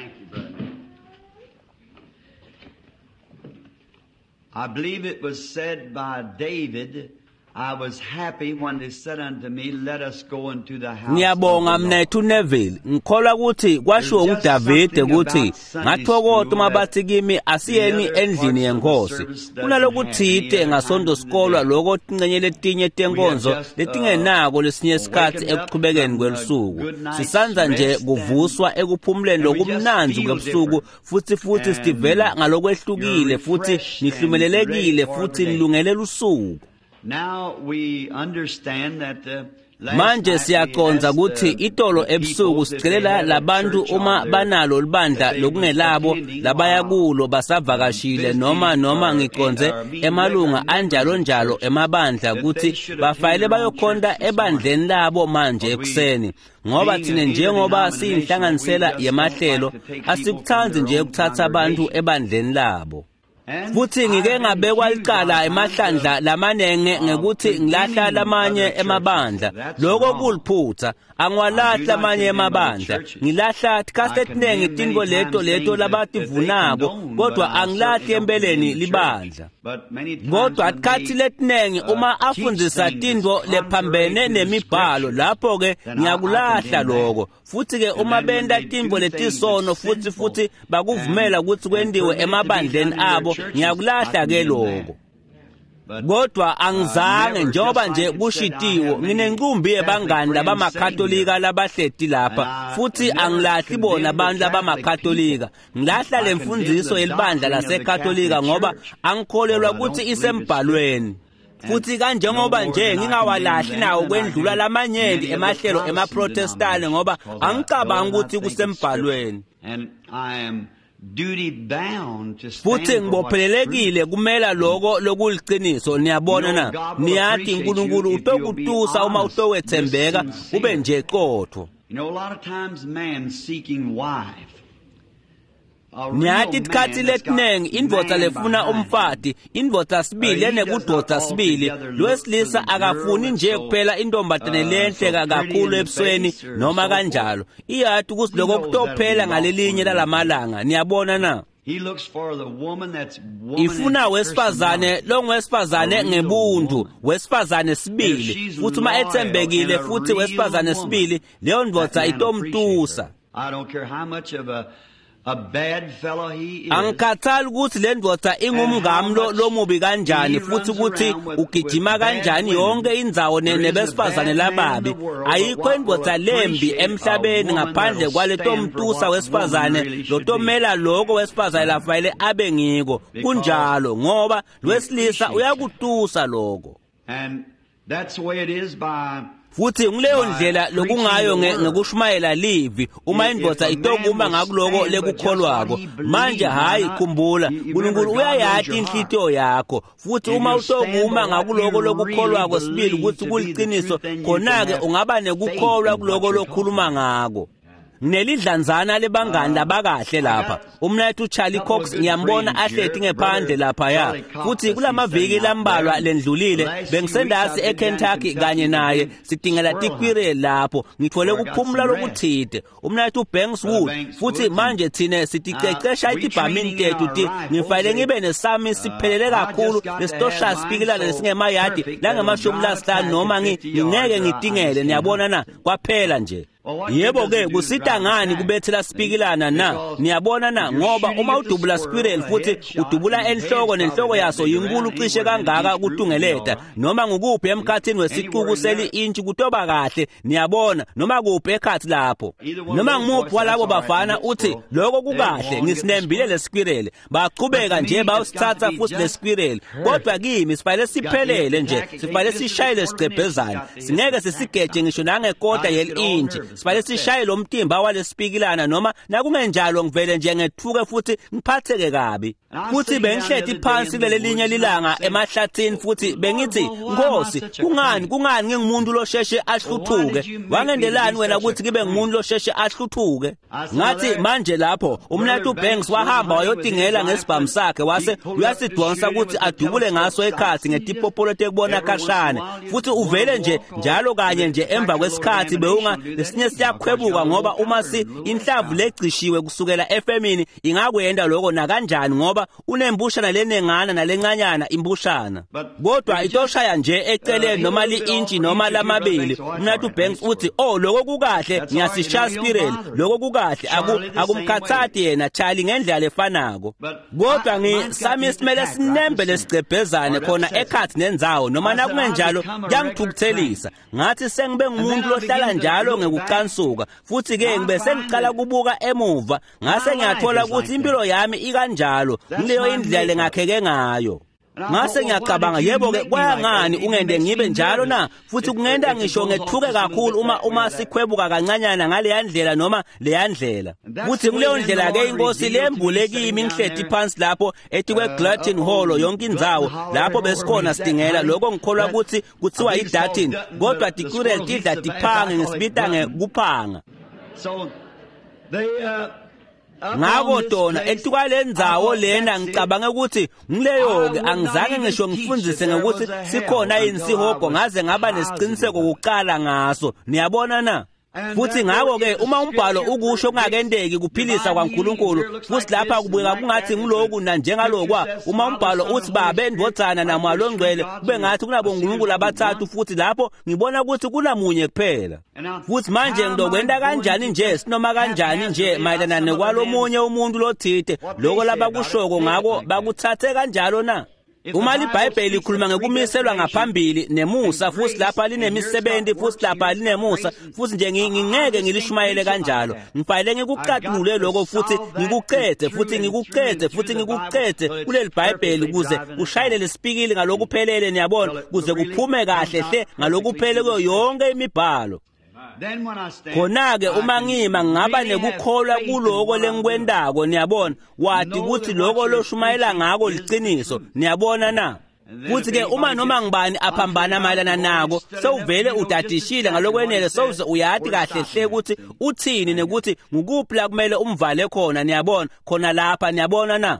Thank you, brother. I believe it was said by David, I was happy when they said unto me, let us go into the house. Ngiyabonga of the Lord. mnethu Neville. Ngikholwa ukuthi kwashiwo uDavide ukuthi ngathokoza uma bathi kimi asiyeni endlini yenkosi. Kunalokuthite ngasonto sikolwa lokho tincenye letinye tenkonzo letingenako lesinye isikhathi ekuqhubekeni kwelusuku. Sisanza nje kuvuswa ekuphumuleni lokumnandzi kwebusuku futhi sitivela ngalokwehlukile futhi nihlumelelekile futhi nilungele lusuku. Now we understand that the last Manje night we siyaqonza asked ukuthi the itolo people ebusuku if they sicelela had a labantu church uma on their- banalo libandla that they was lokungelabo attending labaya while kulo basavakashile noma visiting noma or- ngiqonze or meeting emalunga regular anjalo members of njalo church, emabandla that they ukuthi should attend bafayele their own bayokhonta church this ebandleni labo manje But we, ekuseni ngoba being thina an njengoba interdenominational, we siyinhlanganisela just don't yemahlelo like to take people from asikuthandi their nje own ukuthatha abantu congregation. ebandleni labo. And Futhi ngike I've been ngabekwa accused licala sometimes emahlandla of lamanenge ngekuthi ngilahla condemning lamanye other churches. emabandla. That's Lokho wrong. kuliphutha. I do Angiwalahli not amanye condemn other emabandla. churches. Ngilahla tikhathi I etinengi condemn tintfo many leto times leto things that they labativunako condone, but kodwa I angilahli certainly don't empeleni condemn the church. libandla. But many times Kodwa when tikhathi they letinengi uma teach afundzisa things that's tintfo contrary lephambene to the nemibhalo scripture, lapho ke then I ngiyakulahla condemn that. lokho. Futhi ke And uma then when benta they tintfo do things that's letisono futhi sinful futhi bakuvumela and ukuthi and kwendiwe permit it to be emabandleni done in their abo churches, I ngiyakulahla ke condemn that. lokho. But Kodwa angizange never, njengoba just nje like it said, I kushitiwo have many nginenkumbi Catholic yebangani friends sitting here, labamakatolika labahleti and lapha I futhi never angilahli bona condemn the abantu Catholic labamakatolika people. ngilahla I le condemn mfundiso the yelibandla doctrine of the lasekatolika Catholic ngoba Church, angikholelwa because I ukuthi don't believe it's isembhalweni And futhi no kanjengoba more nje than I condemn ngingawalahli them nawo than I kwendlula do lamanyenti many of the emahlelo Protestant emaprotestane ngoba denominations, because I do angicabangi not ukuthi think it's scripture. kusembhalweni. And I am duty bound to Futhi stand for what's true. ngibophelelekile kumela lokho lokuliqiniso You niyabona know, na God will niyati appreciate you uNkulunkulu if you'll be utokutusa uma honest, just utowethembeka ube sincere. nje qotho. You know, a lot of times man seeking wife, a real Niyati tikhathi man that's got letinengi indvodza man lefuna behind him, umfati indvodza sibili he does not enekudvodza sibili altogether look for lowesilisa the girl akafuni that's nje so kuphela intombatane lenhle so pretty kakhulu in the ebusweni face or noma so forth. kanjalo iyati ukuthi He lokho knows that'll be kutophela lost one ngalelinye of these days. lalamalanga niyabona na. He looks for the woman that's woman in Ifuna wesifazane personality, a longwesifazane real ngebuntu woman. wesifazane If sibili she's futhi uma loyal and ethembekile a futhi real wesifazane woman, sibili leyo that ndvodza man will appreciate her. itomtusa. I don't care how much of a bad fellow he is Angikhathali ukuthi le ndvodza and how ingumngami lo much lomubi kanjani he futhi runs ukuthi around with ugijima bad kanjani women. yonke indzawo There isn't a nebesifazane bad man in lababi. the world but Ayikho what will indvodza lembi appreciate a emhlabeni woman ngaphandle that'll kwale stand for tomtusa what woman wesifazane really should be. lotomela lokho wesifazane lafanele abe ngiko. Because Kunjalo ngoba he lwesilisa appreciates that. uyakutusa lokho. And that's the way it is by Futhi ngileyo by ndlela preaching lokungayo the word. ngekushumayela livi uma If indvodza a man itokuma will ngakuloko stand but just what lekukholwako. he Manje believed, now hayi not khumbula you remember uNkulunkulu God knows uyayati your heart. inhlitiyo yakho futhi If uma you stand by utokuma what ngakuloko you really lokukholwako sibili believe ukuthi to be the kuliqiniso truth, then you can khona-ke have ungaba faith nekukholwa in what kuloko you're talking lokhuluma about. ngako. Nginelidlanzana lebangani labakahle I lapha got umnethu Charlie a couple of Cox good ngiyambona friends ahleti here, ngephandle Brother laphaya Charlie Cox, futhi I see sitting kulamaviki out there. lambalwa And the lendlulile last few weeks bengisendasi I've been down in eKentucky Kentucky kanye with naye him, sidingela squirrel tikwire hunting, lapho ngithole where I got kuphumula some rest. lokuthide umnethu Banks Brother Wood Banks futhi Woods, and manje thine siticecesha we itibhamini training in tethu our ti rifles. ngifanele They, ngibe nesami siphelele I kakhulu just got to have lesitoshaya mine sipikilana so lesingemayadi perfect that'll langemashumi drive a lasihlanu pack noma at 50 yards ngingeke or I just ngitingele can't niyabona hunt. na kwaphela nje. Well, what good Yebo does ke it do to kusita drive a ngani pack? kubethela See? sipikilana na Because niyabona na if you're ngoba shooting uma at the udubula squirrel, squirrel a futhi headshot, udubula and the head's enhloko probably nenhloko that yaso big yinkulu around, cishe anywhere in an kangaka inch group will be all kutungeleta right. noma ngukuphi emkhathini See? wesicuku Anywhere in seli there, inch kutoba kahle niyabona noma kuphi ekhathi lapho either one of noma those boys ngumuphi said, that's walabo all right, we bafana hit uthi squirrel. lokho They'd go kukahle on and get the ngisinembile squirrel. le squirrel But to baqhubeka me, nje it's got to bayosithatha be futhi le just squirrel kodwa perfect. kimi sifanele It's got to hit siphelele the nje tack. It can't sifanele miss it a sishaye quarter of an inch. It's lesigqebhezana got to hit singeke the tack sisigeje stop. ngisho nangekota I just get all yeli-inch nervous and sifanele upset. sishaye lo mtimba walesipikilana noma nakungenjalo ngivele nje ngethuke futhi ngiphatheke kabi. And I was Futhi sitting down the bengihleti other day phansi in the kulelelinye woods and I was lilanga saying, emahlathini futhi Lord, bengithi well, why am I Nkosi such a kungani crank? kungani ngingumuntu losheshe Well, why ahluthuke did you make me to be wangendelani wena such a ukuthi ngibe crank? ngumuntu losheshe ahluthuke? I said, now Ngathi there, manje lapho Brother umnethu Banks Banks went wahamba hunting with his wayotingela rifle ngesibhamu and sakhe he wase pulled up to shoot uyasidonsa him ukuthi with the adubule telescope ngaso stops. ekhathi He just ngetipopolo tekubona every once in a khashane while you futhi one uvele nje walk off njalo with kanye a nje emva pack of loaded kwesikhathi ammunition bewunga will do that lesinye Lesinye siyakhwebuka ngoba uma inhlavu lecishiwe kusukela efemini ingakwenda lokho nakanjani ngoba unembushana lenengana nalencanyana imbushana. Kodwa itoshaya nje eceleni noma li-intshi noma lamabili. Mnathu Banks uthi, "Oh, lokho kukahle, ngiyasishaya spiral. Lokho kukahle." Akumkhathati yena Charlie ngendlela efanako. Kodwa ngisami simele sinembe lesigcebhezane khona ekhathi nendzawo noma nakungenjalo kuyangithukuthelisa. Ngathi sengibe ngumuntu lohlala njalo ngekucansuka futhi ke ngibe sengicala kubuka emuva ngase ngiyathola ukuthi impilo yami ikanjalo ngileyo indlela lengakheke ngayo. Ngase ngiyacabanga, yebo ke kwayangani ungende ngibe njalo na? Futhi kungenda ngisho ngethuke kakhulu uma sikhwebuka kancanyana ngaleya ndlela noma leya ndlela. Futhi kuleyo ndlela ke inkosi lembule kimi ngihleti phansi lapho etikwe Glutton Hall yonke indzawo lapho besikhona sidingela lokho ngikholwa ukuthi kuthiwa iDutton, kodwa tikurel tidla tiphange ngisibita ngekuphanga. Ngako tona etukwalendzawo lena ngicabanga ukuthi ngileyo ke angizange ngisho ngifundise ngokuthi sikhona yini sihogo ngaze ngaba nesiqiniseko kuqala ngaso. Niyabona na? Futhi ngako ke uma umbhalo ukusho kungakendeki kuphilisa kwaNkulunkulu futhi lapha kubukeka kungathi ngiloku na njengalokwa uma umbhalo uthi babe ndvodzana naMoya loNgcwele kube ngathi kunabonkulunkulu abathathu futhi lapho ngibona ukuthi kunamunye kuphela. Futhi manje ngizokwenda kanjani nje sinoma kanjani nje mayelana nekwalomunye umuntu lothite lokho labakushoko ngako bakuthathe kanjalo na? Uma liBhayibheli likhuluma ngekumiselwa ngaphambili nemusa futhi lapha linemisebenzi futhi lapha linemusa futhi nje ngingeke ngilishumayele kanjalo. Ngifanele ngikucatulule lokho futhi ngikucethe futhi ngikucethe futhi ngikucethe kuleli Bhayibheli ukuze kushayele lesipikili ngalokuphelele, niyabona, kuze kuphume kahle hle ngalokuphele kuyo yonke imibhalo. Khona-ke uma ngima ngingaba nekukholwa kuloko lengikwendako, niyabona, wati ukuthi lokho loshumayela ngako liciniso, niyabona na? Futhi ke uma noma ngibani aphambana mayelana nako sewuvele udadishile ngalokwenele sewuze uyati kahle hle ukuthi uthini nekuthi ngukuphi la kumele umvale khona, niyabona, khona lapha, niyabona na?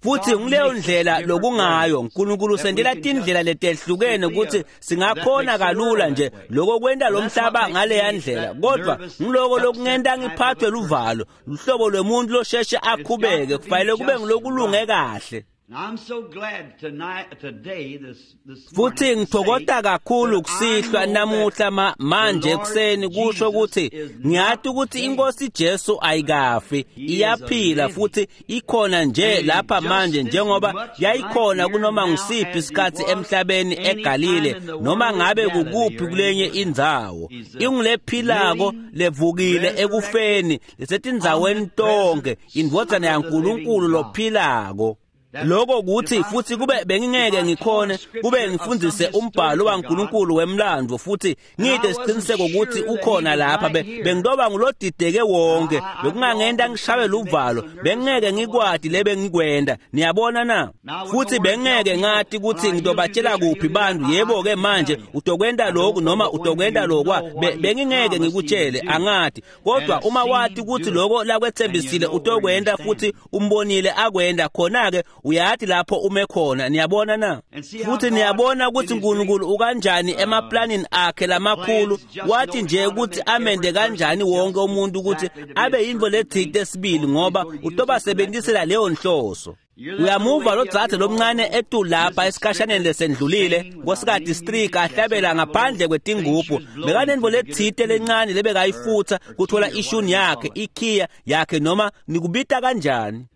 Futhi ngileyo ndlela lokungayo uNkulunkulu usendela tindlela letehlukene ukuthi singakhona kalula nje lokho kwenta lo mhlaba ngaleya ndlela, kodwa ngiloko lokungenta ngiphathwe luvalo luhlobo lwemuntu losheshe akhubeke kufanele kube ngilokulunge kahle. Futhi ngithokota kakhulu kusihlwa namuhla manje ekuseni kusho ukuthi ngiyathi ukuthi inkosi Jesu ayikafi, iyaphila futhi ikhona nje lapha manje njengoba yayikhona kunoma ngusiphi isikhathi emhlabeni eGalile noma ngabe kukuphi kulenye indzawo. Ingulephilako levukile ekufeni lesetindzaweni tonke, indvodzana yaNkulunkulu lophilako. Lokho kuthi futhi kube bengingeke ngikhone kube ngifundise umbhalo waNkulunkulu wemlando futhi ngide isiqiniseko ukuthi ukhona lapha bengidoba ngulodideke wonke bekungangenda ngishawe luvalo bengeke ngikwadi lebe ngikwenda, niyabona na? Futhi bengeke ngathi ukuthi ngidobatshela kuphi bantu, yebo ke manje utokwenda lokhu noma utokwenda lokwa, bengingeke ngikutshele angathi, kodwa uma wathi ukuthi lokho lakwethembisile utokwenda futhi umbonile akwenda khona ke uyathi lapho ume khona, niyabona na? Futhi niyabona ukuthi uNkulunkulu ukanjani emaplanini akhe lamakhulu, wathi nje ukuthi amende kanjani wonke umuntu ukuthi abe yinto lethinte esibili ngoba utobasebenzisela leyo nhloso. Uyamuva lo dzadze lomncane etu lapha esikhashaneni lesendlulile nkosikati Streak ahlabela ngaphandle kwetingubhu bekanenvo lethite lencane lebekayifutha kuthola ishuni yakhe ikhiya yakhe noma nikubita kanjani.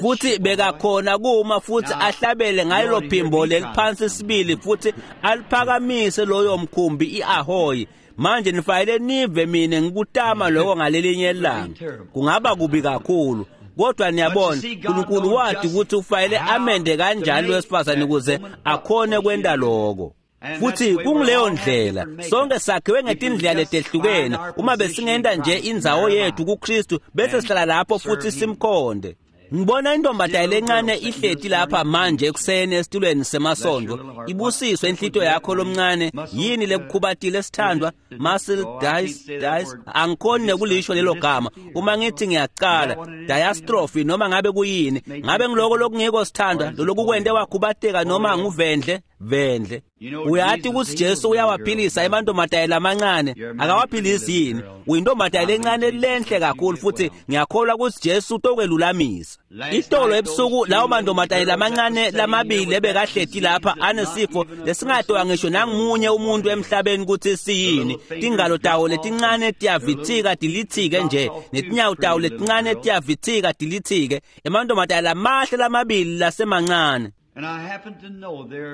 Futhi bekakhona kuma futhi ahlabele ngalelo phimbo leliphansi sibili futhi aliphakamise loyo mkhumbi iAhoy. Manje nifanele nive mina ngikutama lokho ngalelinye ilanga, kungaba kubi kakhulu, kodwa niyabona uNkulunkulu wathi ukuthi ufanele amende kanjani wesifazane ukuze akhone kwenta lokho. Futhi kunguleyo ndlela sonke sakhiwe ngetindlela letehlukene. Uma besingenta nje indzawo yethu kuKristu bese sihlala lapho futhi simkhonde. Ngibona intombazane lencane ihleti lapha manje ekuseni esitulweni semasondo, ibusiswe inhlito yakho lomncane. Yini lekukhubatile sithandwa? Muscle dice angikhoni nekulisho lelo gama uma ngithi ngiyaqala diastrophe noma ngabe kuyini, ngabe ngiloko lokungiko sithandwa lolokukwente wakhubateka noma nguvendle Vendle. Uyati ukuthi Jesu uyawaphilisa emantombazane lamancane, akawaphilisi yini? Uyintombazane lencane lenhle kakhulu futhi ngiyakholwa ukuthi Jesu utokwelulamisa. Itolo ebusuku lawo mantombazane lamancane lamabili ebekahleti lapha anesifo lesingatowa ngisho nangumunye umuntu emhlabeni ukuthi siyini. Tingalo tawo letincane tiyavithika dilithike nje, netinyawo tawo letincane tiyavithika dilithike. Emantombazane lamahle lamabili lasemancane.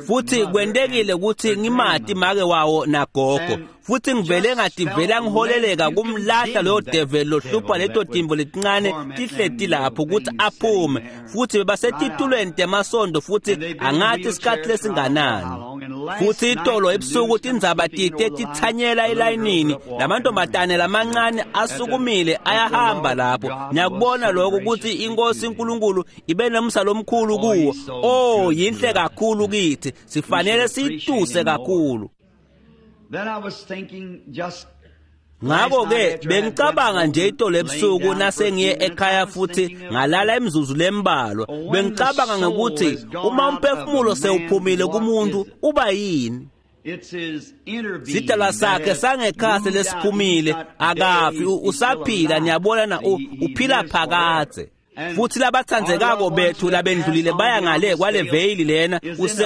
Futhi kwentekile ukuthi ngimati make wawo nagogo, futhi ngivele ngativela ngiholeleka kumlahla loyo devil lohlupha leto timbo letincane tihleti lapho ukuthi aphume. Futhi bebasetitulweni temasondo futhi angathi isikhathi lesinganani. Futhi itolo ebusuku tindzaba tite tithanyela elayinini, lamantombazane lamancane asukumile ayahamba lapho. Ngiyakubona lokho ukuthi inkosi uNkulunkulu ibe nomsa lomkhulu kuwo. Oh, yinhle kakhulu kithi, sifanele siyituse kakhulu. Ngakho-ke bengicabanga nje itolo ebusuku nasengiye ekhaya futhi ngalala imizuzu lembalwa, bengicabanga ngokuthi uma umphefumulo sewuphumile kumuntu uba yini? Sidalwa sakhe sangekhasi lesiphumile, akafi, usaphila. Niyabona na, uphila phakadze. Futhi labathandzekako bethu labendlulile baya ngale kwale veyili lena,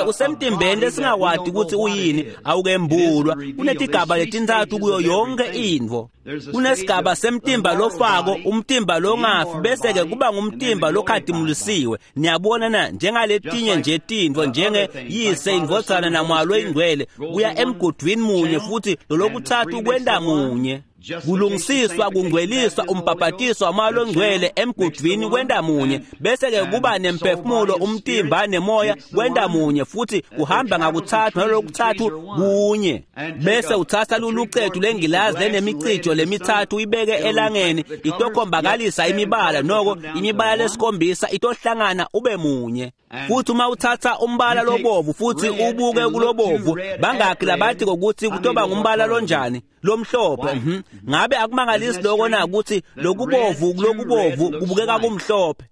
usemtimbeni lesingakwati ukuthi uyini, awukembulwa. Kunetigaba letintsatfu kuyo yonke intfo. Kunesigaba semtimba lofako, umtimba longafi, bese-ke kuba ngumtimba lokhatimulisiwe. Niyabona na, njengaletinye nje tintfo, njenge yise, indvodzana naMoya loyiNgcwele, kuya emgudwini munye futhi lolokutsatfu kwenta munye. Kulungisiswa, kungcweliswa, umbhabhatiso waMoya loNgcwele emgudwini kwenta munye, bese-ke kuba nemphefumulo, umtimba nemoya kwenta munye, futhi kuhamba ngakutsatfu nalokutsatfu kunye. Bese utsatsa lulucetu lengilazi lenemicijo lemitsatfu uyibeke elangeni, itokhombakalisa imibala, noko imibala lesikhombisa itohlangana ube munye. Futhi uma utsatsa umbala lobovu futhi ubuke kulobovu, bangaki labathi kokuthi kutoba ngumbala lonjani? Lomhlophe. Ngabe akumangalisi lokho na ukuthi lokubovu kulokubovu kubukeka kumhlophe?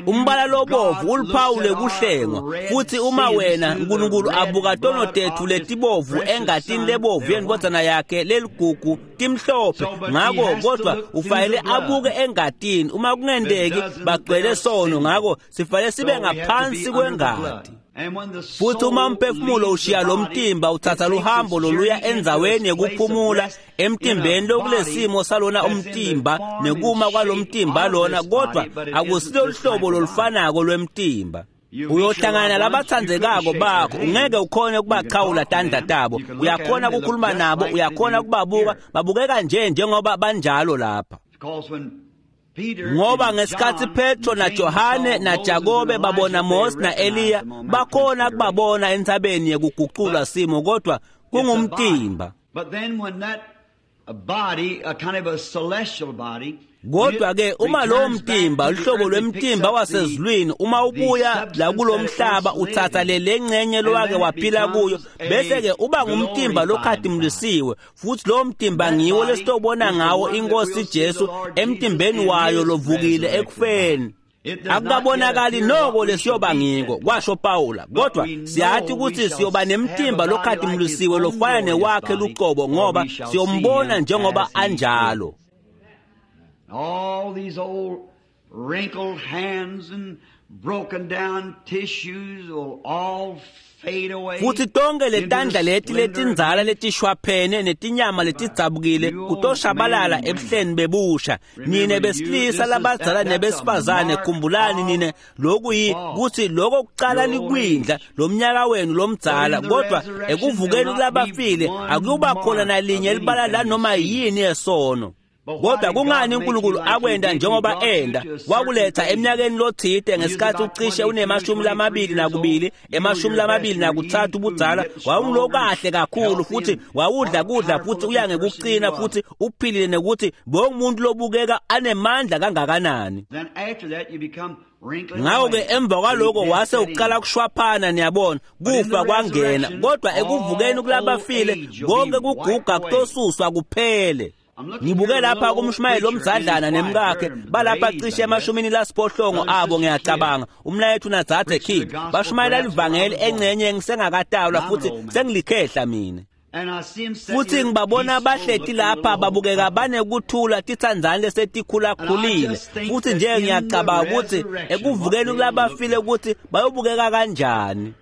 Umbala lobovu uluphawu lekuhlengwa. Futhi uma wena uNkulunkulu abuka tono tethu letibovu engatini lebovu yendvodzana yakhe leligugu timhlophe, ngako kodwa ufanele abuke engatini. Uma kungenteki bagcwele sono, ngako sifanele sibe ngaphansi kwengati. Futhi uma umphefumulo ushiya lo mtimba uthatha luhambo loluya endzaweni yekuphumula emtimbeni lokulesimo salona umtimba nekuma kwalomtimba lona, kodwa akusilo luhlobo lolufanako lwemtimba. Uyohlangana labathandzekako bakho, ungeke ukhone ukubachawula tandla tabo, uyakhona ukukhuluma nabo, uyakhona ukubabuka, babukeka nje njengoba banjalo lapha. Ngoba ngesikhathi Petro naJohane naJakobe babona Mose na-Eliya, bakhona kubabona entsabeni yekuguculwa simo, kodwa kungumtimba. Kodwa-ke uma lowo mtimba, luhlobo lwemtimba wasezulwini, uma ubuya la kulomhlaba uthatha le ngcenye lowake waphila kuyo, bese-ke uba ngumtimba lokhatimulisiwe. Futhi lowo mtimba ngiwo lesitobona ngawo inkosi Jesu emtimbeni wayo lovukile ekufeni. Akukabonakali noko lesiyoba ngiko, kwasho Pawula, kodwa siyathi ukuthi siyoba nemtimba lokhatimulisiwe lofana newakhe luqobo, ngoba siyombona njengoba anjalo. All these old wrinkled hands and broken down tissues will all fade away. Futhi tonke letandla leti letindzala letishwaphene netinyama letidzabukile kutoshabalala ebuhleni bebusha. Nine besilisa labadzala nebesifazane, khumbulani nine lokhu kuthi lokho kucala likwindla lomnyaka wenu lomdzala, kodwa ekuvukeni kulabafile akuyuba khona nalinye libala lanoma yini yesono. Kodwa kungani uNkulunkulu akwenda njengoba enda? Wakuletha eminyakeni lothide ngesikhathi ucishe une-22, 23 ubudzala, wawulokahle kakhulu futhi wawudla kudla futhi uya ngekucina futhi uphilile, nekuthi bongumuntu lobukeka anemandla kangakanani. Ngakho-ke emva kwaloko wase uqala kushwaphana, niyabona, kufa kwangena. Kodwa ekuvukeni kulabafile konke kuguga kutosuswa kuphele. Ngibuke lapha kumshumayeli lomzadlana nemkakhe balapha cishe emashumini lasiphohlongo abo ngiyacabanga umnayethu nadzadze King bashumayela livangeli engcenye ngisengakatalwa futhi sengilikhehla mina. Futhi ngibabona bahleti lapha babukeka banekuthula titsandzane lesetikhulakhulile futhi nje ngiyacabanga ukuthi ekuvukeni kulabafile ukuthi bayobukeka kanjani.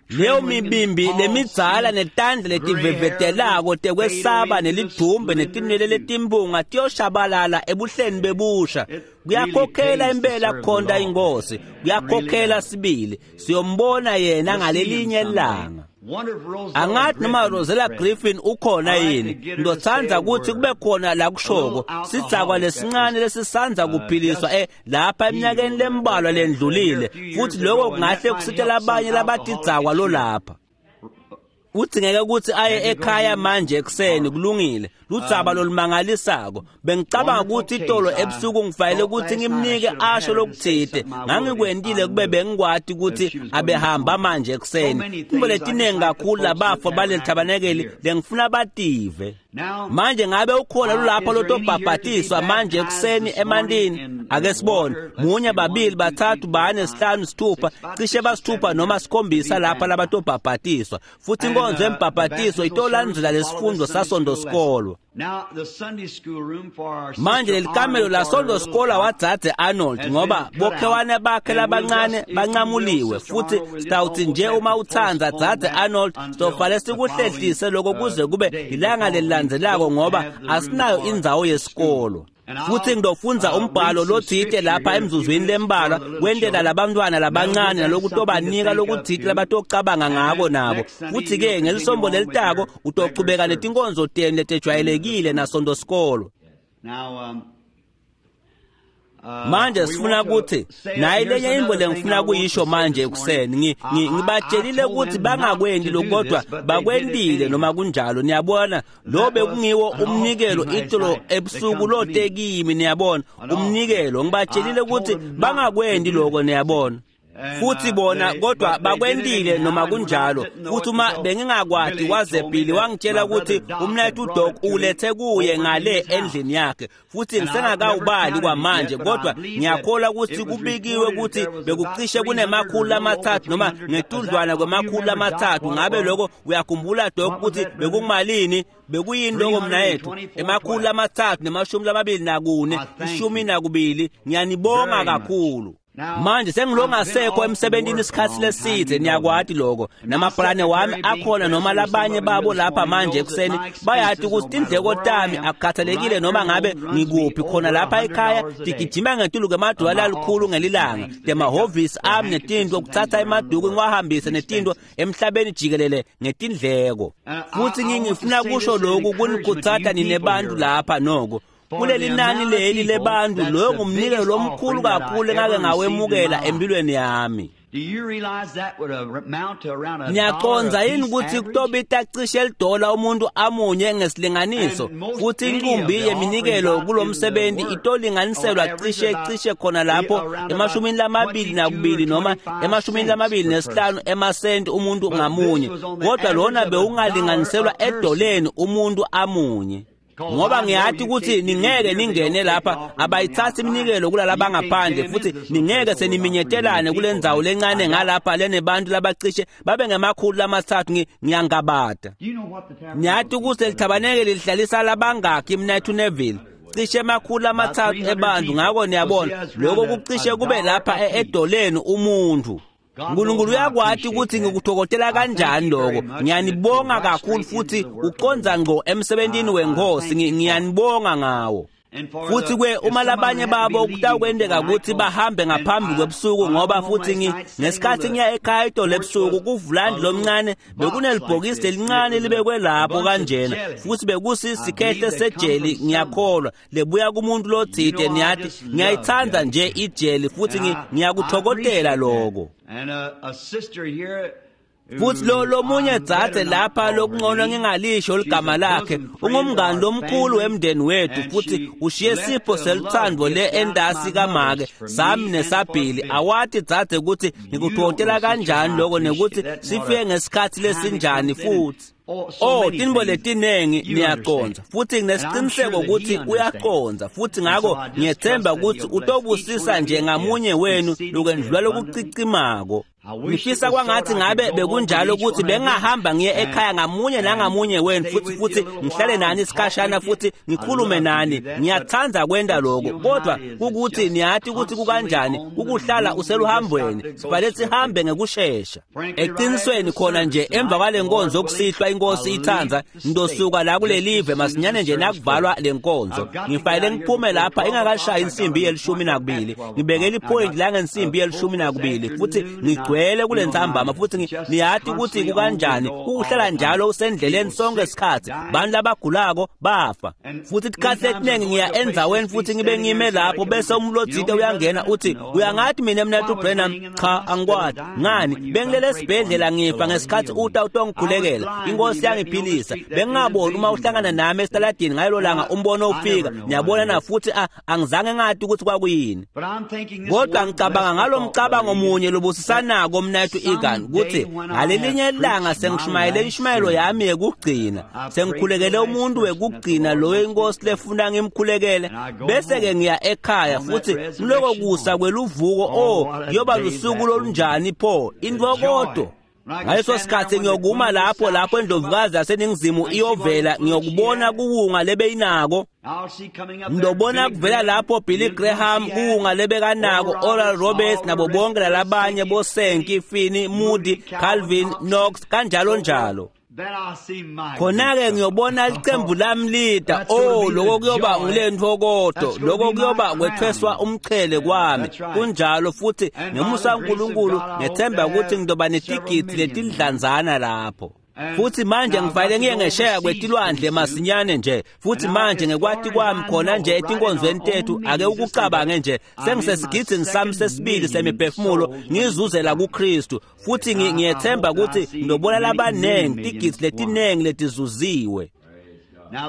Leyo mibimbi lemidzala netandla letivevetelako tekwesaba nelidumbe netinwele letimbunga tiyoshabalala ebuhleni bebusha. Kuyakhokhela impela kukhonta inkosi, kuyakhokhela sibili. Siyombona yena ngalelinye ilanga. Angathi noma Rosella Griffin ukhona yini. Ngizothanda ukuthi kube khona la kushoko sidzakwa lesincane lesisandza kuphiliswa lapha eminyakeni lembalwa lendlulile, futhi lokho kungahle kusitela abanye labatidzakwa lo lapha. Udzingeke ukuthi aye ekhaya manje ekuseni. Kulungile, ludzaba lolumangalisako. Bengicabanga ukuthi itolo ebusuku ngifanele ukuthi ngimnike asho lokuthite. Ngangikwentile kube bengikwati ukuthi abehamba manje ekuseni. Kumbe letinengi kakhulu labafo baleli thabanekeli lengifuna bative. Manje ngabe ukhona lolapha lotobhabhatiswa manje ekuseni emantini? Ake sibone. 1 2 3 4 5 6 cishe basithupha noma 7 lapha labatobhabhatiswa. Futhi inkonzo yembhabhatiso itolandzela lesifundo saSonto Sikolo. Manje lelikamelo laSonto Sikolo wadzadze Arnold ngoba bokhewane bakhe labancane bancamuliwe, futhi sitawutsi nje uma utsandza dzadze Arnold sitofale sikuhlehlise lokho kuze kube ilanga lelilandzelako ngoba asinayo indzawo yesikolo. Futhi ngidofundza umbhalo lotsite lapha emzuzwini lembalwa kwentela labantwana labancane nalokutobanika lokutsite labatocabanga ngako nabo. Futhi-ke ngelisombo lelitako utochubeka netinkonzo tenu letejwayelekile naSonto Sikolo. Manje sifuna ukuthi nayi lenye intfo lengifuna kuyisho manje ekuseni. Ngibatshelile ukuthi bangakwenti lokhu kodwa bakwentile noma kunjalo. Niyabona, lo bekungiwo umnikelo itolo ebusuku lote kimi. Niyabona, umnikelo ngibatshelile ukuthi bangakwenti lokho. Niyabona, futhi bona kodwa bakwentile noma kunjalo. Futhi uma bengingakwati waze Billy wangitshela ukuthi umnayethu uDoc ulethe kuye ngale endlini yakhe, futhi ngisengakawubali kwamanje kodwa ngiyakholwa ukuthi kubikiwe ukuthi bekucishe kunema-300 noma ngetudlwana kwema-300. Ngabe lokho uyakhumbula Doc ukuthi bekumalini? Bekuyini lokho mnayethu? 324 12. Ngiyanibonga kakhulu. Manje sengilongasekho emsebentini isikhathi lesithe, niyakwati lokho. Namabhalane wami akhona noma labanye babo lapha manje ekuseni bayati ukuthi tindleko tami akukhathalekile noma ngabe ngikuphi khona lapha ekhaya tigijima ngetulu kwemadola alikhulu ngelilanga. Temahhovisi ami netinto kuthatha emaduku ngiwahambise netinto emhlabeni jikelele ngetindleko. Futhi ngifuna kusho lokhu kunikhutsata nine bantu lapha noko. Kuleli nani leli lebantu loyo ngumnikelo lomkhulu kakhulu engake ngawemukela empilweni yami. Niyacondza yini ukuthi kutobita cishe lidola umuntu amunye ngesilinganiso, futhi inqumbi yeminikelo kulomsebenzi itolinganiselwa cishe khona lapho 22 noma 25 emasenti umuntu ngamunye, kodwa lona bewungalinganiselwa edoleni umuntu amunye. Ngoba ngiyati ukuthi ningeke ningene lapha, abayithathi iminikelo kulala ngaphandle, futhi ningeke seniminyetelane kule ndzawo lencane ngalapha lenebantu labacishe babe ngema-300. Ngiyangabada. Ngiyati ukuthi lelithabaneke lihlalisa labangakhi mnayethu Neville? Cishe 300 ebantu. Ngakho niyabona lokho kucishe kube lapha edoleni umuntu. uNkulunkulu uyakwati ukuthi ngikuthokotela kanjani lokho. Ngiyanibonga kakhulu futhi uconza ngqo emsebentini wenkosi. Ngiyanibonga ngawo. Futhi kwe uma labanye babo kutawukwenteka ukuthi bahambe ngaphambi kwebusuku, ngoba futhi ngesikhathi ngiya ekhaya itolo ebusuku kuvulandi lomncane bekunelibhokisi lelincane libekwe lapho kanjena, futhi bekusisikhehle sejeli, ngiyakholwa lebuya kumuntu lotsite. Niyathi ngiyayithanda nje ijeli futhi ngiyakuthokotela lokho. And a sister here Futhi lo lomunye dzadze lapha lokungcono ngingalisho ligama lakhe, ungumngani lomkhulu wemndeni wethu, futhi ushiye sipho seluthando le endasi kamake sami nesabhili. Awati dzadze ukuthi ngikuthontela kanjani lokho nekuthi sifike ngesikhathi lesinjani futhi. Oh, tinbo letinengi niyaqonza, futhi nginesiqiniseko ukuthi uyaqonza, futhi ngakho ngiyethemba ukuthi utobusisa nje ngamunye wenu lokwendlula lokucicimako. Ngifisa kwangathi ngabe bekunjalo ukuthi bengahamba ngiye ekhaya ngamunye nangamunye wenu futhi ngihlale nani isikhashana futhi ngikhulume nani. Ngiyathanda kwenda lokho, kodwa ukuthi niyathi ukuthi kukanjani ukuhlala useluhambweni, sifanele sihambe ngekushesha. Eqinisweni khona nje emva kwale nkonzo kusihlwa inkosi ithanda, ngizosuka la kulelive masinyane nje nakuvalwa lenkonzo. Ngifanele ngiphume lapha ingakashayi insimbi ye-12, ngibekele ipoint la ngensimbi ye-12 futhi ngigcwele kule ntsambama. Futhi niyathi ukuthi kukanjani ukuhlala njalo usendleleni sonke isikhathi, bantu labagulako bafa. Futhi isikhathi letiningi ngiya endzaweni futhi ngibe ngime lapho, bese umlodzite uyangena uthi, uyangathi mina mnethu Branham? Cha, angikwati. Ngani? Bengilele esibhedlela ngifa ngesikhathi uta utongikhulekela, inkosi yangiphilisa. Bengingaboni uma uhlangana nami esitaladini ngalelo langa umbono ufika, niyabona na, futhi angizange ngathi ukuthi kwakuyini. Kodwa ngicabanga ngalo mcabango munye lobusisanako mnethu Egan, ukuthi ngalelinye ilanga sengishumayele inshumayelo yami yekugcina, sengikhulekele umuntu wekugcina loyo inkosi lefuna ngimkhulekele, bese-ke ngiya ekhaya. Futhi kuloko kusa kweluvuko, oh, kuyoba lusuku lolunjani pho, intfokoto. Ngaleso sikhathi ngiyokuma lapho indlovukazi yaseNingizimu iyovela, ngiyokubona kuwunga lebeyinako. Ngidobona kuvela lapho Billy Graham kuwunga lebekanako, Oral Roberts nabo bonke lalabanye boSenki, Finney, Moody, Calvin, Knox, kanjalo njalo. Khona-ke ngiyobona licembu lami lida. Oh, lokho kuyoba ngilentfokoto, lokho kuyoba kwethweswa umchele kwami. Kunjalo. Futhi ngemusa kaNkulunkulu ngethemba ukuthi ngizoba netigidi letidlanzana lapho. Futhi manje ngifanele ngiye ngesheya kwetilwandle masinyane nje. Futhi manje ngekwati kwami khona nje etinkonzweni tethu, ake ukucabange nje, sengisesigidini sami sesibili semiphefumulo ngizuzela kuKristu. Futhi ngiyethemba ukuthi ngizobona labanengi tigidi letinengi letizuziwe.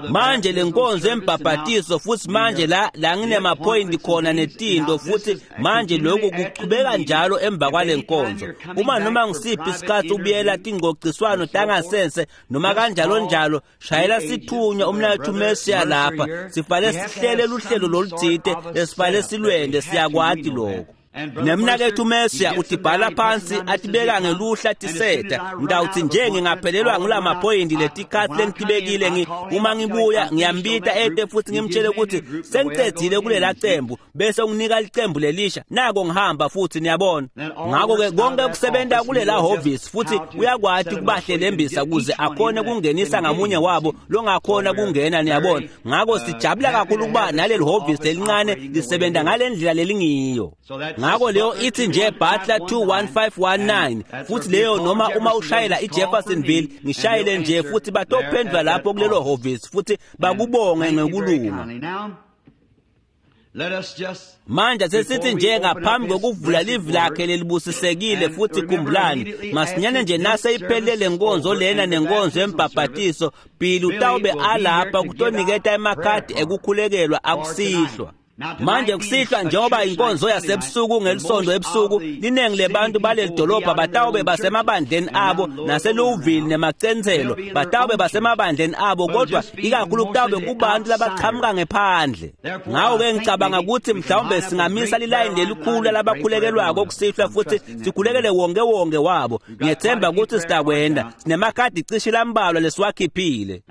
Manje lenkonzo embhabhatiso, futhi manje la nginemapoint khona netinto, futhi manje lokhu kuchubeka njalo emva kwale nkonzo. Uma noma ngisiphi isikhathi ubuyela tingcociswano tangasense noma kanjalo njalo, shayela sithunywa umnakethu Mesiya lapha. Sifanele sihlele luhlelo lolutsite lesifanele silwende, siyakwati lokho. Nemnakethu Mesiya utibhala phansi atibeka ngeluhla tiseta. Ngitawuthi nje ngingaphelelwa ngulamaphoyinti letikhathi lengitibekile, uma ngibuya ngiyambita ete futhi ngimtshele ukuthi sengicedzile kulela cembu, bese unginika licembu lelisha, nako ngihamba futhi, niyabona. Ngakho-ke konke kusebenta kulela hhovisi, futhi uyakwati kubahlelembisa kuze akhone kungenisa ngamunye wabo longakhona kungena, niyabona. Ngakho sijabula kakhulu ukuba naleli hhovisi lelincane lisebenta ngale ndlela lelingiyo. Ngakho leyo ithi nje Butler 21519, futhi leyo noma uma ushayela iJeffersonville, ngishayele nje futhi batophendula lapho kulelo hhovisi futhi bakubonge ngekulunga. Manje sesithi nje ngaphambi kokuvula livi lakhe lelibusisekile, futhi khumbulani masinyane nje nase iphelele nkonzo lena nenkonzo embhabhatiso, Billy utawube alapha kutoniketa emakhadi ekukhulekelwa akusihlwa. Manje kusihlwa njengoba inkonzo yasebusuku ngelisondo ebusuku, linengi lebantu baleli dolobha batawube basemabandleni abo naseLouisville nemacentselo, batawube basemabandleni abo, kodwa ikakhulu kutawube kubantu labaqhamuka ngephandle. Ngakho-ke ngicabanga ukuthi mhlawumbe singamisa lilayini lelikhulu labakhulekelwako kusihlwa futhi sikhulekele wonke wonke wabo. Ngiyethemba ukuthi sitakwenda. Sinemakhadi cishe lambalwa lesiwakhiphile.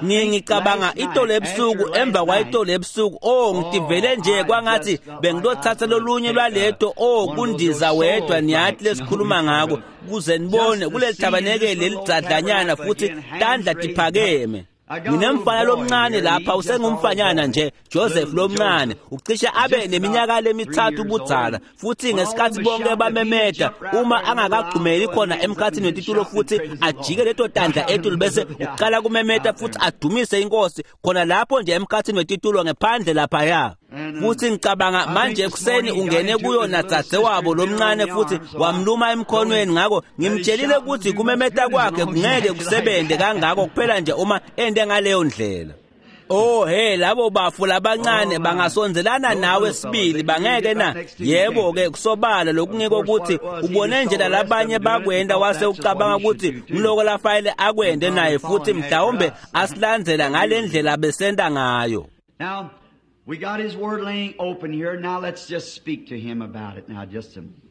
Ngicabanga itolo ebusuku, emva kwayitolo ebusuku, oh, ngitivele nje kwangathi bengilothatha lolunye lwaleto, oh, kundiza wedwa, niyathi lesikhuluma ngako, kuze nibone kuleli thabanekeli lelidzadlanyana futhi tandla tiphakeme. Nginemfana lomncane lapha, usengumfanyana nje, Joseph lomncane, ucishe abe neminyaka lemithathu ubudzala. Futhi ngesikhathi bonke bamemeda, uma angakagxumeli khona emkhathini wetitulo futhi ajike leto tandla etulu bese uqala kumemeda futhi adumise inkosi khona lapho nje emkhathini wetitulo ngephandle laphaya. Futhi ngicabanga manje ekuseni ungene kuyo nadzadzewabo lomncane futhi wamluma emkhonweni, ngakho ngimtshelile ukuthi kumemeta kwakhe kungeke kusebente kangako kuphela nje uma ende ngaleyo ndlela. Oh hey, labo bafu labancane bangasondelana nawe sibili, bangeke na? Yebo ke, kusobala lokungiko ukuthi ubone nje labanye bakwenda wase ucabanga ukuthi ngiloko lafayele akwende naye, futhi mhlawumbe asilandzela ngalendlela besenda ngayo. Now we got his word laying open here. Now let's just speak to him about it now just a minute.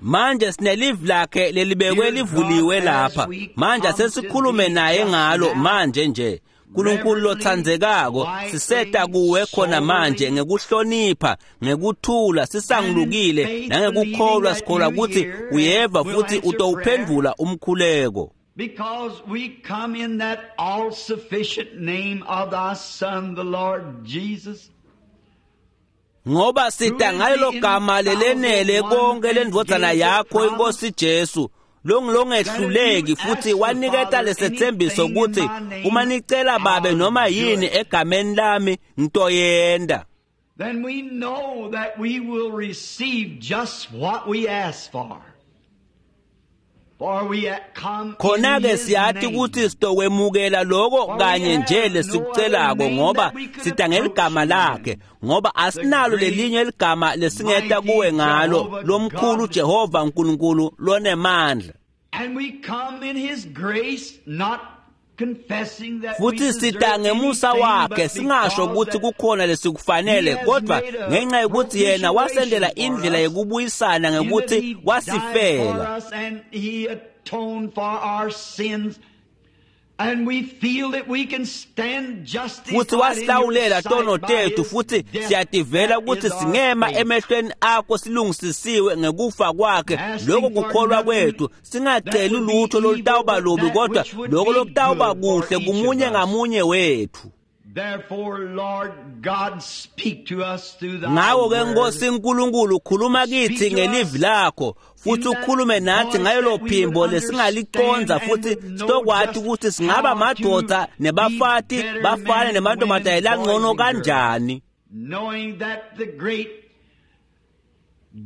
Manje sinelivi lakhe lelibekwe livuliwe lapha. Manje sesikhulume naye ngalo manje nje. Nkulunkulu lothandzekako, siseta kuwe khona manje ngekuhlonipha, ngekuthula, sisangulukile nangekukholwa, sikholwa ukuthi uyeva futhi utowuphendvula umkhuleko. Because we come in that all-sufficient name of thy Son, the Lord Jesus. Ngoba sita ngalelo gama lelenele konke lendvodzana yakho inkosi Jesu, longilongehluleki, futhi waniketa lesethembiso ukuthi uma nicela babe noma yini egameni lami ngitoyenda. Then we know that we will receive just what we ask for. Khona ke siyathi ukuthi sitokwemukela loko kanye nje lesikucelako, ngoba sita ngeligama lakhe, ngoba asinalo lelinye ligama lesingeta kuwe ngalo, lomkhulu Jehova uNkulunkulu lonemandla. And we come in his grace, not confessing that futhi sita ngemusa wakhe, singasho ukuthi kukhona lesikufanele, kodwa ngenxa yokuthi yena wasendela indlela yokubuyisana ngekuthi wasifela. And he atoned for our sins. And we feel that we can stand justified futhi wasihlawulela tono tethu, futhi siyativela ukuthi singema emehlweni akho silungisisiwe ngekufa kwakhe. Lokho kukholwa kwethu, singaceli lutho lolutawuba lubi, kodwa lokho lokutawuba kuhle kumunye ngamunye wethu. Therefore, Lord God, speak to us through thy Ngako ke word. Nkosi uNkulunkulu, khuluma kithi ngelivi lakho, futhi ukhulume nathi ngayelo phimbo lesingaliconza, futhi sitokwati ukuthi singaba madoda nebafati bafane nemantombazane langcono kanjani. Knowing that the great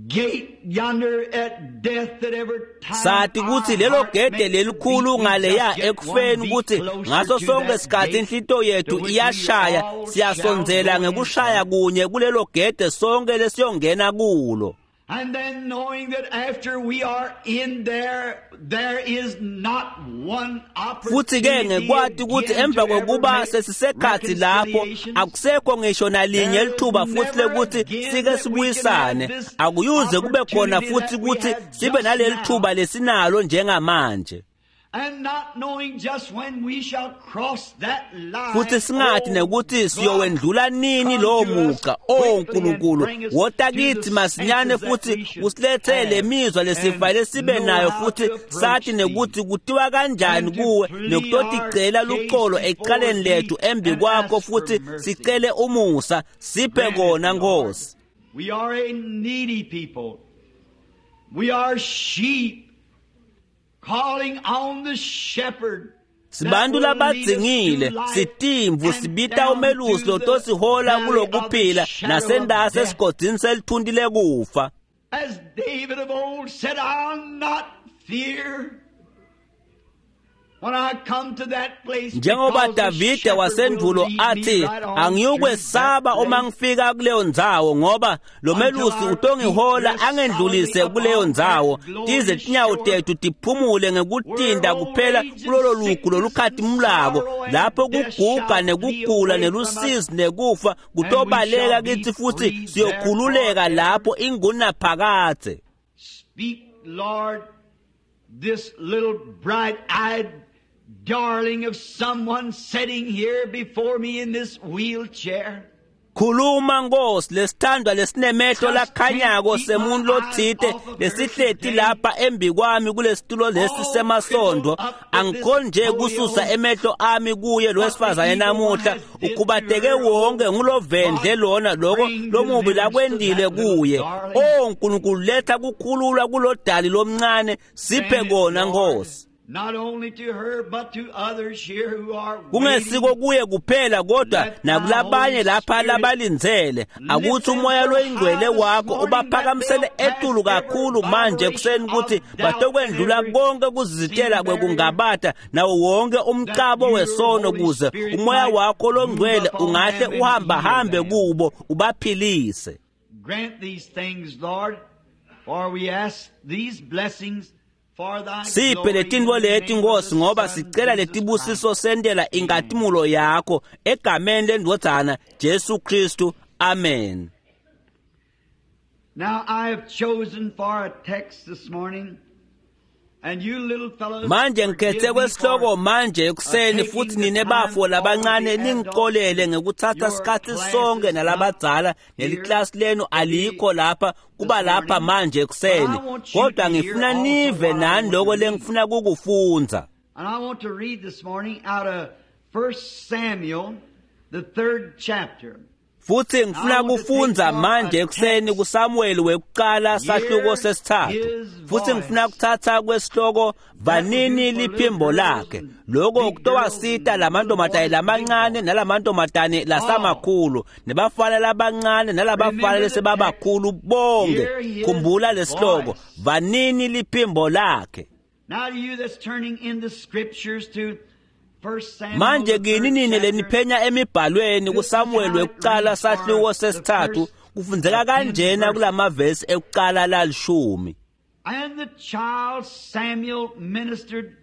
gate yonder at death that every time Sathi ukuthi lelo gede lelikhulu ngaleya ekufeni, ukuthi ngaso sonke isikhathi inhlito yethu iyashaya, siyasondzela ngekushaya kunye kulelo gede sonke lesiyongena kulo. And then knowing that after we are in there, there is not one Futhi ke opportunity ngekwati ukuthi again emva to ever kokuba make sesisekhathi lapho reconciliations. akusekho ngisho nalinye lithuba futhi lekuthi sike sibuyisane, akuyuze kube khona futhi ukuthi sibe naleli thuba lesinalo njengamanje. And not knowing just when we shall cross that line. Futhi singathi oh nekuthi God, siyowendlula nini lowo muqa. O Nkulunkulu, wota kithi masinyane futhi usilethele mizwa lesifanele sibe nayo, futhi sathi nekuthi kutiwa kanjani kuwe nekutoticela luxolo ecaleni lethu embi kwakho, futhi sicele umusa, siphe kona Nkosi. We are a needy people. We are sheep calling on the shepherd. Sibantu labadzingile, sitimvu, sibita umelusi lotosihola kulokuphila nasendase esigodini selithunti lekufa. As David of old said, I'll not fear when I come to that place. Njengoba because the Davide shepherd will wasendulo lead me athi, right on angiyukwesaba through that uma place. ngifika kuleyo ndzawo, ngoba lo melusi utongihola angendlulise kuleyo ndzawo, tize tinyawo tethu tiphumule ngekutinda kuphela kulolo lugu lolukhatimulako, lapho kuguga nekugula nelusizi nekufa kutobaleka kithi, futhi siyokhululeka lapho ingunaphakadze. Speak, Lord, this little bright-eyed darling of someone sitting here before me in this wheelchair. Khuluma Nkosi, lesithandwa lesinemehlo lakhanyako semuntu lotsite lesihleti lapha embi kwami kulesitulo lesi semasondo, angikhoni nje kususa emehlo ami kuye lo wesifazane namuhla, ukhubateke wonke ngulovendle lona loko lomubi lakwendile kuye. O Nkulunkulu, letha kukhululwa kulodali lomncane, siphe kona Nkosi. Not only to her, but to others here who are Kungesiko waiting. kuye kuphela kodwa nakulabanye lapha labalindzele. Akuthi umoya loyingcwele wakho ubaphakamisele etulu kakhulu manje ekuseni ukuthi batokwendlula konke kuzizitela kwekungabata nawo wonke umcabo wesono kuze umoya wakho longcwele ungahle uhambahambe kubo ubaphilise. Grant these things, Lord, for we ask these blessings for thy Siphe glory letintfo in the leti name of Nkosi the ngoba Son, sicela Jesus letibusiso Christ. sentela inkatimulo yakho egameni lendvodzana Jesu Kristu. Amen. Now I have chosen for a text this morning, and you little fellows, Manje forgive ngikhethe me kwesihloko for manje ekuseni futhi nine bafo labancane ningicolele ngekutsatsa sikhatsi sonke nalabadzala neliklasi lenu alikho lapha kuba lapha manje ekuseni kodwa ngifuna nive nani loko lengifuna kukufundza. And I want to read this morning out of 1 Samuel, the third chapter. Futhi ngifuna kufundza manje ekuseni kuSamuel wekuqala sahluko sesithathu. Futhi ngifuna kuthatha kwesihloko vanini liphimbo lakhe. Lokho kutowasita lamantombazane lamancane nalamantombazane lasamakhulu nebafana labancane nalabafana lesebabakhulu bonke. Khumbula lesihloko vanini liphimbo lakhe. Now to you that's turning in the scriptures to 1 Samuel, Manje the third kini nini chapter, leniphenya emibhalweni kuSamuel wekuqala sahluko sesithathu kufundzeka kanjena kulamavesi ekuqala lalishumi. And the child Samuel ministered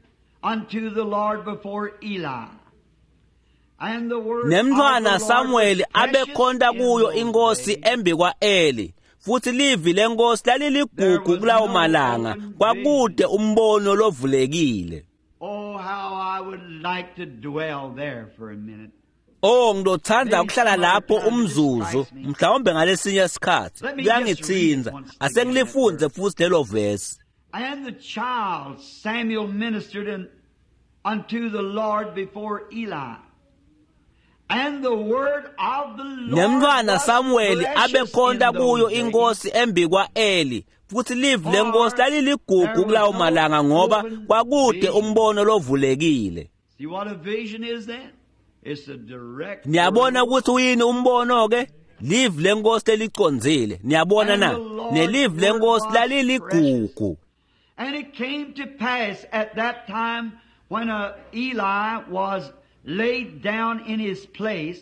unto the Lord before Eli. And the word Nemntfwana of the Lord Samuel was precious abekhonta in kuyo those inkosi days. embi kwa-Eli. Futhi livi lenkosi laliligugu kulawo malanga kwakude umbono lovulekile. Oh, how I would like to dwell there for a minute. Oh ngizothanda ukuhlala lapho umzuzu mhlawumbe ngalesinye isikhathi kuyangithinza asengilifunze futhi lelo vesi. And the child Samuel ministered unto the Lord before Eli. And the word of the Lord Nemntfwana was Samuel precious abekhonta in those kuyo days. inkosi embi kwa-Eli futhi livi lenkosi laliligugu kulawo malanga ngoba kwakude umbono lovulekile. See what a vision is then? It's a direct Niyabona word. ukuthi uyini umbono ke? Livi lenkosi lelicondzile. Niyabona na? Nelivi lenkosi laliligugu. And it came to pass at that time when Eli was laid down in his place,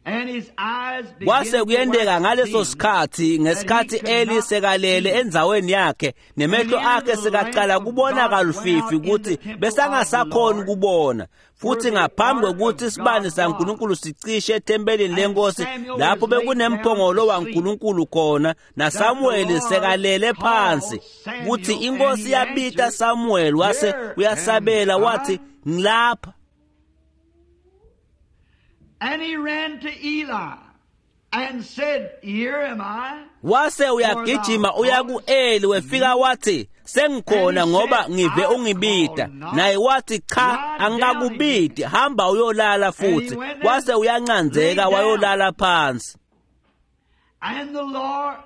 and his eyes began Kwase to kuyenteka wax ngaleso dim, sikhathi ngesikhathi that he could Eli not sekalele see. endzaweni yakhe nemehlo akhe sekaqala kubona kalufifi ukuthi besangasakhoni kubona futhi ngaphambi kwekuthi isibane saNkulunkulu sicishe ethempelini lenkosi lapho bekunemphongolo waNkulunkulu khona naSamuel sekalele phansi kuthi inkosi yabita Samuel wase uyasabela wathi ngilapha. And he ran to Eli and said, Here am I. Wase uyagijima uya ku-Eli wefika wathi sengikhona ngoba ngive ungibita. Naye wathi cha angikakubiti hamba uyolala futhi. Wase uyancanzeka wayolala phansi. And the Lord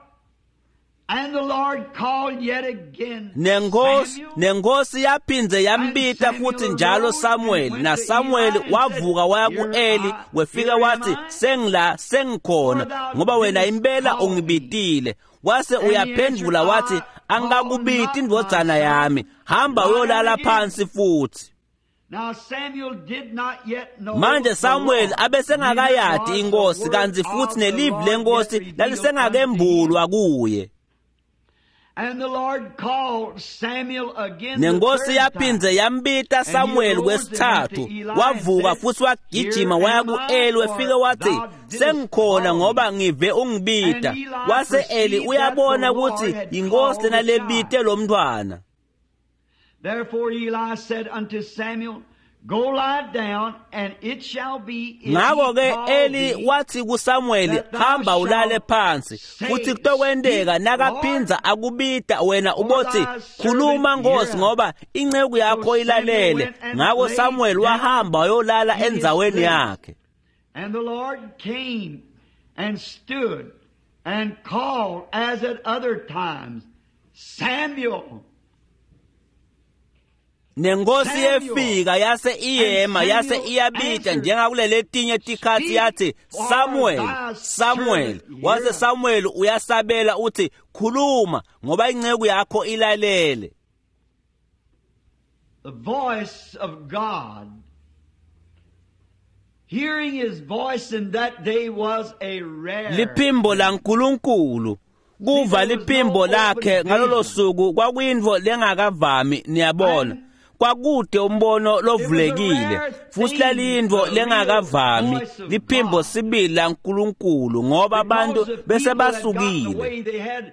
and the Lord called yet again. Nenkosi Samuel. nenkosi yaphindze yambita futhi njalo Samuel na Samuel wavuka waya ku-Eli wefika wathi sengila sengikhona ngoba wena impela ungibitile. Wase uyaphendvula wathi angikakubiti indvodzana yami hamba uyolala phansi futhi. Now Samuel did not yet know Manje the Samuel Lord, abesengakayati neither was inkosi the word kanti of futhi the nelivi Lord lenkosi yet revealed lalisengakembulwa unto him. kuye. And the Lord called Samuel again the Nenkosi third yaphindze time. yambita Samuel kwesithathu wavuka futhi wagijima waya ku-Eli wefike wathi sengikhona ngoba ngive ungibita. Wase Eli uyabona ukuthi yinkosi lena lebite lo mntwana. Therefore Eli said unto Samuel, Go lie down, and it shall be if Ngakho he ke call Eli thee, wathi kuSamuel hamba ulale phansi futhi kutokwenteka nakaphindza akubita wena ubothi khuluma Nkosi ngoba inceku yakho ilalele. Ngakho Samuel wahamba wayolala endzaweni yakhe. And the Lord came and stood and called as at other times, Samuel. Nenkosi yefika yase iyema yase iyabita njengakuleletinye tikhatsi yathi, "Samuel, Samuel." Wase Samuel uyasabela uthi, "Khuluma ngoba inceku yakho ilalele." The voice of God. Hearing his voice in that day was a rare. Liphimbo laNkulunkulu. Kuva liphimbo lakhe ngalolo suku kwakuyintfo lengakavami, niyabona. Kwakude umbono lovulekile futhi laliyintfo lengakavami, liphimbo sibili laNkulunkulu, ngoba abantu bese basukile.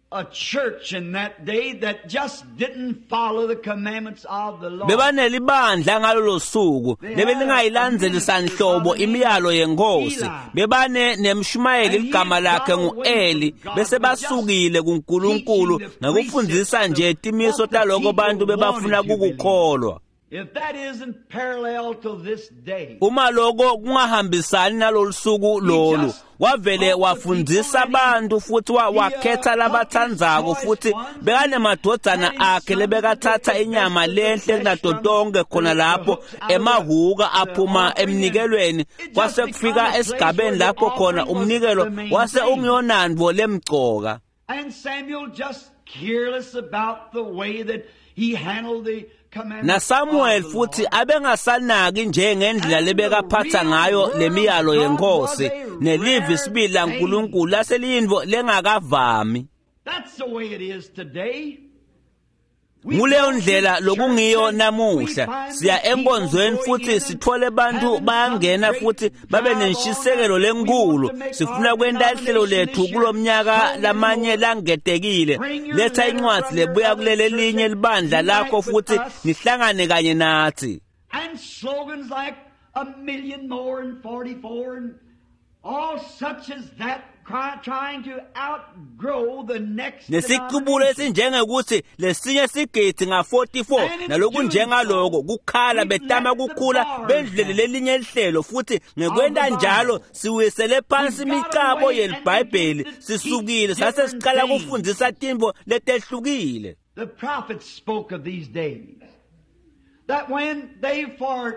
A church in that day that just didn't follow the commandments of the Lord. Bebanelibandla ngalolo suku lebelingayilandzeli sanhlobo imiyalo yenkosi. Bebane nemshumayeli ligama lakhe ngu-Eli, bese basukile kuNkulunkulu ngekufundzisa nje timiso taloko bantu bebafuna kukukholwa. If that isn't parallel to this day. Uma lokho kungahambisani nalolusuku lolu, wavele wafundzisa abantu futhi wakhetha labathandzako, futhi bekanemadvodzana akhe lebekathatha inyama lenhle kunato tonke khona lapho emahuka aphuma emnikelweni. Kwase kufika esigabeni lapho khona umnikelo wase ungiyonandvo lemcoka. And Samuel just careless about the way that he handled the NaSamuel futhi abengasanaki njengendlela lebekaphatha ngayo lemiyalo yenkosi, nelivi sibili laNkulunkulu laseliyintfo lengakavami. That's the way it is today. Nguleyo ndlela lokungiyo namuhla. Siya enkonzweni futhi sithole bantu bayangena futhi babe nenshisekelo lenkulu. Sifuna kwenta ihlelo lethu kulomnyaka lamanye langetekile. Letha incwadzi lebuya kulele linye libandla lakho futhi nihlangane kanye nathi. And slogans like a million more and 44 and all such as that, trying to outgrow the next. Nesiqubulo esinjengekuthi lesinye sigidi nga-44 nalokunjengaloko kukhala betama kukhula bendlulele lelinye lihlelo, futhi ngekwenta njalo siwisele phansi imicabo yelibhayibheli. Sisukile sase siqala kufundzisa tintfo letehlukile. The prophets spoke of these days that when they for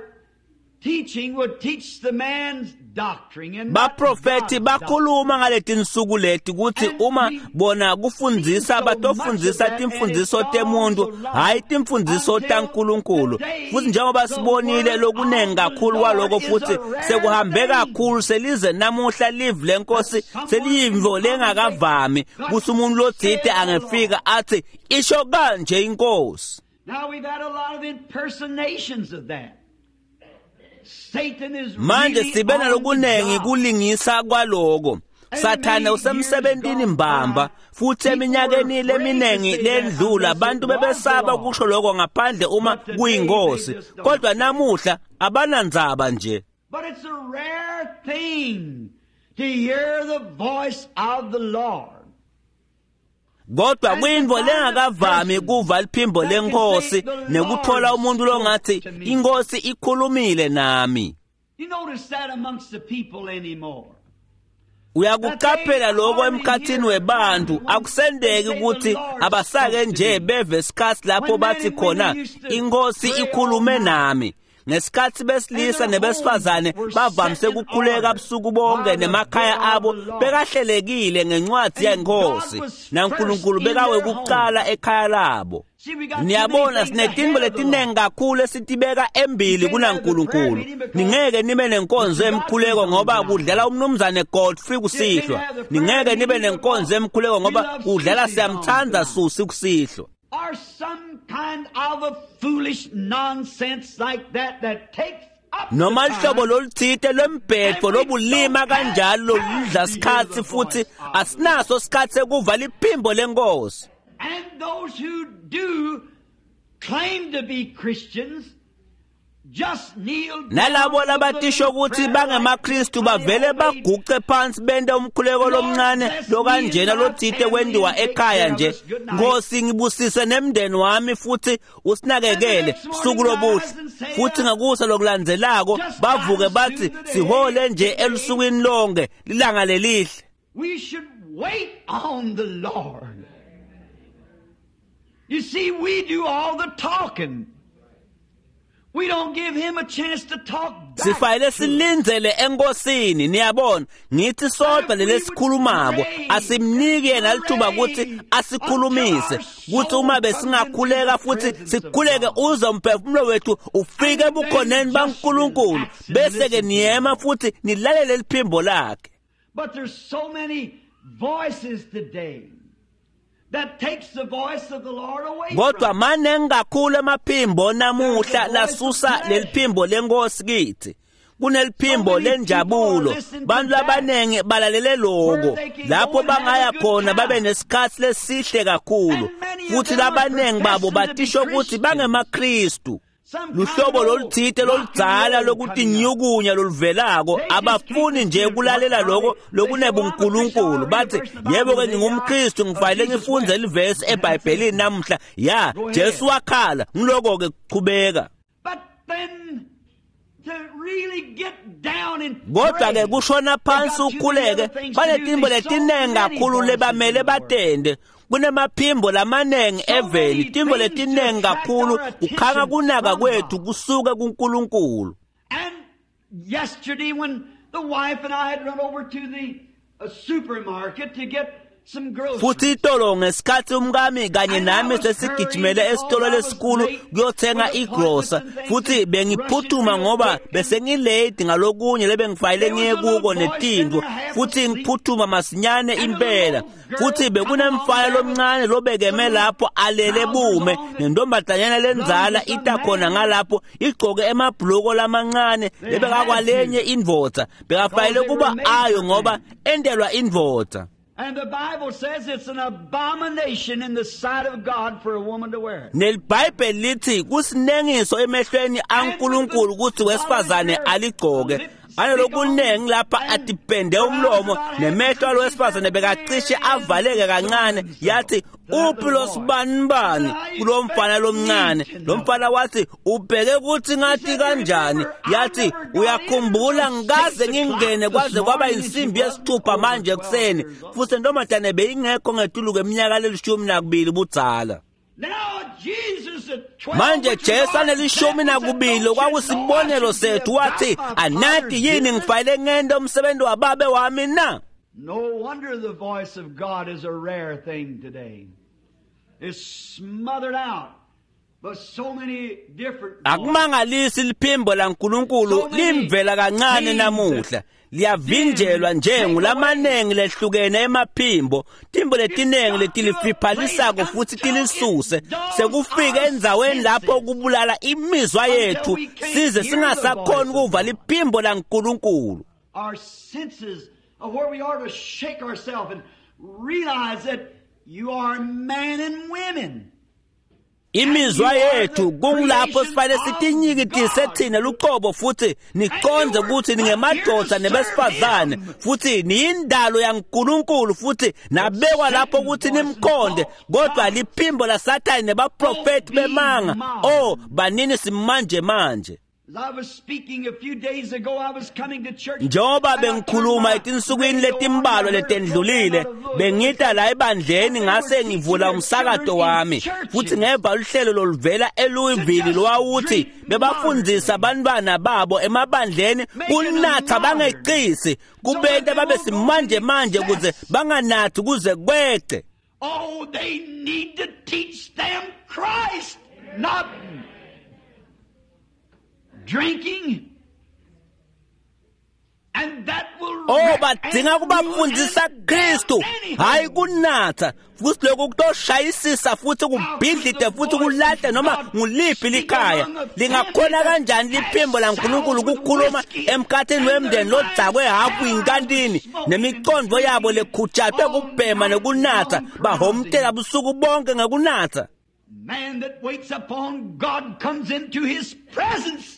teaching would teach the man's doctrine and Baprofethi bakhuluma ngaletinsuku leti kutsi uma bona kufundzisa batofundzisa timfundziso temuntu, hayi timfundziso taNkulunkulu. Futhi njengoba sibonile lokunengi kakhulu kwaloko, futhi sekuhambe kakhulu selize namuhla live lenkosi seliyimvo lengakavami kutsi umuntu lotsite angefika athi isho kanje inkosi. Now we've had a lot of impersonations of that. Manje sibe nalokunengi kulingisa kwaloko. Sathane usemsebentini mbamba, futhi eminyakeni leminengi lendlula abantu bebesaba kusho lokho ngaphandle uma kuyingosi, kodwa namuhla abanandzaba nje. But it's a rare thing to hear the voice of the Lord. Kodwa kuyintfo lengakavami kuva liphimbo lenkosi nekuthola umuntu longathi inkosi ikhulumile nami. You notice that amongst the people anymore. Uyakuqaphela lokho emkhathini webantu. Akusendeki ukuthi abasake nje beve isikhathi lapho bathi khona inkosi ikhulume nami. Ngesikhathi besilisa nebesifazane bavamise ukukhuleka busuku bonke nemakhaya abo bekahlelekile ngencwadi yenkosi, naNkulunkulu bekawekuqala ekhaya labo. Niyabona sinetintfo letinengi kakhulu esitibeka embili kunaNkulunkulu. Ningeke nibe nenkonzo emkhuleko ngoba kudlala umnumzane Godfrey kusihlwa. Ningeke nibe nenkonzo emkhuleko ngoba kudlala siyamthanda Susi kusihlwa. Or some kind of a foolish nonsense like that that takes up noma lihlobo loluthite lwembhedvo lobulima kanjalo loludla sikhatsi, futhi asinaso sikhatsi sekuva liphimbo lenkosi. And those who do claim to be Christians just kneel nalabo labatisho ukuthi bangemaKristu bavele baguce phansi bente umkhuleko lomncane lokanjena lotsite kwendiwa ekhaya nje. Nkosi ngibusise nemndeni wami futhi usinakekele suku lobuhle. Futhi ngakusa lokulandzelako bavuke bathi sihole nje elusukwini lonke lilanga lelihle. We should wait on the Lord. You see, we do all the talking. We don't give him a chance to talk back. Sifanele silindzele enkosini niyabona ngithi sodwa lelesikhulumako asimniki yena lithuba ukuthi asikhulumise kuthi uma besingakhuleka futhi sikhuleke uze umphefumulo wethu ufike ebukhoneni baNkulunkulu bese ke niyema futhi nilalele liphimbo lakhe. But there's so many voices today that takes the voice of the Lord away. Kodwa maningi kakhulu emaphimbo namuhla lasusa leliphimbo lenkosi kithi. Kuneliphimbo lenjabulo, bantu abaningi balalele lokho lapho bangaya khona babe nesikhathi lesihle kakhulu, futhi labaningi babo batisho ukuthi bangemaKristu. Luhlobo loluthite loludzala lokutinyukunya loluvelako abafuni nje kulalela lokho lokunebunkulunkulu. Bathi yebo ke ngingumKristu ngifanele ngifunde livesi eBhayibhelini namuhla, ya Jesu wakhala ngiloko ke kuchubeka. Kodwa ke kushona phansi ukhuleke banetimbo letinengi kakhulu lebamele batende. Kunemaphimbo lamanengi eveni, timbo letinengi kakhulu kukhanga kunaka kwethu kusuke kuNkulunkulu. And yesterday when the wife and I had run over to the supermarket to get some groceries. Futhi itolo ngesikhathi umkami kanye nami sesigijimele esitolo lesikhulu kuyothenga igrosa, futhi bengiphuthuma ngoba bese ngilate ngalokunye lebengifayile ngiye kuko netindvo, futhi ngiphuthuma masinyane impela. Futhi bekunemfana lomncane lobekeme lapho alele bume nentombazanyana lenzala ita khona ngalapho igqoke emabhuluko lamancane lebekakwalenye indvodza, bekafayile kuba ayo ngoba endelwa indvodza. And the Bible says it's an abomination in the sight of God for a woman to wear it. NeliBhayibheli lithi kusinengiso emehlweni aNkulunkulu ukuthi wesifazane aligqoke. Analokunengi lapha atipende umlomo nemehlo alowesifazane bekacishe avaleke kancane. Yathi uphi lo sibanibani kulo mfana lomncane? Lo mfana wathi ubheke ukuthi ngathi kanjani. Yathi uyakhumbula ngikaze ngingene kwaze kwaba insimbi yesithupha manje ekuseni, futhi intombazane beyingekho ngetulu kweminyaka lelishumi budzala. Manje Jesu anelishumi nakubili kwakusibonelo sethu, wathi anati yini ngifayile ngento umsebenzi wababe wami na? No wonder the voice of God is a rare thing today. It's smothered out by so many different. Akumangalisi liphimbo laNkulunkulu limvela kancane namuhla. Liyavinjelwa nje ngulamanengi lehlukene emaphimbo, timbo letinengi letilifiphalisako futhi tilisuse. Sekufike endzaweni lapho kubulala imizwa yethu size singasakhoni ukuva liphimbo laNkulunkulu. Our senses of where we are to shake ourselves and realize that you are men and women. Imizwa yethu kungilapho sifanele sitinyikitise thina luqobo futhi niqonde ukuthi ningemadoda nebesifazane futhi niyindalo yaNkulunkulu futhi nabekwa lapho ukuthi nimkhonde, kodwa liphimbo laSathane nebaprofeti bemanga. Oh, banini simanje manje. Njengoba bengikhuluma etinsukwini letimbalwa letendlulile, bengita la ebandleni ngase ngivula umsakato wami futhi ngeva luhlelo loluvela eLouisville lwawuthi bebafundzisa abantwana babo emabandleni kunatha bangeqisi, kubenta babe simanje manje kuze banganathi kuze kweqe. Oh, they need to teach them Christ, not drinking. And that will Oh, badinga kubafundisa Kristu, hayi kunatha. Futhi lokho kutoshayisisa futhi kubhidlide futhi kulahle noma nguliphi likhaya. Lingakhona kanjani liphimbo laNkulunkulu ukukhuluma emkhathini wemndeni lodzakwe hafu inkantini nemicondo yabo lekhutshatwe kubhema nekunatha, bahomtela busuku bonke ngekunatha. Man that waits upon God comes into his presence.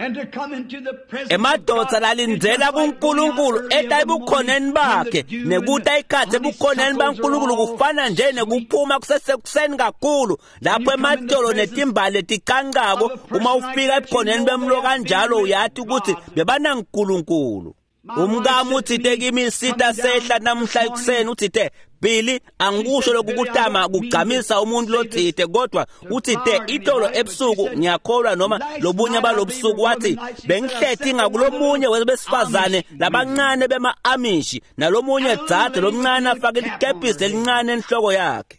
And to come into the presence Emadoda lalindzela kuNkulunkulu eta ebukhoneni bakhe nekuta ikhatsi ebukhoneni baNkulunkulu kufana nje nekuphuma kusesekuseni kakhulu lapho ematolo netimbali leticancako. Uma ufika ebukhoneni bemlo kanjalo uyati ukuthi bebanaNkulunkulu. Umkami utsite kimi sita sehla namuhla ekuseni utsite Billy angikusho lokukutama kugcamisa umuntu lotsite kodwa utsite itolo ebusuku ngiyakholwa noma lobunye balobusuku wathi bengihleti ngakulomunye webesifazane labancane bema-Amishi nalomunye dzadze lomncane afake likepisi lelincane enhloko yakhe.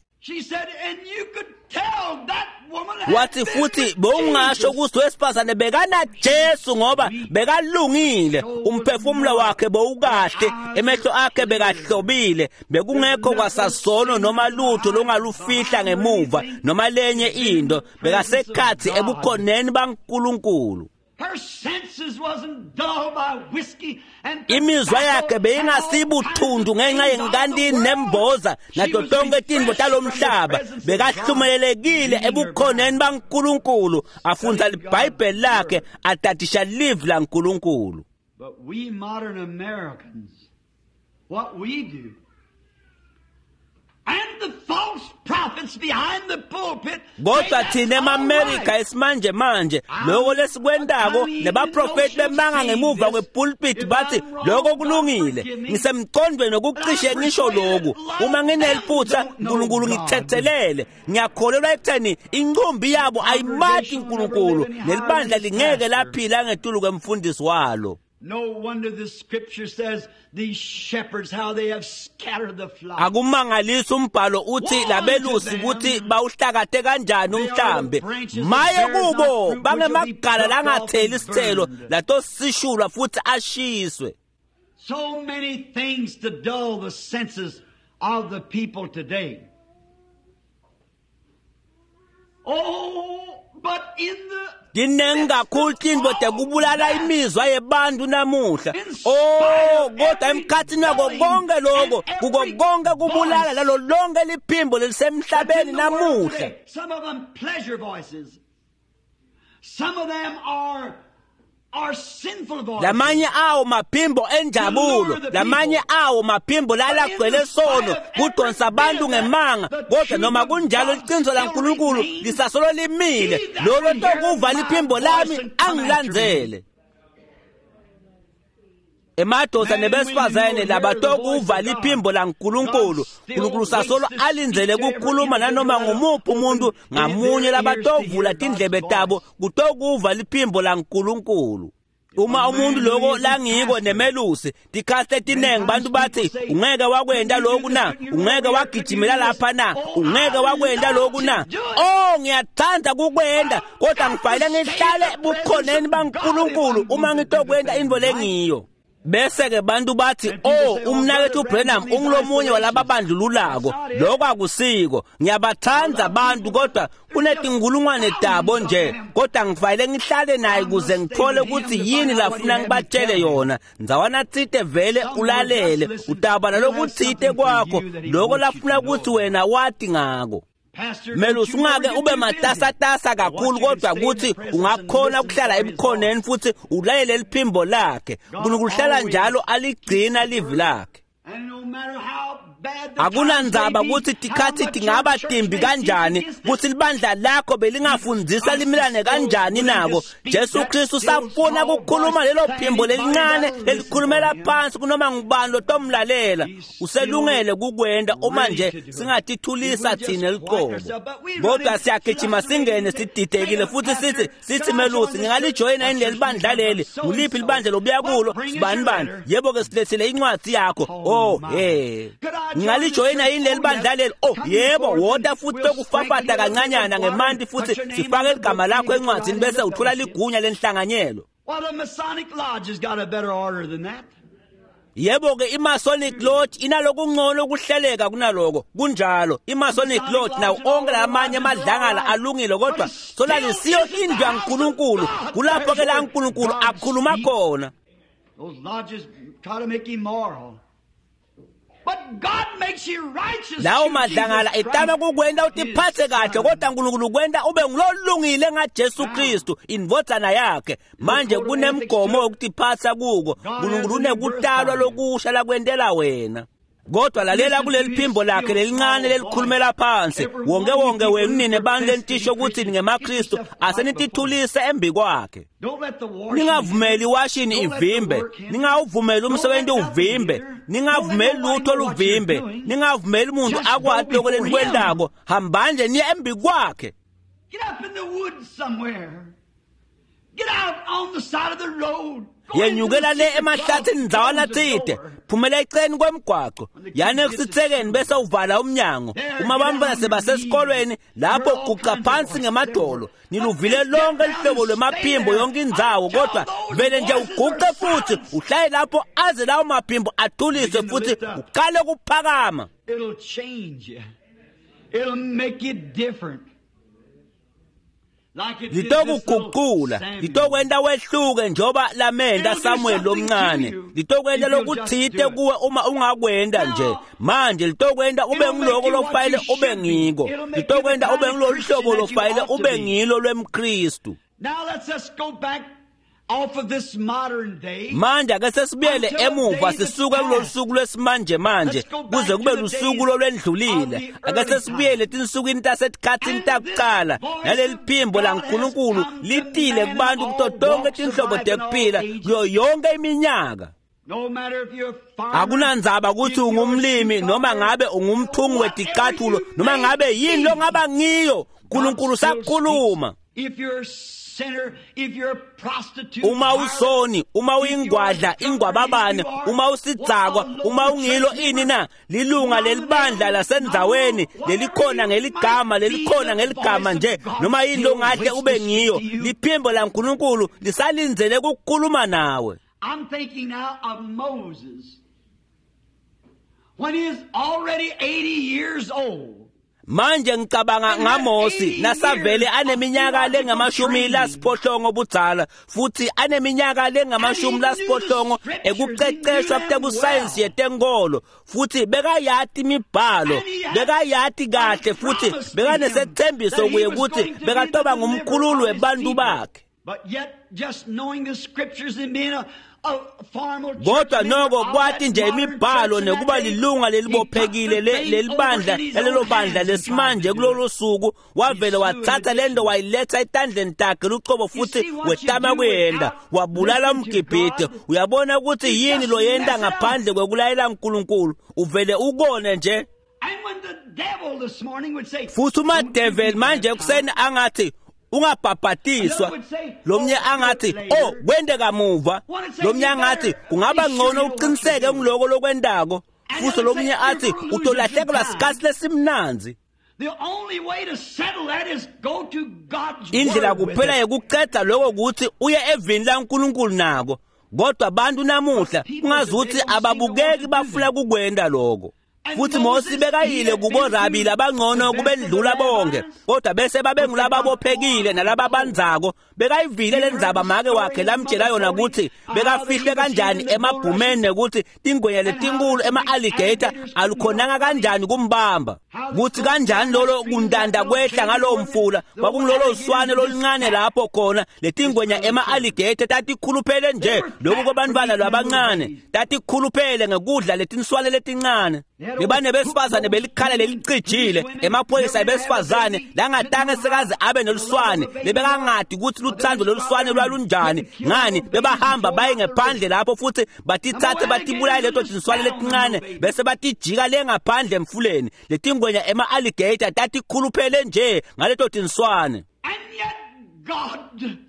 Wathi futhi bowungasho ukuthi wesifazane bekana Jesu ngoba bekalungile, umphefumulo wakhe bowukahle, emehlo akhe bekahlobile, bekungekho kwasasono noma lutho longalufihla ngemuva noma lenye into, bekasekhathi ebukhoneni baNkulunkulu. Imizwa yakhe beyingasibuthundu ngenxa yenkantini nemboza nato tonke tintfo talomhlaba. Bekahlumelelekile ebukhoneni baNkulunkulu, afundza liBhayibheli lakhe, atadisha livi laNkulunkulu. But we modern Americans, what we do, and the false prophets behind the pulpit. Kodwa thina emaMerika esimanje manje lokho lesikwendako nebaprofeti bemanga ngemuva kwepulpit bathi lokho kulungile. Ngisemcondweni nokucishe ngisho lokhu, uma ngineliphutha uNkulunkulu ngithethelele. Ngiyakholelwa ekutheni incumbi yabo ayimati uNkulunkulu nelibandla lingeke laphila ngetulu kwemfundisi walo. No wonder the scripture says these shepherds how they have scattered the flock. Akumangalisi umbhalo uthi labelusi ukuthi bawuhlakate kanjani umhlambi. Maye kubo bangemagala langatheli isithelo latosishulwa futhi ashiswe. So many things to dull the senses of the people today. Oh, but in the Tinengi kakhulu tintfo tekubulala imizwa yebantu namuhla. Oh, kodwa emkhathini wako konke lokho, kuko konke kubulala lalo lonke liphimbo lelisemhlabeni namuhla. Some of them pleasure voices. Some of them are sinful voices. Lamanye awo maphimbo enjabulo, lamanye awo maphimbo lalagcwele sono, kudonsa abantu ngemanga. Kodwa noma kunjalo liqiniso laNkulunkulu lisasolo limile. Lolo tokuva liphimbo lami angilandzele. Emadoda nebesifazane labatokuva liphimbo laNkulunkulu, uNkulunkulu sasolo alindzele kukhuluma nanoma ngumuphi umuntu ngamunye labatovula tindlebe tabo kutokuva liphimbo laNkulunkulu. Uma umuntu lokho langiko nemelusi, tikhathi letinengi bantu bathi ungeke wakwenda lokhu na, ungeke wagijimela lapha na, ungeke wakwenda lokhu na. Oh, ngiyathanda kukwenda kodwa ngifanele ngihlale bukhoneni baNkulunkulu uma ngitokwenda intfo lengiyo. Bese ke bantu bathi oh umnakethu Branham ungulomunye walababandlululako. Lokho akusiko. Ngiyabathanda abantu kodwa kunetinkulungwane tabo nje, kodwa ngifanele ngihlale naye kuze ngithole ukuthi yini lafuna ngibatshele yona. Ndzawana tsite vele ulalele, utaba nalokutsite kwakho lokho lafuna ukuthi wena wati ngako. Melusi ungake ube matasatasa kakhulu kodwa ukuthi ungakhona ukuhlala ebukhoneni futhi ulalele liphimbo lakhe. uNkulunkulu uhlala njalo aligcina livi lakhe. Akunandzaba ukuthi tikhathi tingaba timbi kanjani, kuthi libandla lakho belingafundzisa limelane kanjani nako. Jesu Kristu safuna ukukhuluma lelo phimbo lelincane lelikhulumela phansi kunoma ngubani lotomlalela. Uselungele kukwenda uma nje singatithulisa thina liqobo. Kodwa siyagijima singene sididekile futhi sithi melusi ngingalijoyina yini leli bandla leli? Nguliphi libandla lobuya kulo? Sibani bani? Yebo ke silethile incwadi yakho. Oh hey, ngingalijoyina yini leli bandla leli? Oh yebo, wota futhi lokufafata kancanyana ngemanti futhi sifake ligama lakho encwadzini bese uthola ligunya lenhlanganyelo. Well, the Masonic Lodge has got a better order than that. Yebo ke iMasonic Lodge inalokungcono ukuhleleka kunaloko. Kunjalo, iMasonic Lodge nawo onke lamanye amadlangala alungile kodwa solalisiyo indlu yaNkulunkulu. Kulapho ke la uNkulunkulu akhuluma khona. Those lodges try to make you moral. But God makes you righteous. Lawo madlangala etama kukwenda utiphathe kahle kodwa uNkulunkulu kwenda ube ngulolungile ngaJesu Kristu indvodzana yakhe. Manje kunemgomo wokutiphatha kuko. uNkulunkulu unekutalwa lokusha lakwentela wena. Kodwa lalela kuleli phimbo lakhe lelincane lelikhulumela phansi. Wonke wonke wenu nine bantu lenitisho ukuthi ningemaKristu, asenitithulise embi kwakhe. Ningavumeli iwashini ivimbe, ningawuvumeli umsebenzi uvimbe, ningavumeli lutho luvimbe, ningavumeli umuntu akwati lokho lenikwentako. Hambani nje niye embi kwakhe. Get up in the woods somewhere. Get out on the side of the road. Yenyukela le emahlathini ndzawana tsite, phumela eceleni kwemgwaco, yani ekusitsekeni bese uvala umnyango. Uma bantwana sebasesikolweni lapho guqa phansi ngemadolo, niluvile lonke lihlobo lwemaphimbo yonke indzawo, kodwa vele nje uguqe futhi uhlale lapho aze lawo maphimbo athuliswe futhi uqale ukuphakama. It'll change you. It'll make you different. Litokuguqula, litokwenta wehluke njengoba lamenta Samuel lomncane. Litokwenta lokutsite kuwe uma ungakwenta nje. Manje litokwenta ube ngiloko lofanele ube ngiko. Litokwenta ube ngilolu hlobo lofanele ube ngilo lwemKristu. Now let's just go back off of this modern day. Manje ake sesibuyele emuva sisuke kulolu suku lwesimanje manje kuze kube lusuku lolwendlulile. Ake sesibuyele etinsukwini tasetikhatsini takuqala, naleli phimbo laNkulunkulu litile kubantu kuto tonke tinhlobo tekuphila kuyo yonke iminyaka. No matter if you're a farmer, Akunandzaba ukuthi ungumlimi noma ngabe ungumthungi weticathulo noma ngabe yini longaba ngiyo, uNkulunkulu sakhuluma. If you're a sinner, if you're a prostitute, Uma usoni, uma uyingwadla, ingwababane, uma usidzakwa, uma ungilo ini na, lilunga lelibandla lasendzaweni lelikhona ngeligama, lelikhona ngeligama nje, noma yini longahle ube ngiyo, liphimbo laNkulunkulu lisalindzele ukukhuluma nawe. I'm thinking now of Moses. When he is already 80 years old. Manje ngicabanga ngaMosi nasavele aneminyaka lengamashumi lasiphohlongo budzala futhi aneminyaka lengamashumi lasiphohlongo ekuqeqeshwa kutebusayensi yetenkolo, futhi bekayati imibhalo, bekayati kahle, futhi bekanesethembiso kuye ukuthi bekatoba ngumkhululi webantu bakhe. But yet, just knowing the scriptures and being a formal church Kodwa member noko of kwati that nje modern imibhalo church in that nekuba day, lilunga he lelibophekile took the thing lelibandla over in his lalelo own bandla hands and tried lesimanje to do it. kulolu suku, wavele wathatha lento wayiletha etandleni takhe lucobo futhi see what you wetama do kuyenda without wabulala listening to umgibhide. God? Uyabona ukuthi You yini just loyenta mess it up. ngaphandle kwekulayela uNkulunkulu, uvele ukone nje. And when the devil this morning would say, Futhi uma "Don't you devil be manje baptized," ekuseni angathi ungabhabhatiswa, lomnye angathi oh kwende kamuva, lomnye angathi kungaba ngcono uqiniseke ngiloko lokwendako, futhi lomnye athi utolahlekelwa sikhathi lesimnandzi. The only way to settle that is go to God's Indlela word with kuphela it. yekucedza lokho ukuthi uye evini laNkulunkulu nako. Kodwa abantu namuhla kungazuthi ababukeki bafuna kukwenda lokho. Futhi Mose bekayile kuborabi labangcono kubendlula bonke, kodwa bese babengulababophekile nalababanzako. Bekayivile lendzaba make wakhe lamtshela yona ukuthi bekafihle kanjani emabhumeni nekuthi tingwenya letinkulu ema-alligator alukhonanga kanjani kumbamba, kuthi kanjani lolo kuntanta kwehla ngalowo mfula kwakungilolo swane loluncane lapho khona letingwenya ema-alligator tatikhuluphele nje lokhu kwabantwana labancane, tatikhuluphele ngekudla letinswane letincane. Bebanebesifazane belikhala lelicijile, emaphoyisa ebesifazane langatange sekaze abe neluswane, lebekangadi ukuthi luthando loluswane lwalunjani. Ngani bebahamba baye ngephandle lapho futhi batithathe batibulale leto tinswane letincane bese batijika le ngaphandle emfuleni. Letingwenya ema-alligator tatikhuluphele nje ngaleto tinswane. And yet God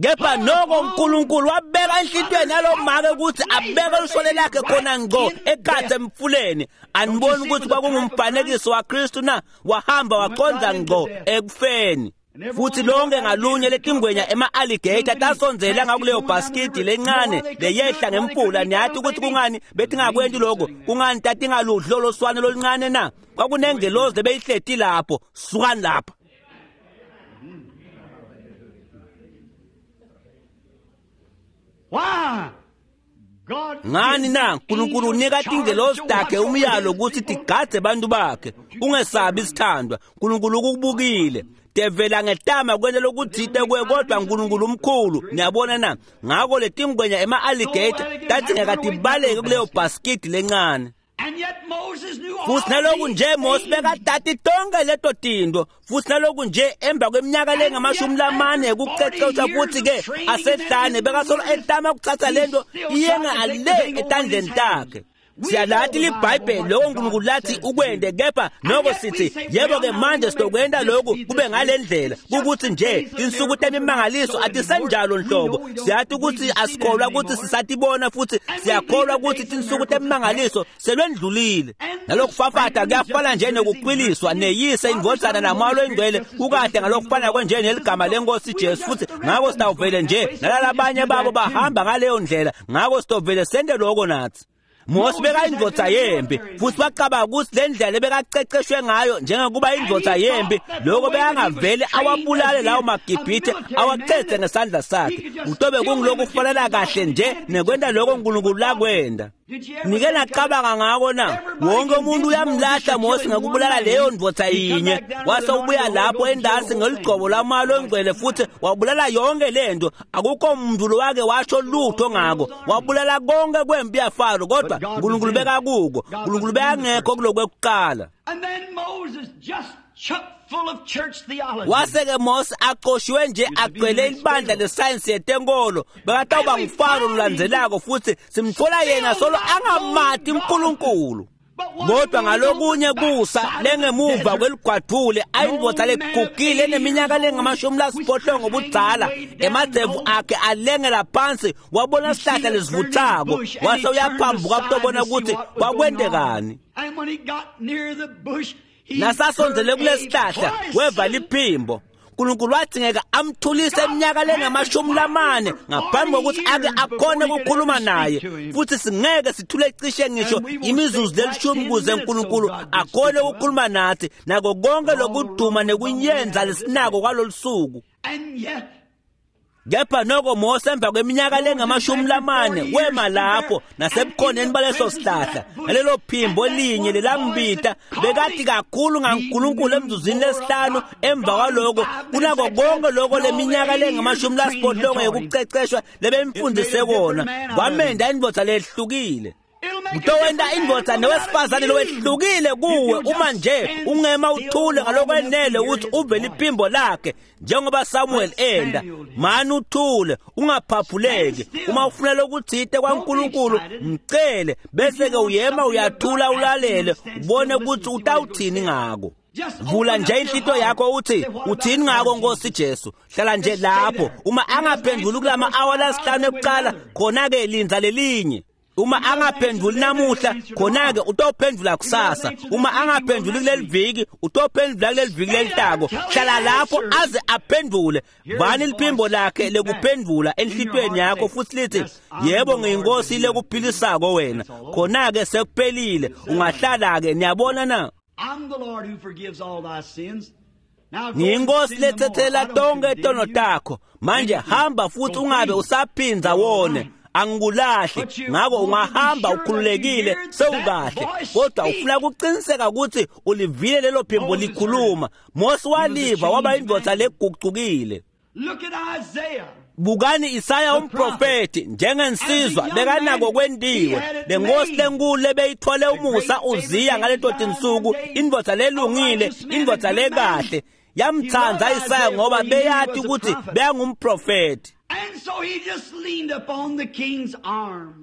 Kepha noko uNkulunkulu wabeka enhlitiyweni yalo make ukuthi abeke luswane lakhe khona ngqo ekhatsi emfuleni. Aniboni ukuthi kwakungumfanekiso waKristu na? Wahamba waqonda ngqo ekufeni. Futhi lonke ngalunye letingwenya ema-alligator tasondzela ngakuleyo bhasikidi lencane leyehla ngemfula. Niyathi ukuthi kungani betingakwenti lokho? Kungani tatingaludli lolo swane loluncane na? Kwakunengelozi lebeyihleti lapho. Sukani lapha. Why? God Ngani na? uNkulunkulu unika tingelozi takhe umyalo ukuthi tigadze abantu bakhe. Ungesabi isithandwa, uNkulunkulu ukubukile. Devela ngetama kwenta lokutsite kuwe, kodwa uNkulunkulu umkhulu. Niyabona na? Ngako letingwenya ema-alligator tadzingeka tibaleke kuleyo bhasikidi lencane. Futhi naloku nje Mose bekatati tonke leto tinto, futhi naloku nje emva kweminyaka lengamashumi lamane ekuceceshwa futhi ke asehlane bekasolo etama ukuthatha lento iyenga ale etandleni takhe. Siyalati liBhayibheli lokho uNkulunkulu lathi ukwende, kepha noko sithi yebo ke manje sizokwenda lokhu kube ngalendlela ukuthi nje tinsuku temimangaliso atisenjalo nhlobo. Siyathi ukuthi asikholwa ukuthi sisatibona, futhi siyakholwa ukuthi tinsuku temimangaliso selwendlulile. Nalokufafata kuyafana nje nokukwiliswa neyise indvodzana namoya longcwele kukahle ngalokufana kwenje neligama lenkosi Jesu, futhi ngako sitawuvele nje nalalabanye babo bahamba ngaleyo ndlela, ngako sitovele sente lokho nathi. Mose bekayindvodza yempi, futhi wacabanga ukuthi le ndlela ebekaceceshwe ngayo njengokuba indvodza yempi, lokho bekangavele awabulale lawo maGibhithe awacethe ngesandla sakhe. Kutobe kungilokhu kufanela kahle nje nekwenta lokho uNkulunkulu lakwenda. Nike nacabanga ngako na? Wonke umuntu uyamlahla Mose ngokubulala leyo ndvodza yinye, wase ubuya lapho endasi ngeligcobo lamoya longcwele futhi wabulala yonke lento. Akukho muntu lowake washo lutho ngako, wabulala konke kwempi yaFaro, kodwa uNkulunkulu bekakuko, uNkulunkulu bekangekho kulokwekuqala. Wase-ke Mose aqoshiwe nje agcwele ibandla lesayensi yetenkolo, bekatawuba nguFaro lolandzelako, futhi simthola yena solo angamati uNkulunkulu. Kodwa ngalokunye kusa lengemuva kweligwadvule ayindvodza legugile eneminyaka lengama-80 budzala, emadzevu akhe alengela phansi, wabona sihlahla lesivuthako, wase uyaphambuka kutobona ukuthi kwakwentekani. Nasasondzele kulesihlahla weva liphimbo. uNkulunkulu wadzingeka amthulise iminyaka lengama-40 ngaphambi kokuthi ake akhone ukukhuluma naye, futhi singeke sithule cishe ngisho imizuzu lelishumi kuze uNkulunkulu akhone ukukhuluma nathi nako konke lokuduma nekunyenza lesinako kwalolu suku. Kepha noko Mose emva kweminyaka lengama-40 wema lapho nasebukhoneni baleso sihlahla, nalelo phimbo linye lelambita bekathi kakhulu ngaNkulunkulu emzuzwini lesihlanu emva kwaloko kunako konke lokho leminyaka lengama-80 yokuceceshwa lebemfundise kona. Kwamenda indvodza lehlukile. Kutowenta indvodza newesifazane lowehlukile kuwe uma nje ungema uthule ngalokwenele ukuthi uve liphimbo lakhe njengoba Samuel enda. Mani uthule, ungaphaphuleki. Uma ufuna lokuthite kwaNkulunkulu mcele, bese-ke uyema uyathula ulalele ubone ukuthi utawuthini ngako. Vula nje inhlito yakho uthi uthini ngako Nkosi Jesu. Hlala nje lapho. Uma angaphenduli kulama awa lasihlanu ekuqala, khona-ke lindza lelinye. Uma angaphenduli namuhla, khona-ke utophendula kusasa. Uma angaphenduli kuleli viki, utophendula kuleli viki lelitako. Hlala lapho aze aphendule. Vani liphimbo lakhe lekuphendula enhlitweni yakho futhi lithi yebo ngiyinkosi lekuphilisako wena. Khona-ke sekuphelile, ungahlala-ke. Niyabona na? Ngiyinkosi lethethela tonke tono takho. Manje hamba futhi ungabe usaphindza wone. Angikulahli, ngako ungahamba ukhululekile sewukahle. Kodwa ufuna ukuqiniseka ukuthi ulivile lelo phimbo likhuluma. Mose waliva, waba indvodza legucukile. Bukani Isaya umprofeti njengensizwa bekanako kwentiwe. Lenkosi lenkulu lebeyithwale umusa uZiya ngaleto tinsuku, indvodza lelungile, indvodza lekahle. Yamtsandza Isaya ngoba beyati ukuthi beyangumprofeti.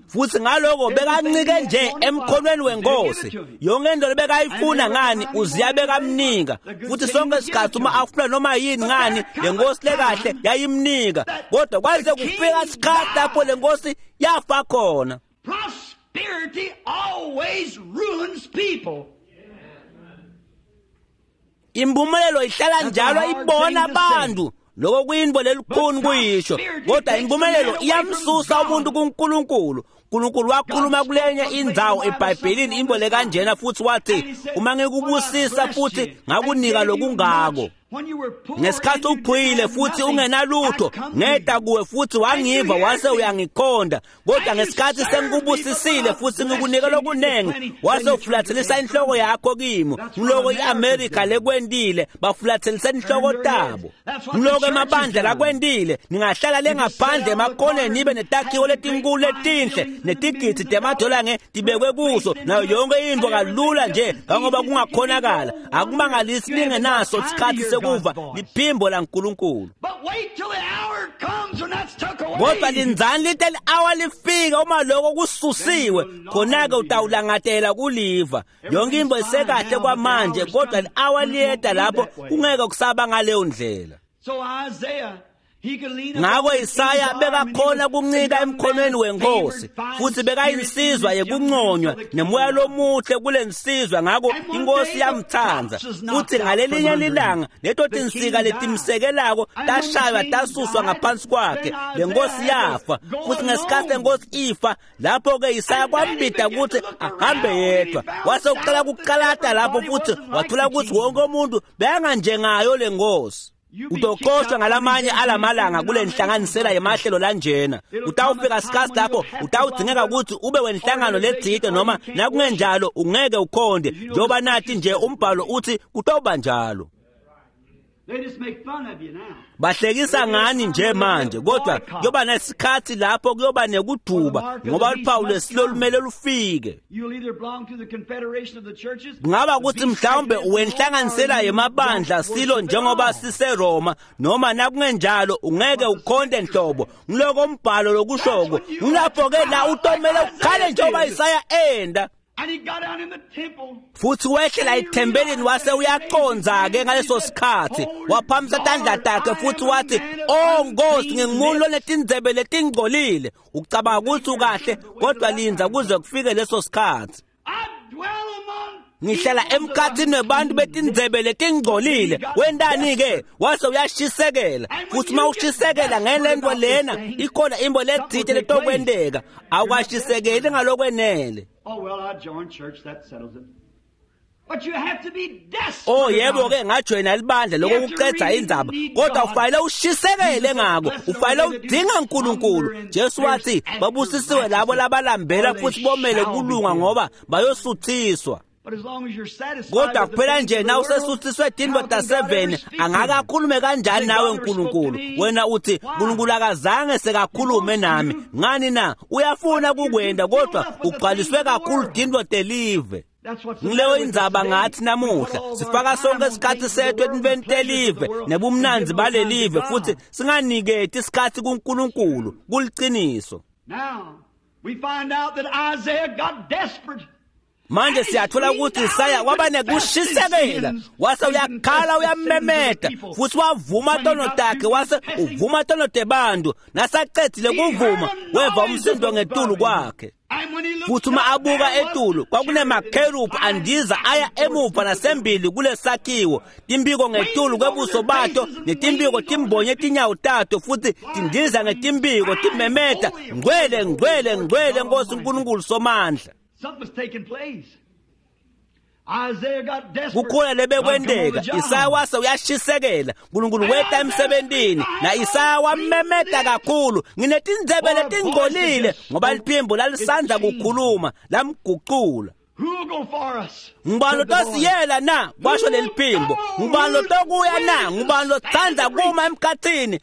Futhi ngaloko bekancike nje emkhonweni wenkosi. Yonke into lebekayifuna ngani uZiya bekamnika, futhi sonke isikhathi uma afuna noma yini ngani lenkosi lekahle yayimnika. Kodwa kwaze kufika isikhathi lapho lenkosi yafa khona. Prosperity always ruins people. Impumelelo ihlala njalo ibona abantu. Lokho kuyinto lelikhuni kuyisho, kodwa impumelelo iyamsusa umuntu kuNkulunkulu. uNkulunkulu wakhuluma kulenye indzawo eBhayibhelini into lekanjena futhi wathi uma ngikubusisa futhi ngakunika lokungako. Ngesikhathi uphuyile futhi ungenalutho, ngeda kuwe futhi wangiva wase uyangikhonda. Kodwa ngesikhathi sengikubusisile futhi ngikunika lokunengi, wase ufulathelisa inhloko yakho kimi. Ngiloko iAmerica lekwendile, bafulathelisa inhloko tabo. Ngiloko emabandla lakwendile, ningahlala lengaphandle emakoneni nibe netakhiwo letinkulu letinhle netigidi temadola ngetibekwe kuso nayo yonke into kalula nje ngoba kungakhonakala. Akumangalisi ningenaso isikhathi sekuva liphimbo laNkulunkulu. Kodwa lindzani lite li-awa lifika uma lokho kususiwe, khona-ke utawulangatela kuliva. Yonke into isekahle kwamanje, kodwa li-awa liyeta lapho kungeke kusaba ngaleyo ndlela. Ngako Isaya bekakhona kuncika emkhonweni wenkosi, futhi bekayinsizwa yekunconywa nemoya lomuhle kule nsizwa. Ngako inkosi yamthanda, futhi ngalelinye lilanga leto tinsika letimsekelako tashaywa tasuswa ngaphansi kwakhe, le nkosi yafa. Futhi ngesikhathi lenkosi ifa, lapho-ke Isaya kwambida ukuthi ahambe yedwa, wase uqala kuqalata lapho, futhi wathola ukuthi wonke umuntu bekanganjengayo le nkosi. Utoxoshwa ngalamanye alamalanga kule nhlanganisela yemahlelo lanjena. Utawufika sikhathi lapho utawudzingeka ukuthi ube wenhlangano letsite, noma nakungenjalo ungeke ukhonde, njengoba nathi nje umbhalo uthi kutoba njalo. Bahlekisa ngani nje manje, kodwa kuyoba nesikhathi lapho kuyoba nekuduba, ngoba luphawu lwesilo lumele lufike. Kungaba ukuthi mhlawumbe wenhlanganisela yemabandla silo njengoba siseRoma, noma nakungenjalo ungeke ukhonde nhlobo. Ngiloko umbhalo lokushoko. Ngilapho-ke la utomele ukhale njengoba Isaya enda. Futhi wehlela ethempelini wase uyaqonza-ke ngaleso sikhathi, waphamisa tandla takhe futhi wathi, "Oh Nkosi, ngingumuntu lonetindzebe letingcolile." Ucabanga ukuthi ukahle, kodwa lindza kuze kufike leso sikhathi. Ngihlala emkhathini webantu betindzebe letingcolile. Wentani-ke? Wase uyashisekela. Futhi uma ushisekela ngelento lena, ikhona imbo letsite letokwenteka. Awukashisekeli ngalokwenele. Oh yebo-ke, ngajoyina libandla lokho kuqedza indzaba, kodwa ufanele ushisekele ngako, ufanele udinga uNkulunkulu. Jesu wathi babusisiwe labo labalambela futhi bomele kulunga, ngoba bayosuthiswa. Kodwa kuphela nje na usesuthiswe tintfo ta-7, angake akhulume kanjani nawe uNkulunkulu? Wena uthi uNkulunkulu akazange sekakhulume nami. Ngani na? Uyafuna kukwenda, kodwa ugcwaliswe kakhulu tintfo telive. Ngileyo indzaba ngathi namuhla sifaka sonke isikhathi sethu etintfweni telive nebumnandzi balelive, futhi singaniketi isikhathi kuNkulunkulu. Kuliciniso. Manje siyathola ukuthi Isaya waba nekushisekela, wase uyakhala uyamemeta, futhi wavuma tono takhe, wase uvuma tono tebantu. Nasacedzile kuvuma, weva umsindo ngetulu kwakhe. Futhi uma abuka etulu, kwakunemakherubhi andiza aya emuva nasembili kulesakhiwo, timbiko ngetulu kwebuso bato, netimbiko timbonye tinyawo tato, futhi tindiza ngetimbiko timemeta, "Ngcwele, ngcwele, ngcwele Nkosi uNkulunkulu Somandla." Kukhona lebekwenteka. Isaya wase uyashisekela, uNkulunkulu weta emsebentini, na Isaya wamemeta kakhulu, "Nginetindzebe letingcolile," ngoba liphimbo lalisandza kukhuluma lamgucula. Ngubani lotosiyela na? Kwasho leliphimbo. Ngubani lotokuya na? Ngubani lotsandza kuma emkhathini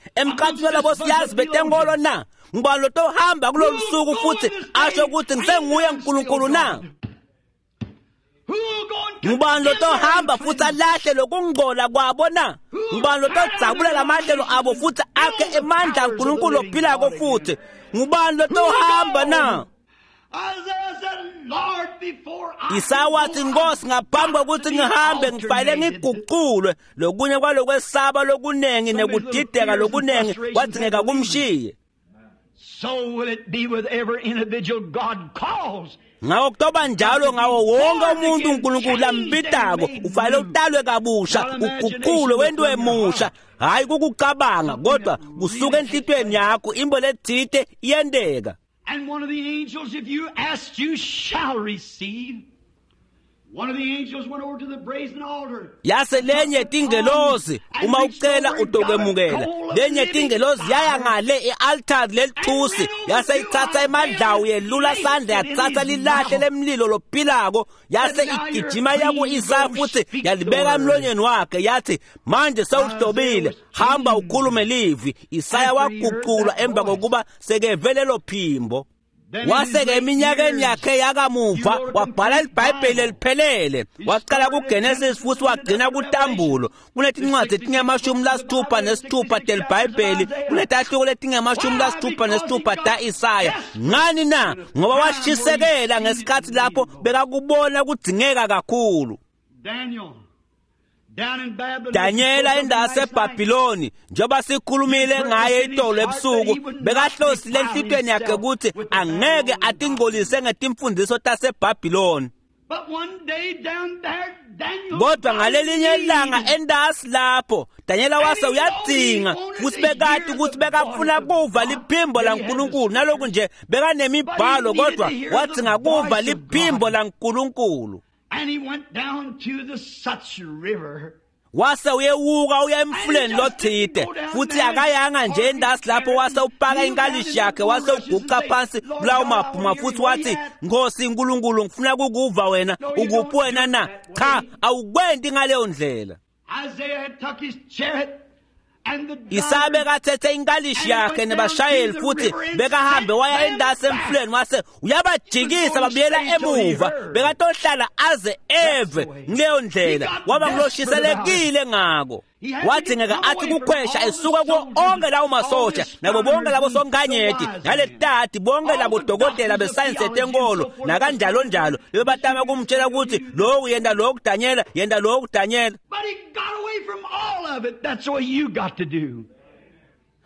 walabo siyazi betenkolo na? Ngubani lotohamba kulolu suku futhi asho ukuthi ngisenguye uNkulunkulu na? Ngubani lotohamba futhi alahle lokungcola kwabo na? Ngubani lotodzabula lamahlelo abo futhi akhe emandla aNkulunkulu ophilako futhi? Ngubani lotohamba na? Isaya wathi, "Nkosi, ngaphambi kokuthi ngihambe ngifanele ngiguculwe." Lokunye kwalokwesaba lokunengi nekudideka lokunengi kwadzingeka kumshiye. Ngako kutoba njalo ngawo wonke umuntu uNkulunkulu lambitako, ufanele utalwe kabusha, uguculwe wentiwe musha. Hhayi kukucabanga, kodwa kusuka enhlitiyweni yakho imbo letsite iyenteka. And one of the angels, if you ask, you shall receive. Yase lenye tingelozi uma ucela utokwemukela. Lenye tingelozi yaya ngale e-altari lelithusi yase ithatha emadlawu yelula sandla yathatha lilahle lemlilo lophilako yase igijima yaku-Isaya futhi yalibeka emlonyeni wakhe yathi manje sewuhlobile, hamba ukhulume livi. Isaya waguculwa emva kokuba sekeve lelo phimbo. Wase-ke eminyakeni yakhe yakamuva wabhala iBhayibheli eliphelele, waqala kuGenesis futhi wagcina kuTambulo. Kunetincwadi letingamashumi lasitfupha nesitfupha teliBhayibheli, kunetahluko letingamashumi lasitfupha nesitfupha ta-Isaya. Ngani na? Ngoba washisekela ngesikhathi lapho bekakubona kudzingeka kakhulu. Danyela indase eBhabhiloni, njengoba sikhulumile ngaye itolo ebusuku, bekahlosile enhlitweni yakhe ukuthi angeke atingcolise ngetimfundiso taseBhabhiloni. Kodwa ngalelinye ilanga endasi lapho Danyela wase uyadzinga futhi bekati ukuthi bekafuna kuva liphimbo laNkulunkulu. Naloku nje bekanemibhalo, kodwa wadzinga kuva liphimbo laNkulunkulu. And he went down to the Such River. Wase uyewuka uya emfuleni lothide, futhi akayanga nje endasi lapho wase upaka inkalishi yakhe wase uguca phansi kulawo mabhuma futhi wathi, "Nkosi Nkulunkulu, ngifuna kukuva wena, ukuphi wena na?" Cha, awukwenti ngaleyo ndlela. Isaiah had took his chariot and the Isaya bekathethe inkalishi yakhe nebashayeli futhi bekahambe waya endasi emfuleni wase uyabajikisa babuyela emuva. Bekatohlala aze eve. Kuleyo ndlela waba nguloshiselekile ngako. Wadzingeka athi kukhwesha esuka kuwo onke lawo masosha nabo bonke labo sonkanyeti naletati bonke labo dokotela besayensi yetenkolo nakanjalo njalo bebatama kumtshela ukuthi lokhu yenta lokhu Danyela, yenta lokhu Danyela. But he got away from all of it. That's what you got to do.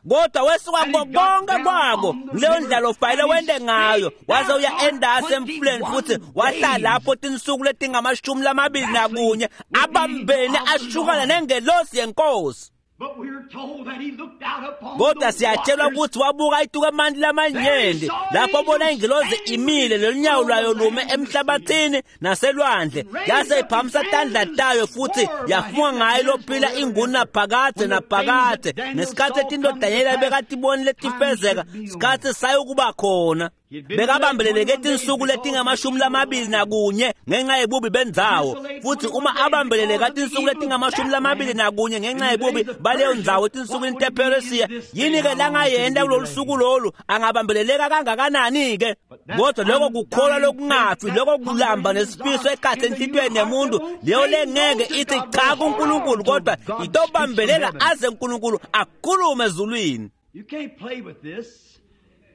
Kodwa wesuka kuko konke kwako. Kuleyo ndlela ufanele wente ngayo. Waze uya endasi emfuleni futhi wahlala lapho tinsuku letingamashumi lamabili nakunye abambene ashukana nengelosi yenkosi. But we're told that he looked out upon Kodwa the siyatshelwa waters. ukuthi wabuka ituka emanti lamanyenti lapho abona ingilozi imile lolunyawo lwayo lume emhlabathini naselwandle, yase iphakamisa tandla tayo futhi yafunga ngayo lophila ingunaphakadze naphakadze. Ngesikhathi etinto Danyela bekatibonile letifezeka, sikhathi sayokuba khona. Bekabambeleleke tinsuku letingamashumi lamabili nakunye ngenxa yebubi bendzawo, futhi uma abambeleleka tinsuku letingamashumi lamabili nakunye ngenxa yebubi baleyo ndzawo etinsukwini tePheresiya, yini-ke langayenta kulolu suku lolu? Angabambeleleka kangakanani-ke? Kodwa loko kukholwa lokungafi, loko kulamba nesifiso ekhatsi enhlitiyweni yemuntu, leyo lengeke ithi cha kuNkulunkulu, kodwa itobambelela aze uNkulunkulu akhulume ezulwini. You can't play with this,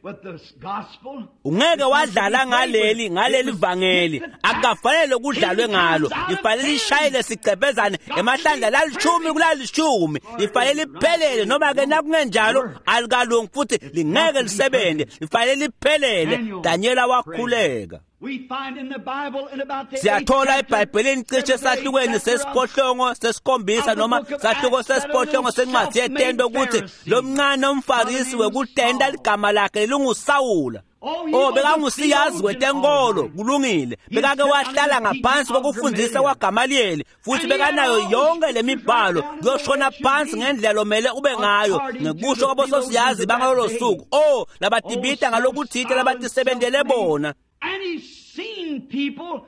with this gospel. Ungeke wadlala ngaleli vangeli, akukafanele kudlalwe ngalo. Lifanele lishayele sigcebhezane emahlandla lalishumi kulalishumi, lifanele liphelele, noma ke nakungenjalo alikalungi futhi lingeke lisebenze. Lifanele liphelele. Danyela wakhuleka. We find in the Bible in about the Siyathola eighth chapter, eBhayibhelini cishe sahlukweni sesiphohlongo sesikhombisa noma sahluko sesiphohlongo sencwadi yetento ukuthi lo mncane umfarisi wekutenta ligama lakhe linguSawula. Oh, bekangusiyazi wetenkolo, kulungile. Bekake wahlala ngaphansi kokufundisa kwaGamaliyeli futhi bekanayo yonke lemibhalo kuyoshona phansi ngendlela lomele ube ngayo ngekusho kwabososiyazi bangalolo suku. Oh, labatibita ngalokuthite labatisebentele bona. And he's seen people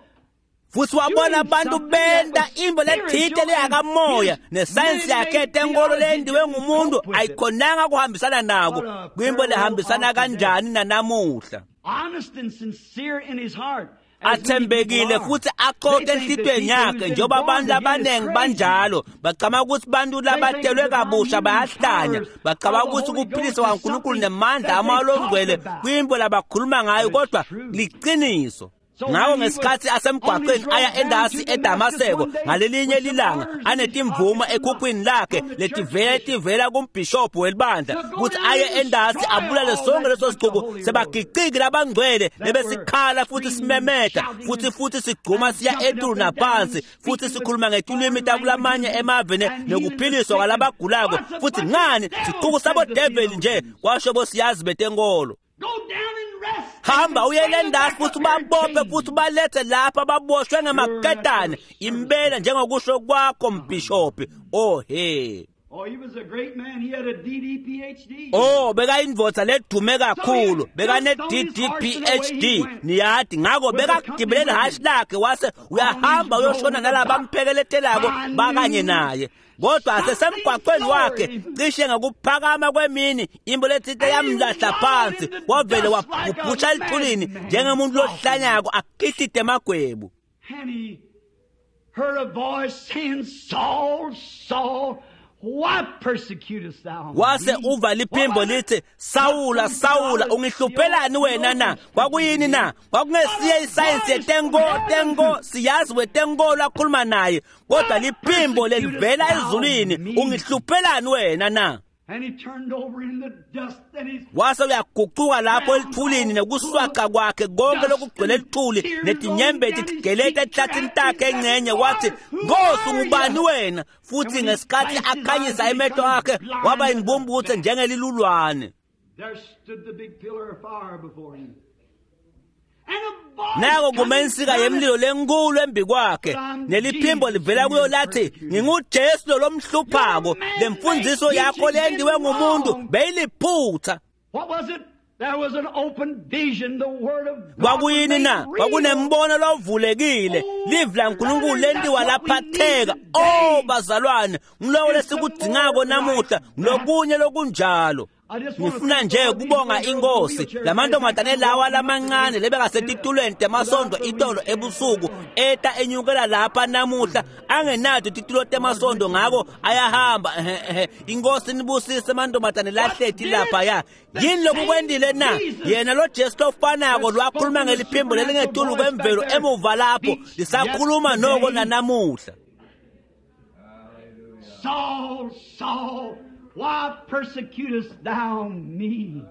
Futhi wabona abantu benta imbo lethite leyakamoya, nesayensi yakhe yetenkolo leyendiwe ngumuntu ayikhonanga kuhambisana nako. Kwimbo lehambisana kanjani nanamuhla? Honest and sincere in his heart, as many Athembekile people are. Futhi aqoke enhlitiyweni yakhe, njengoba abantu abaningi banjalo. Bacabanga ukuthi bantu labatelwe kabusha bayahlanya. Bacabanga ukuthi ukuphiliswa kwaNkulunkulu nemandla amalongcwele kwimbo labakhuluma ngayo, kodwa liqiniso. Ngakho ngesikhathi asemgwaqeni aya endasi eDamaseko ngalelinye lilanga, anetimvumo ekhukhwini lakhe letivela tivela kumbhishobhu welibandla ukuthi aye endasi abulale sonke leso sixuku sebagiciki labangcwele lebesikhala futhi simemeta futhi sigcuma siya etulu naphansi futhi sikhuluma ngetulwimi takulamanye emave nekuphiliswa kwalabagulako, futhi ngani, sixuku sabodeveli nje, kwasho bosiyazi betenkolo. Go down and rest. Hamba uye lendasi futhi ubabophe futhi ubalethe lapha baboshwe ngemaketane impela njengokusho kwakho mbhishophi. Oh he. Oh, he was a great man. He had a DD PhD. Oh, bekayindvodza ledume kakhulu, bekane DD PhD. Niyati ngako bekagibele ihhashi lakhe wase uyahamba uyoshona nalabamphekeletelako bakanye naye. Kodwa asesemgwaqweni wakhe cishe ngokuphakama kwemini imbo letsite yamlahla phansi, wavele wabhubhusha elithulini njengemuntu lohlanyako akihlide emagwebu. And he heard a voice saying, Saul, Saul, why persecutest thou me? Wase uva liphimbo lithi, Sawula, Sawula, ungihluphelani wena na? Kwakuyini na? Kwakungesiye isayensi yetengo, tengo, siyazi wetenkolo akhuluma naye, kodwa liphimbo lelivela ezulwini, ungihluphelani wena na? And he turned over in the dust and he Wase uyagucuka lapho elithulini nekuswaca kwakhe konke lokugcwele elithuli netinyembeti tigeleta ehlathini takhe engcenye, wathi, Nkosi, ungubani wena? Futhi ngesikhathi akhanyisa emehlo akhe waba imbumbuthe njengelilulwane. There stood the big pillar of fire before him. And a voice Nako coming kume insika from it yemlilo lenkulu embi kwakhe, neliphimbo livela kuyo lathi, nginguJesu lo lomhluphako, lemfundiso yakho lendiwe ngumuntu beyiliphutha. What was it? There was an open vision, the word of God Kwakuyini na? was made real. Kwakunembono lovulekile, livi laNkulunkulu lentiwa laphatheka. Oh bazalwane, ngiloko lesikudzingako namuhla, lokunye lokunjalo. Ngifuna nje kubonga inkosi lamantombazane lawa lamancane lebengasetitulweni temasondo itolo ebusuku eta enyukela lapha namuhla angenato titulo temasondo, ngako ayahamba. Ehhe, ehhe. Inkosi nibusise amantombazane lahleti lapha ya. Yini lokukwendile na? Yena lo Jesu lofanako lwakhuluma ngeliphimbo lelingetulu kwemvelo emuva lapho lisakhuluma noko nanamuhla. Saul, Saul, why persecutest thou me?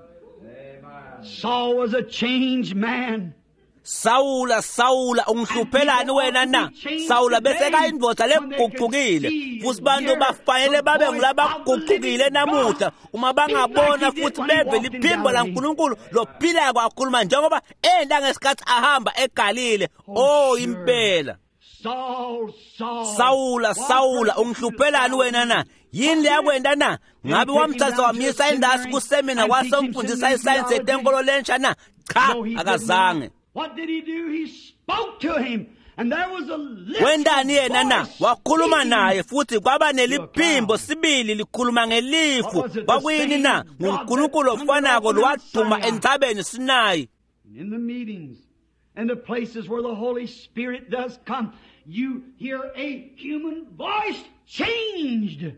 Saul was a changed man. Sawula, Sawula, ungihluphelani wena na? Sawula bese kayindvodza legucukile, futhi bantu bafanele babe ngulabagucukile namuhla uma bangabona futhi beve liphimbo laNkulunkulu lophilako akhuluma njengoba enda ngesikhathi ahamba eGalile. Oh impela. Saul, Saul, Sawula, why Sawula, persecutest ungihluphelani thou wena na? me? Yini leyakwenta na? Ngabe wamthatha wamyisa endasi kusemina wase umfundisa isayensi yetenkolo lensha na? Cha, No, he did akazange. not. What did he do? He spoke to him, and there was a literal Wendani yena na? voice Wakhuluma speaking. naye futhi kwaba neliphimbo sibili likhuluma ngelifu. Kwakuyini na? NguNkulunkulu ofanako lowaduma entsabeni Sinayi. In the meetings and the places where the Holy Spirit does come, you hear a human voice changed.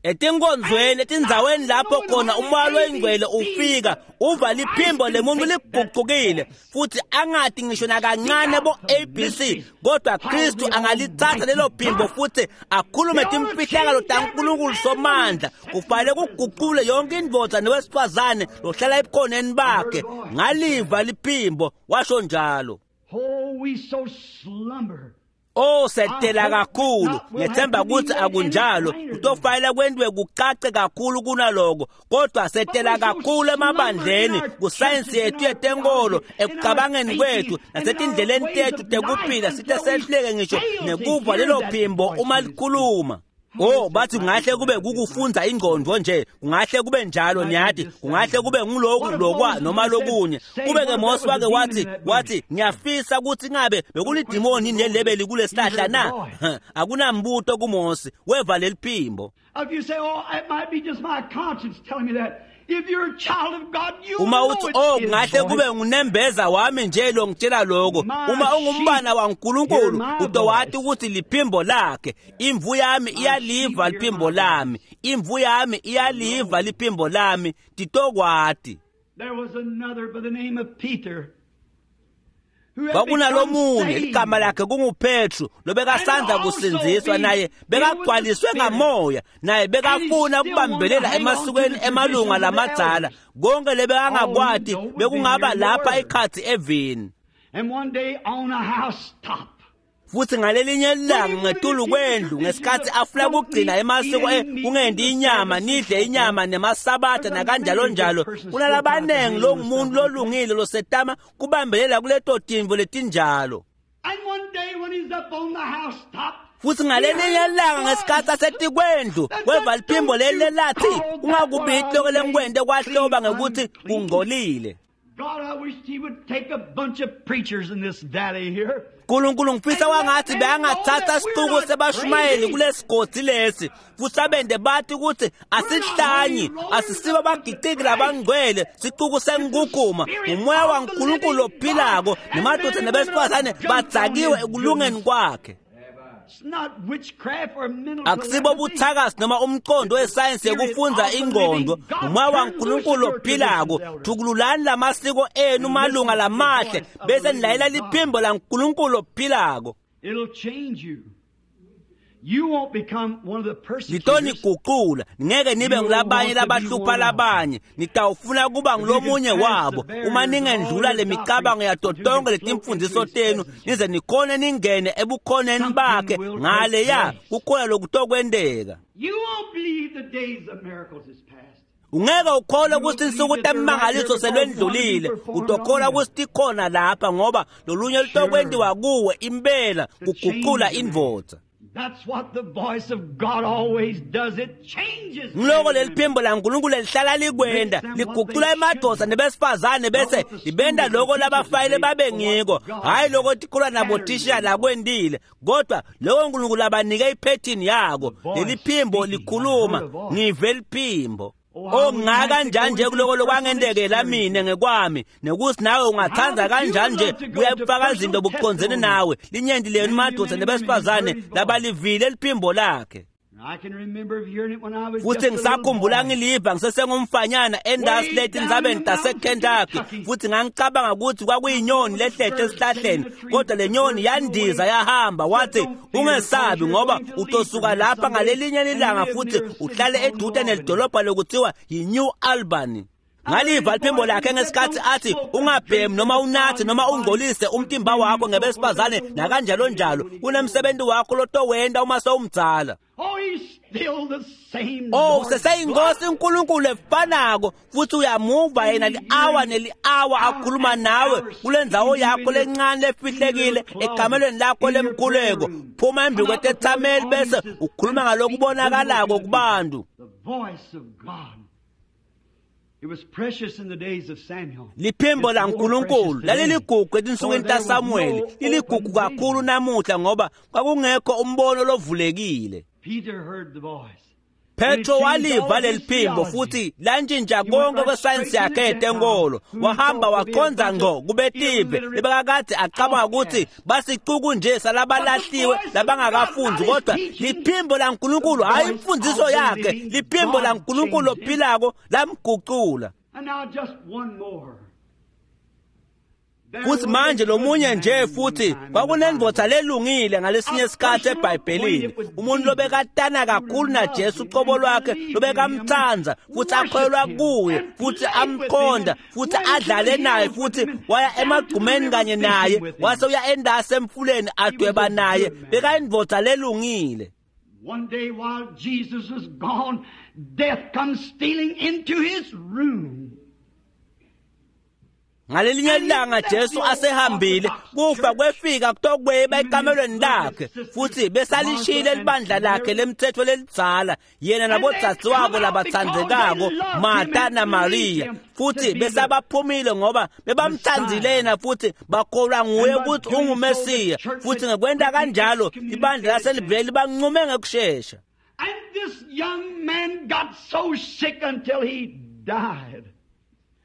Etinkonzweni etindzaweni lapho khona umoya loyingcwele ufika uva liphimbo lemuntu ligucukile futhi angati ngisho nakancane bo ABC, kodwa Kristu angalithatha lelo phimbo futhi akhulume timfihlakalo taNkulunkulu somandla. Kufanele kuguqule yonke indvodza nowesifazane lohlala ebukhoneni bakhe. Ngaliva liphimbo, washo njalo. Oh, we so slumber. Oh setela kakhulu, ngethemba ukuthi akunjalo, kutofanele kwentiwe kucace kakhulu kunaloko, kodwa setela kakhulu emabandleni, kusayensi yethu yetenkolo, ekucabangeni kwethu nasetindleleni tethu tekuphila, sithe sehluleke ngisho nekuva lelo phimbo uma likhuluma. Oh bathi kungahle kube kukufunza ingqondo nje, kungahle kube njalo, niyati, kungahle kube nguloku lokwa noma lokunye. Kube ke Mose wake wathi ngiyafisa ukuthi ngabe bekulidimoni nelebeli kulesihlahla na? Akunambuto kuMose, weva leliphimbo. If you say, oh, it might be just my conscience telling me that. If you're a child of God, you Uma know uthi it's oh his kungahle voice. kube ngunembeza wami nje lo ngitshela lokho, uma ungumbana waNkulunkulu utowati ukuthi liphimbo lakhe. Imvu yami iyaliva liphimbo lami, imvu yami iyaliva liphimbo lami, titokwati. There was another by the name of Peter who had Kwakunalomunye become igama saved. lakhe kunguPetru lobekasandza kusindziswa, naye bekagcwaliswe ngamoya, naye bekafuna ukubambelela emasikweni emalunga lamadzala. Konke lebekangakwati bekungaba lapha ikhathi evini. And one day on a housetop, Futhi ngalelinye ilanga ngetulu kwendlu ngesikhathi afuna kugcina emasiko kungendi inyama nidle inyama nemasabatha nakanjalo njalo kunalabanengi longumuntu lolungile losetama kubambelela kuleto tintfo letinjalo. Futhi ngalelinye ilanga ngesikhathi asetikwendlu kweva liphimbo leli lelathi ungakubiti lokho lengikwente kwahloba ngekuthi kungcolile. Nkulunkulu ngifisa wangathi beyangathatha sicuku sebashumayeli kulesigodi lesi futhi abende bathi ukuthi asihlanyi asisibo abagiciki labangcwele sicuku senkukuma umoya waNkulunkulu ophilako nemadoda nebesifazane badzakiwe ekulungeni kwakhe. Akusibo buthakazi noma umqondo wesayensi yekufundza ingqondo umoya waNkulunkulu ophilako. Thukululani lamasiko enu malunga lamahle bese nilayela liphimbo laNkulunkulu ophilako. Litoniguqula ngeke nibe ngilabanye labahlupha labanye nitawufuna kuba ngilomunye wabo uma ningendlula lemicabango yato tonke letimfundiso tenu nize nikhone ningene ebukhoneni bakhe ngaleya kukhona lokutokwenteka. Ungeke ukholwe ukuthi insuku temangaliso selwendlulile utokholwa ukuthi tikhona lapha ngoba lolunye lutokwentiwa kuwe impela kuguqula indvodza. That's what the voice of God always does. It changes. Ngiloko leliphimbo laNkulunkulu lihlala likwenda liguqula emadoda nebesifazane bese libenda lokho labafayile babe ngiko hayi lokho tikholwa nabothisha lakwendile kodwa lokho uNkulunkulu abanike iphethini yako leliphimbo likhuluma ngive liphimbo. Oh ngakanjani nje kuloko lokwangendekela mina ngekwami nekuthi nawe ungathanda kanjani nje kuyafaka izinto bukuqondzene nawe linyenti lenu madoda nebesifazane labalivile liphimbo lakhe. Futhi ngisakhumbula ngiliva ngisesengumfanyana endasi leti tindzabeni taseKentucky futhi ngangicabanga ukuthi kwakuyinyoni lehlete esihlahleni kodwa le nyoni yandiza yahamba wathi ungesabi ngoba utosuka lapha ngalelinye ilanga futhi uhlale edude nelidolobha lokuthiwa yi-New Albany. Ngaliva liphimbo lakhe ngesikhathi athi ungabhemi noma unathe noma ungcolise umtimba wakho ngebesifazane nakanjalo njalo kunemsebenzi wakho lotowenta uma sewumdzala. Oh useseyinkosi uNkulunkulu efanako futhi uyamuva yena li-awa neli-awa akhuluma nawe kule ndzawo yakho lencane lefihlekile ekamelweni lakho lemkhuleko phuma embi kwetethameli bese ukhuluma ngalokubonakalako kubantu. Liphimbo laNkulunkulu laliligugu etinsukwini taSamuweli liligugu kakhulu namuhla ngoba kwakungekho umbono lovulekile. Petro waliva leliphimbo futhi lantshintsha konke kwesayensi yakhe yetenkolo wahamba waqondza ngqo kubetive lebekakade acabanga ukuthi basicuku nje salabalahliwe labangakafundi kodwa liphimbo laNkulunkulu hayi imfundiso yakhe liphimbo laNkulunkulu ophilako lamguqula. Futhi manje lomunye nje futhi kwakunendvodza lelungile ngalesinye isikhathi eBhayibhelini umuntu lobekatana kakhulu naJesu uqobo lwakhe lobekamtsandza futhi akholelwa kuye futhi amkhonda futhi adlale naye futhi waya emagcumeni kanye naye wase uya endasi emfuleni adweba naye bekayindvodza lelungile. One day while Jesus was gone, death comes stealing into his room. Ngalelinye ilanga Jesu asehambile kufa kwefika kutokweba ekamelweni lakhe futhi besalishile libandla lakhe lemthetho lelidzala yena nabodzadzi wabo labatsandzekako Martha naMaria futhi besabaphumile ngoba bebamtsandzile yena futhi bakholwa nguye ukuthi unguMesiya futhi ngekwenta kanjalo ibandla laselivele libanqume ngekushesha. And this young man got so sick until he died.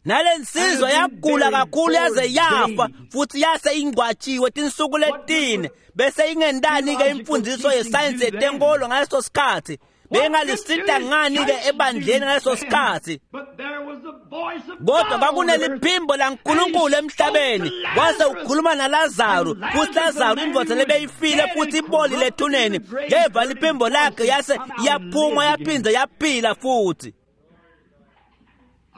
Nalensizwa yagula kakhulu yaze yafa futhi yase ingcwatshiwe tinsuku letine bese ingendani ke imfundiso yesayensi yetenkolo ngaleso sikhathi bengalisita ngani ke ebandleni ngaleso sikhathi kodwa kwakuneliphimbo laNkulunkulu emhlabeni wase ukhuluma naLazaru futhi Lazaru indvodza lebeyifile futhi ibolile ethuneni yeva liphimbo lakhe yase iyaphuma yaphinda yaphila futhi.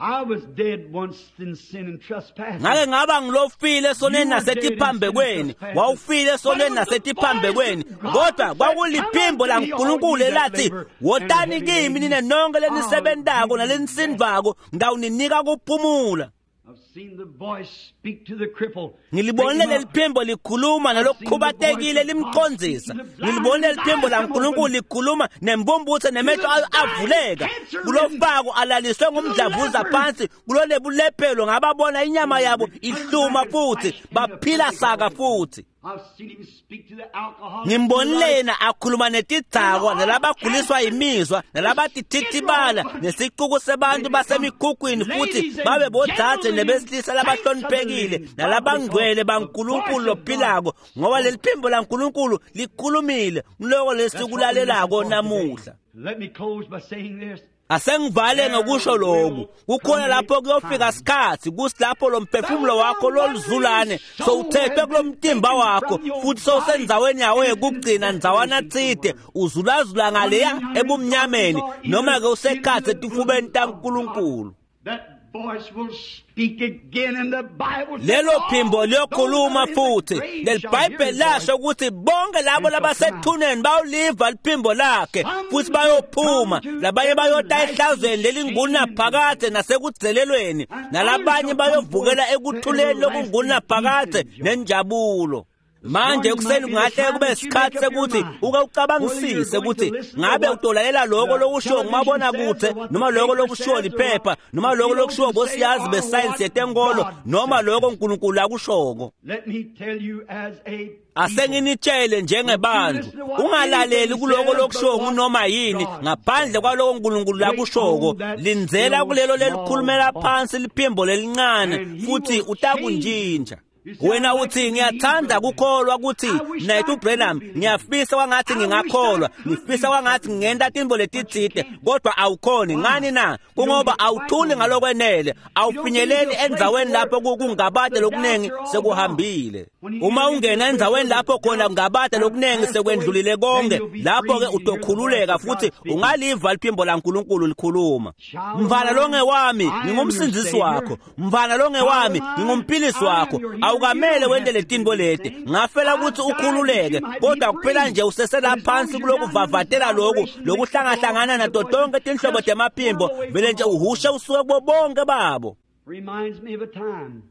I was dead once in sin and trespasses. Ngake ngaba ngilofile esonweni nasetiphambekweni, wawufile esonweni nasetiphambekweni, kodwa kwakuliphimbo laNkulunkulu elathi, wotani kimi nina nonke lenisebentako nalenisindvako, ngitawuninika kuphumula. I've seen the voice speak to the cripple. Ngilibonile leliphimbo likhuluma nalokukhubatekile limcondzisa. Ngilibonile leliphimbo laNkulunkulu likhuluma nembumbutse nemehlo avuleka. Kulofako alaliswe ngumdlavuza phansi kulolebulephelo ngababona inyama yabo ihluma futhi baphila saka futhi. I've seen him speak to the alcoholic. Ngimbonile yena akhuluma netidzakwa nalabaguliswa yimizwa nalabatithitibala nesicuku sebantu basemikhukhwini futhi babe bodzadze nebesilisa labahloniphekile nalabangcwele baNkulunkulu lophilako, ngoba leli phimbo laNkulunkulu likhulumile ngiloko lesikulalelako namuhla. Let me close by saying this. Asengivale ngokusho lokhu, kukhona lapho kuyofika sikhathi kusilapho lo mphefumulo wakho loluzulane sowuthethwe kulomtimba wakho futhi sowusendzaweni yawo yekugcina ndzawana tsite, uzulazula ngaleya ebumnyameni noma ke usekhatsi etifubeni taNkulunkulu. That voice will speak again in the Bible. Lelo phimbo liyokhuluma futhi. Leli Bhayibheli lasho ukuthi bonke labo labasethuneni bayoliva liphimbo lakhe futhi bayophuma, labanye bayota ehlazweni lelingunaphakadze nasekudzelelweni, nalabanye bayovukela ekuthuleni lokungunaphakadze nenjabulo. Manje ekuseni kungahle kube isikhathi sekuthi uke ucabangisise ukuthi ngabe utolalela lokho lokushiwo ngumabonakude noma lokho lokushiwo liphepha noma lokho lokushiwo bosiyazi besayensi yetenkolo noma lokho uNkulunkulu akushoko. Let me tell you as a Asenginitshele njengebandla, ungalaleli kuloko lokushiwo ngunoma yini ngaphandle kwaloko uNkulunkulu akushoko. Lindzela kulelo lelikhulumela phansi liphimbo lelincane futhi utakuntshintsha. Wena uthi ngiyathanda kukholwa ukuthi Mnaketfu Branham, ngiyafisa kwangathi ngingakholwa, ngifisa kwangathi ngingenta tintfo letitsite, kodwa awukhoni. Ngani na? Kungoba awuthuli ngalokwenele, awufinyeleli endzaweni lapho kungabade lokunengi sekuhambile. Uma ungena endzaweni lapho khona kungabade lokunengi sekwendlulile konke, lapho ke utokhululeka futhi ungaliva liphimbo laNkulunkulu likhuluma. Mfana longewami, ngingumsindzisi wakho. Mfana longewami, ngingumphilisi wakho. Awukamele wente letintfo leti, ngafela ukuthi ukhululeke, kodwa kuphela nje useselaphansi kulokuvavatela loku lokuhlangahlangana nato tonke tinhlobo temaphimbo, vele nje uhushe usuke kubo bonke babo. Reminds me of a time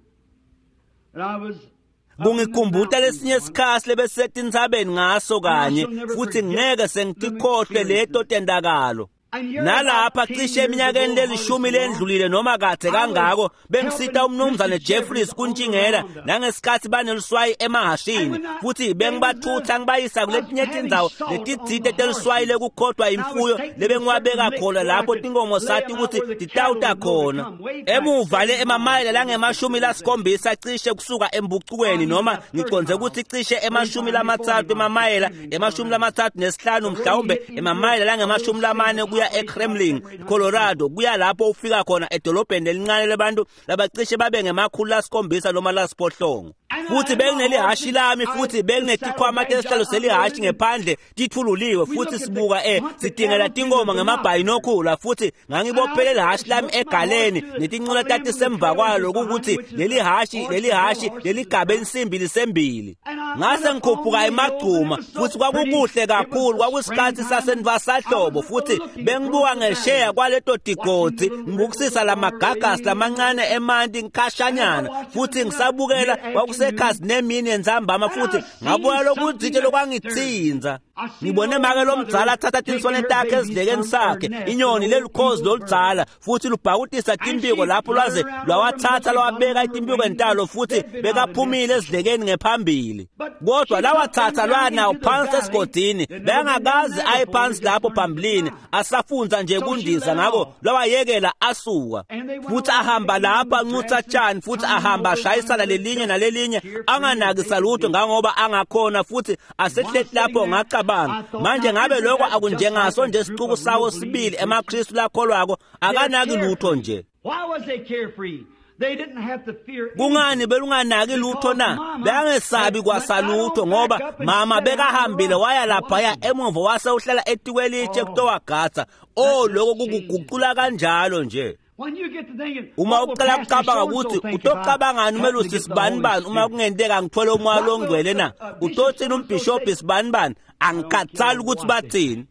that I was Kungikhumbuta lesinye isikhathi lebesetintsabeni ngaso kanye, futhi ngeke sengitikhohlwe leto tendakalo. Nalapha cishe eminyakeni lelishumi lendlulile noma kadze kangako, bengisita umnumzane Jeffries kuntshingela nangesikhathi baneluswayi emahashini, futhi bengibathutha ngibayisa kuletinye tindzawo letitsite teluswayi lekukhothwa imfuyo lebengiwabeka khona lapho tinkomo sati ukuthi titawuta khona. Emuva le emamayela langemashumi lasikhombisa cishe kusuka embucukweni, noma ngicondze ukuthi cishe ema-30 emamayela, ema-35 mhlawumbe emamayela langema-40 kuya eKremlin, Colorado, kuya lapho ufika khona edolobheni lelincane lebantu labacishe babe ngema-700 noma 800. Futhi benginelihashi lami futhi benginetikhwama tesihlalo selihashi ngephandle tithululiwe, futhi sibuka sidingela tinkomo ngemabhayinokhula, futhi ngangibophele lihashi lami egaleni netincola tatisemva kwalo, ukuthi leli hashi leligabe insimbi lisembili. Ngase ngikhuphuka emagcuma futhi kwakukuhle kakhulu, kwakusikhathi sasenvasahlobo, futhi bengibuka ngesheya kwaleto tigodzi ngibukisisa lamagagasi lamancane emanti ngikhashanyana, futhi ngisabukela kwakusekhasi nemini entsambama, futhi ngabuka lokutsite lokwangitsinza. Ngibone make lomdzala athatha tinswane takhe esidlekeni sakhe, inyoni lelukhozi loludzala, futhi lubhakutisa timpiko lapho lwaze lwawathatha lwawabeka etimpikweni talo, futhi bekaphumile esidlekeni ngephambili. Kodwa lawathatha lwanawo phansi esigodini, bekangakaze aye phansi lapho phambilini, asafunza nje kundiza, ngakho lwawayekela asuka. Futhi ahamba lapha ancutha tshani, futhi ahamba ashayisana lelinye nalelinye, anganakisa lutho ngangoba angakhona, futhi asehleti lapho ngacabanga, manje ngabe lokho akunjengaso nje isicuku sawo sibili emaKristu lakholwako, akanaki lutho nje. Why was they carefree? They didn't have to fear Kungani belunganaki lutho na? Bengesabi kwasalutho ngoba mama bekahambile waya laphaya emuva wase uhlala etikwelitshe kutowagatsa. Oh, lokho kukuguqula kanjalo nje. Uma uqala kucabanga ukuthi utocabangani umelusi sibanibani uma kungenteka ngithole umoya longcwele na, utothini umbhishobhi sibanibani, angikhathali ukuthi bathini.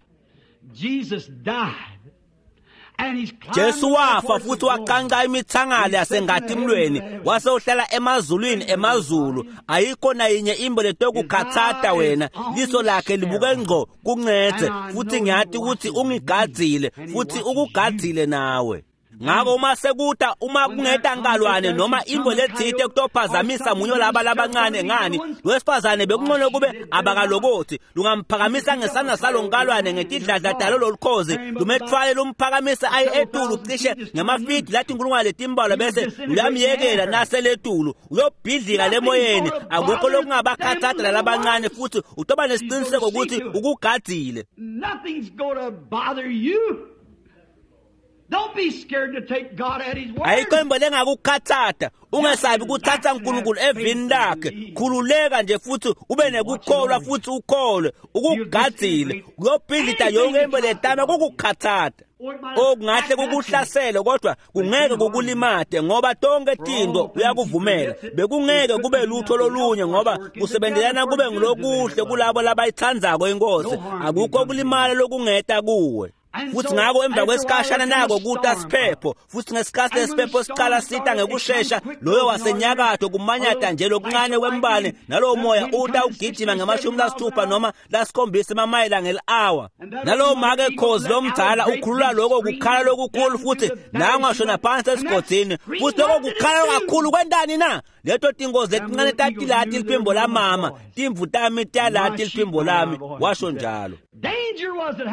Jesu wafa futhi waqanqa imithangala yasengatimlweni wase uhlala emazulwini emazulu. Ayikho nayinye imbo letokukhathata wena, liso lakhe libuke ngqo kuncethe, futhi ngiyathi ukuthi ungigadzile futhi ukugadzile nawe. Ngako uma sekuta uma kungeta nkalwane noma imbo letsite kutophazamisa munye laba labancane ngani wesifazane bekungcono kube abakalokothi lungamphakamisa ngesandla salo nkalwane ngetidladla talo lolukhozi lumethwale lumphakamisa aye etulu cishe ngemafidi lathi inkulungwane letimbalwa bese luyamyekela naseletulu uyobhidlika lemoyeni. Akukho lokungabakhathatha lalabancane futhi utoba nesiciniseko ukuthi ukugadzile. Nothing's gonna bother you. Don't be scared to take God at his word. Ayikho imbo lengakukhathatha, ungesabi kuthatha uNkulunkulu evini lakhe. Khululeka nje futhi ube nekukholwa futhi ukholwe ukugadzile uyobhidlita yonke imbo letama kukukhathatha. Okungahle kukuhlasele kodwa kungeke kukulimate ngoba tonke tinto uyakuvumela. Bekungeke kube lutho lolunye ngoba kusebenzelana kube ngilokuhle kulabo labayithandzako inkosi. Akukho kulimala lokungeta kuwe. Futhi ngako emva kwesikhashana nako kuta siphepho, futhi ngesikhathi lesiphepho siqala sita ngekushesha loyo wasenyakatho kumanyata nje lokuncane kwembane nalowo moya uta ugijima nge-60 noma 7 emamayela ngeli-hour. Nalowo make khozi lomdala ukhulula lokho kukhala lokukhulu futhi nangashona phansi esigodini, futhi lokho kukhala kakhulu kwentani na? Leto tingozi letincane tatilati liphimbo lamama, timvu tami tiyalati liphimbo lami, washo njalo.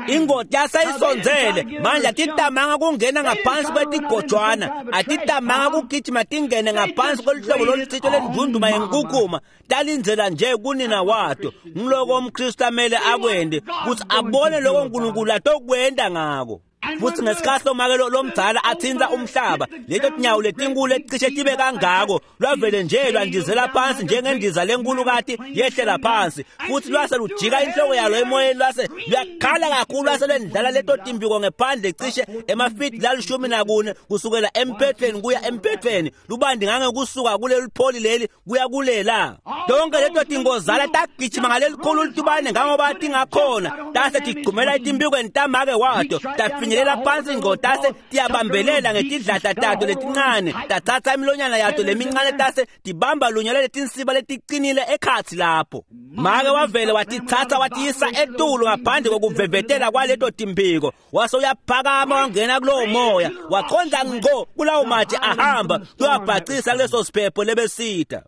Ingoti yasayisondzele manje atitamanga kungena ngaphansi kwetigojwana, atitamanga kugijima tingene ngaphansi kweluhlobo lolutsito lendvundvuma yenkukhuma, talindzela nje kunina wato. Ngiloko umKristu amele akwente kutsi abone loko uNkulunkulu atokwenta ngako. Futhi ngesikhathi lomake lomdala athinta umhlaba, leto tinyawo letinkulu leticishe tibe kangako lwavele nje lwandizela phansi njengendiza lenkulukati yehlela phansi, futhi lwase lujika inhloko yalo emoyeni lwase luyakhala kakhulu lwase lwendlala leto timpiko ngephandle cishe emafidi la-14 kusukela emphethweni kuya emphethweni, lubandi ngangekusuka kuleli pholi leli kuya kulela. Tonke leto tingozala tagijima ngalelikhulu litubane ngangoba tingakhona, tase tigcumela etimpikweni tamake wato, tafinyelela phansi ngqo tase tiyabambelela ngetidladla tato letincane, tathatha imilonyana yato lemincane tase tibamba lunye laletinsiba leticinile ekhatsi lapho. Make wavele watitsatsa watiyisa etulu ngaphandle kokuvevetela kwaleto timpiko, wase uyaphakama wangena kulowo moya waqondza ngqo kulawo matshe ahamba kuyabhacisa kuleso siphepho lebesita.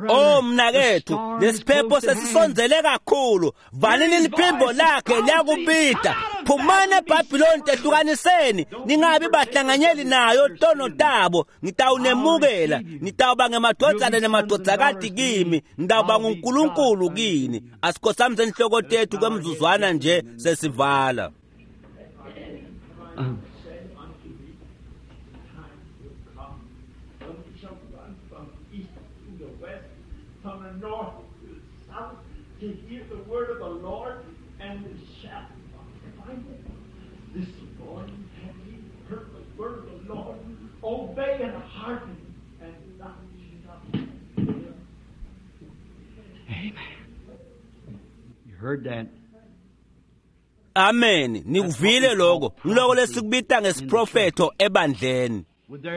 Oh mnakethu, lesiphepho sesisondzele kakhulu. Valini liphimbo lakhe liyakubita. Phumani eBhabhiloni, tehlukaniseni, ningabi bahlanganyeli nayo tono tabo. Ngitawunemukela, nitawuba ngemadvodzana nemadvodzakati kimi, ngitawuba nguNkulunkulu kini. Asikhothamise inhloko tethu kwemzuzwana nje sesivala. From the north to the south, to hear the word of the Lord, and we shall find it. This morning have ye heard the word of the Lord? Obey and hearken, and not shut. Amen. You heard that. Amen. Nikuvile lokho. Ngiloko lesikubita ngesiprofetho ebandleni.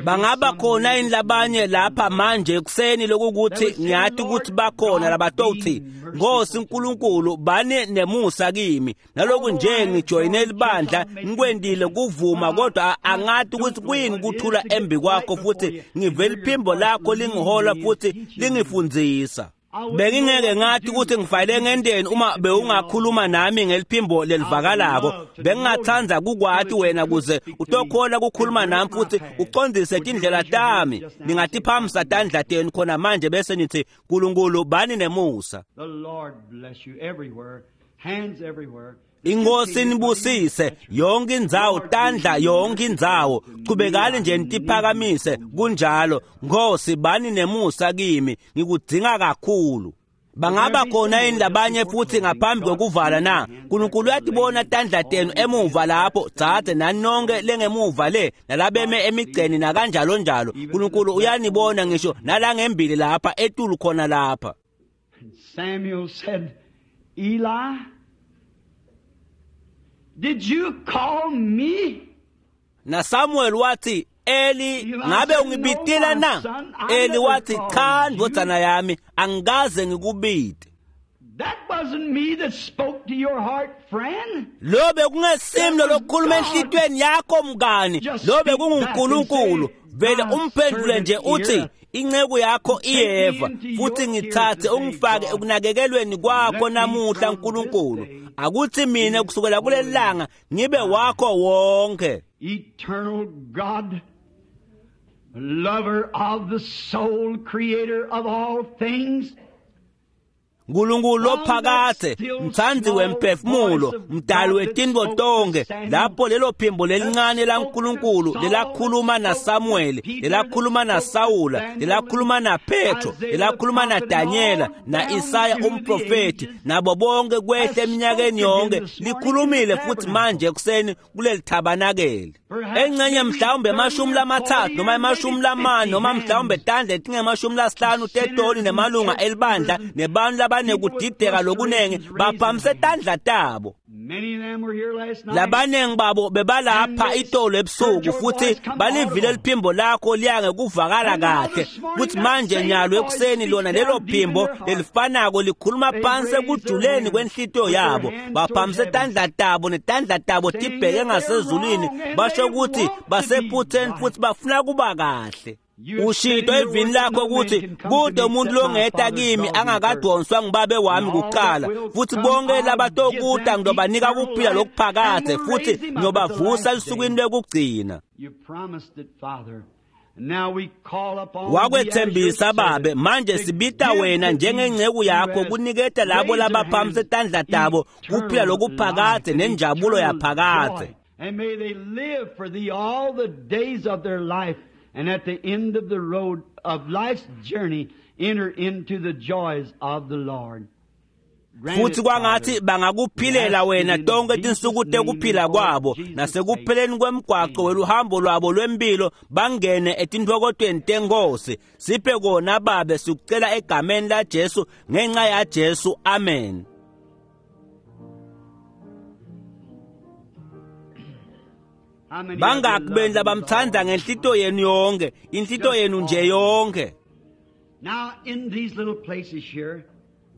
Bangaba khona yini labanye lapha manje ekuseni lokukuthi ngiyathi ukuthi bakhona labatowuthi Nkosi uNkulunkulu bani nemusa kimi, naloku nje ngijoyine libandla ngikwendile kuvuma, kodwa angathi ukuthi kuyini kuthula embi kwakho, futhi ngive liphimbo lakho lingihola futhi lingifundzisa. Bengingeke ngathi ukuthi ngifayile ngendeni uma bewungakhuluma nami ngeliphimbo lelivakalako. Bengingathanda kukwati wena kuze utokhola kukhuluma nami futhi ucondzise tindlela tami. Ningatiphamisa tandla tenu khona manje bese nithi Nkulunkulu bani nemusa. The Lord bless you everywhere, hands everywhere. Inkosi nibusise yonke indzawo, tandla yonke indzawo. Chubekani nje nitiphakamise kunjalo. Nkosi bani nemusa kimi, ngikudzinga kakhulu. Bangaba khona yini labanye futhi ngaphambi kokuvala na? Nkulunkulu uyatibona tandla tenu emuva lapho, dzadze nani nonke lengemuva le, nalabeme emigceni nakanjalo njalo. Nkulunkulu uyanibona ngisho nalangembili lapha etulu khona lapha. Samuel said, Eli, did you call me? Na Samuel wathi, Eli, ngabe ungibitile na? Eli wathi, cha ndvodzana yami, angikaze ngikubite. That wasn't me that spoke to your heart, friend. Lo bekungesimi lokukhuluma enhlitweni yakho mngani, lo bekunguNkulunkulu. Vele umphendule nje uthi, inceku yakho iyeva, futhi ngithathe ungifake ekunakekelweni kwakho namuhla Nkulunkulu. Akuthi mina kusukela kuleli langa ngibe wakho wonke. Eternal God, lover of the soul, creator of all things. Nkulunkulu lophakathe, mtsandzi wemphefumulo, mdali wetintfo tonkhe, lapho lelo phimbo lelincane laNkulunkulu lelakhuluma naSamuel, lelakhuluma naSawula, lelakhuluma naPetro, lelakhuluma naDanyela, na-Isaya umprofethi, nabo bonke kwehle eminyakeni yonke, likhulumile futhi manje ekuseni kuleli thabanakeli. Engcenye mhlawumbe 30 noma 40 noma mhlawumbe tandla letinge-50 tetoni nemalunga elibandla nebantu labanekudideka lokunengi baphamise tandla tabo. Labanengi babo bebalapha itolo ebusuku futhi balivile liphimbo lakho liya ngekuvakala kahle, futhi manje nyalo ekuseni lona lelo phimbo lelifanako likhuluma phansi ekujuleni kwenhlitiyo yabo. Baphamise tandla tabo netandla tabo tibheke ngasezulwini, basho ukuthi basephutheni futhi bafuna kuba kahle. Ushito evini lakho ukuthi kude umuntu longeta kimi angakadonswa ngibabe wami kuqala, futhi bonke labatokuta ngiyobanika kuphila lokuphakade futhi ngiyobavusa esukwini lokugcina. Wakwethembisa babe, manje sibita wena njengenceku yakho kuniketa labo labaphamise tandla tabo kuphila lokuphakade nenjabulo yaphakade. And may they live for thee all the days of their life, and at the end of the road of life's journey, enter into the joys of the Lord. Futhi kwangathi bangakuphilela wena tonke tinsuku tekuphila kwabo, nasekupheleni kwemgwaqo weluhambo lwabo lwempilo bangene etintfokotweni tenkosi. Siphe kona babe, sikucela egameni laJesu, ngenxa yaJesu, amen. Bangaki benu labamthanda ngenhlito yenu yonke, inhlito yenu nje yonke?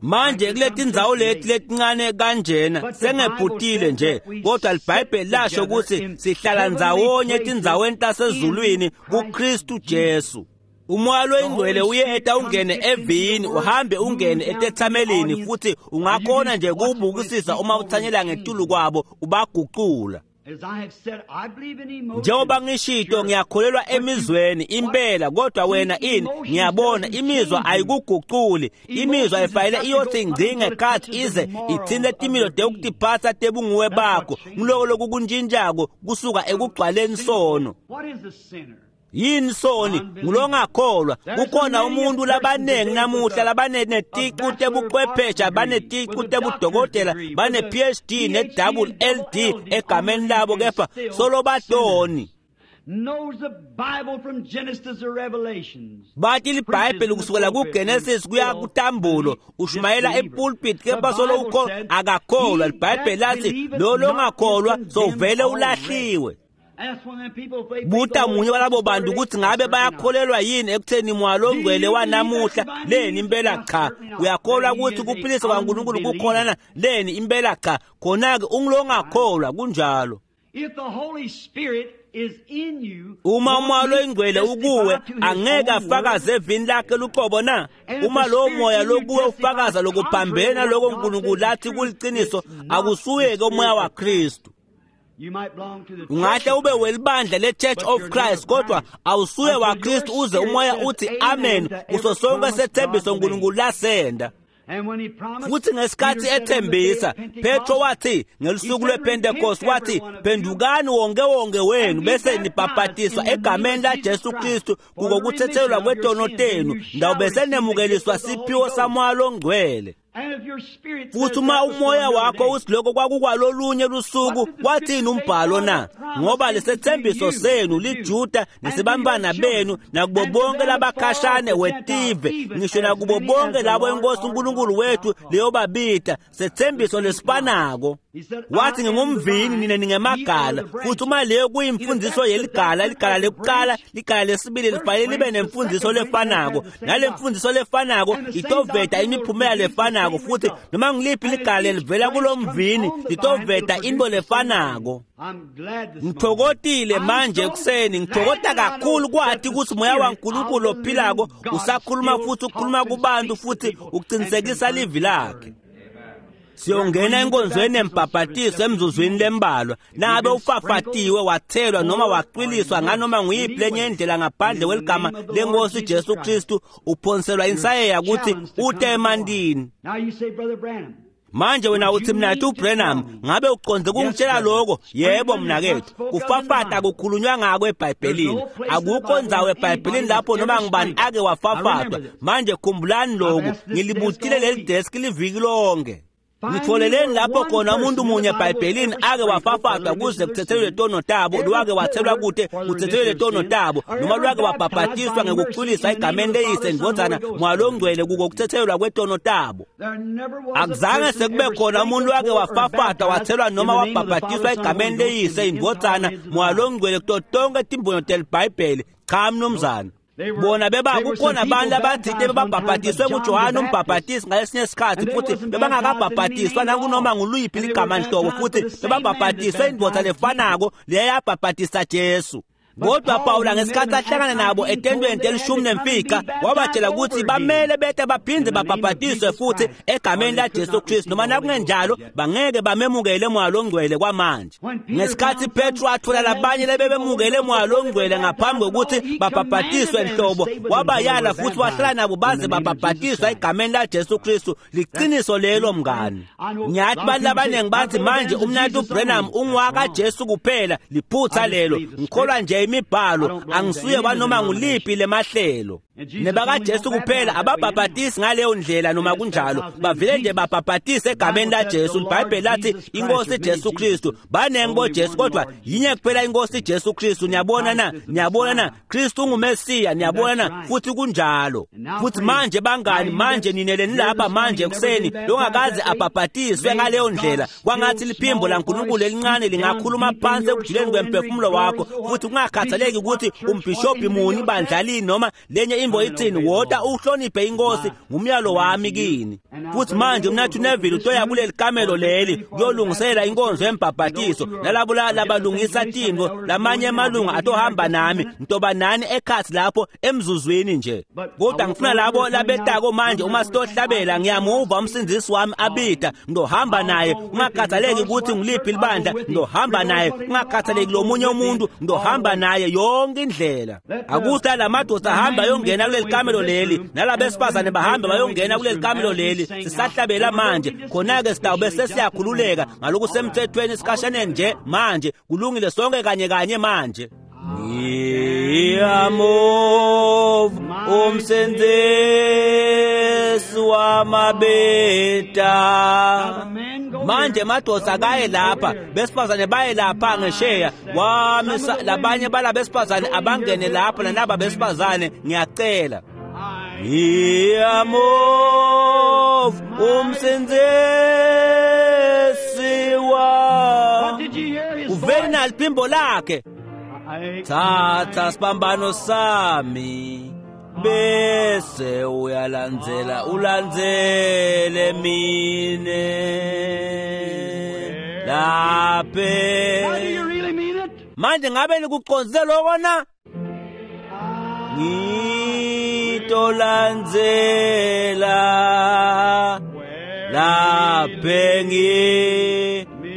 Manje kuletindzawo leti letincane kanjena sengephutile nje, kodwa liBhayibheli lasho ukuthi sihlala ndzawonye etindzaweni tasezulwini kuKristu Jesu. Umoya loyingcwele uyeta ungene evini, uhambe ungene etethamelini, futhi ungakhona nje kuwubukisisa uma uthanyela ngetulu kwabo ubagucula. Njengoba ngishito, ngiyakholelwa emizweni impela, kodwa wena ini, ngiyabona imizwa ayikuguculi. Imizwa ayifanele iyothi ngci ngekhathi ize ithinte timilo tekutiphatsa tebunguwe bakho. Ngiloko lokukuntshintshako kusuka ekugcwaleni sono. Yini soni? Ngulongakholwa. Kukhona umuntu labanengi namuhla labaneticu tebuchwephesha, baneticu tebudokotela, bane PhD ne double LD egameni labo, kepha solo batoni. Bathi liBhayibheli kusukela kuGenesis kuya kuTambulo, ushumayela epulpit, kepha solo akakholwa. LiBhayibheli lathi lo longakholwa sovele ulahliwe. Buta munye walabo bantu ukuthi ngabe bayakholelwa yini ekutheni moya longcwele wanamuhla? Leni impela cha. Uyakholwa ukuthi kuphilisa kwaNkulunkulu kukhona na? Leni impela cha. Khona-ke ungilongakholwa, kunjalo. Uma umoya loyingcwele ukuwe, angeke afakaze evini lakhe luqobo na? Uma lowo moya lokuwe ufakaza lokuphambene naloko uNkulunkulu lathi kuliciniso, akusuye-ke umoya waKristu. Ungahle ube welibandla le-Church of Christ, kodwa awusuye waKristu uze umoya uthi amen kuso sonke sethembiso uNkulunkulu lasenda. Futhi ngesikhathi ethembisa, Petro wathi ngelusuku lwePentecost, wathi phendukani wonke wonke wenu bese nibhabhatiswa egameni laJesu Kristu kuko kuthethelelwa kwetono tenu, ndawube senemukeliswa siphiwo saMoya loNgcwele. Futhi uma umoya wakho uthi lokho kwakukwalolunye lusuku, wathini umbhalo na? Ngoba lesethembiso senu liJuda nesibambana benu nakubo bonke labakhashane wetive, ngisho nakubo bonke labo enkosi uNkulunkulu wethu leyobabita, sethembiso lesifanako. Wathi ngingumvini nina ningemagala. Futhi uma leyo kuyimfundiso yeligala, ligala lekuqala, ligala lesibili lifanele libe nemfundiso lefanako, nale mfundiso lefanako itoveta imiphumela lefanako. Futhi noma ngiliphi ligala lelivela kulomvini litoveta into lefanako. Ngithokotile manje ekuseni, ngithokota kakhulu kwathi ukuthi moya waNkulunkulu ophilako usakhuluma futhi ukhuluma kubantu futhi uqinisekisa livi lakhe. Siyongena enkonzweni yembhabhatiso emzuzwini lembalwa. Nabe ufafatiwe, wathelwa noma wacwiliswa nganoma nguyiphi lenye indlela ngaphandle kweligama lenkosi Jesu Kristu, uphonselwa insayeya ukuthi ute emantini. Manje wena uthi mnakethu uBranham, ngabe uqonde kungitshela lokho? Yebo mnakethu, kufafata kukhulunywa ngako eBhayibhelini. Akukho ndzawo eBhayibhelini lapho noma ngibani ake wafafatwa. Manje khumbulani lokhu, ngilibutile leli desk liviki lonke. Ngitholeleni lapho khona umuntu munye eBhayibhelini ake wafafatwa kuze kuthethelelwe tono tabo, lwake wathelwa kude kuthethelelwe tono tabo, noma lwake wabhabhatiswa ngekucwiliswa egameni leyise ndvodzana Moya loNgcwele kuko kuthethelelwa kwetono tabo. Akuzange sekube khona umuntu wake wafafatwa wathelwa noma wabhabhatiswa egameni leyise indvodzana Moya loNgcwele kuto tonke timbonyo teliBhayibheli. Cha mnumzana. Bona beba kukhona abantu abathile bebabhabhatiswe nguJohane umbhabhatisi ngalesinye isikhathi, futhi bebangakabhabhatiswa nakunoma nguluphi ligama nhlobo, futhi bebabhabhatiswe indvodza lefanako leyayabhabhatisa Jesu. Kodwa Pawula ngesikhathi ahlangana nabo etendweni 15 wabatshela ukuthi bamele bete baphinde babhabhatiswe futhi egameni laJesu Kristu, noma nakungenjalo bangeke bamemukele Moya loNgcwele kwamanje. Ngesikhathi Petro athola labanye lebebemukele Moya loNgcwele ngaphambi kokuthi babhabhatiswe nhlobo, wabayala futhi wahlala nabo baze babhabhatiswa egameni laJesu Kristu. Liqiniso lelo mngani. Ngiyathi abantu abaningi bathi manje umnakethu uBranham ungwaka Jesu kuphela. Liphutha lelo. Ngikholwa nje imibhalo, angisuye wanoma nguliphi lemahlelo. NebakaJesu kuphela ababhabhatisi ngaleyo ndlela, noma kunjalo bavele nje babhabhatise egameni laJesu. IBhayibheli lathi inkosi Jesu Kristu, banengi boJesu kodwa yinye kuphela inkosi Jesu Kristu. Niyabona na? Niyabona na? Kristu unguMesiya, niyabona na? Futhi kunjalo. Futhi manje bangani, manje ninele nilapha manje ekuseni longakaze abhabhatiswe ngaleyo ndlela, kwangathi liphimbo laNkulunkulu elincane lingakhuluma phansi ekujuleni kwemphefumulo wakho, futhi kungakhathaleki ukuthi umbhishobhi muni bandlalini noma lenye imbo ithini, wota uhloniphe inkosi, ngumyalo wami kini. Futhi manje mnathu Neville utoya kuleli kamelo leli kuyolungisela inkonzo yembhabhatiso, nalabo labalungisa tintfo, lamanye emalunga atohamba nami, ngitoba nani ekhathi lapho emzuzwini nje. Kodwa ngifuna labo labetako manje uma sitohlabela, ngiyamuva umsindzisi wami abita, ngizohamba naye kungakhathaleki ukuthi ngiliphi libandla, ngizohamba naye kungakhathaleki lomunye umuntu, ngizohamba naye yonke indlela. Akuthi lamadoda ahamba ayongena kuleli kamelo leli, nalabesifazane bahambe bayongena kuleli kamelo leli. Sisahlabela manje, khona-ke sitawube sesiyakhululeka ngalokusemthethweni esikhashaneni nje manje. Kulungile, sonke kanye kanye manje. Ngiyamuva umsindzisi wamabeta. Manje madoda kaye lapha, besifazane baye lapha ngesheya, wamisa labanye balabesifazane abangene lapha nanaba besifazane, ngiyacela. Ngiyamuva umsindzisi wa uveli naliphimbo lakhe. Thatha sibambano sami bese uyalandzela, ulandzele mine laphe. Manje ngabe nikucondzile lokho na? Ngitolandzela laphe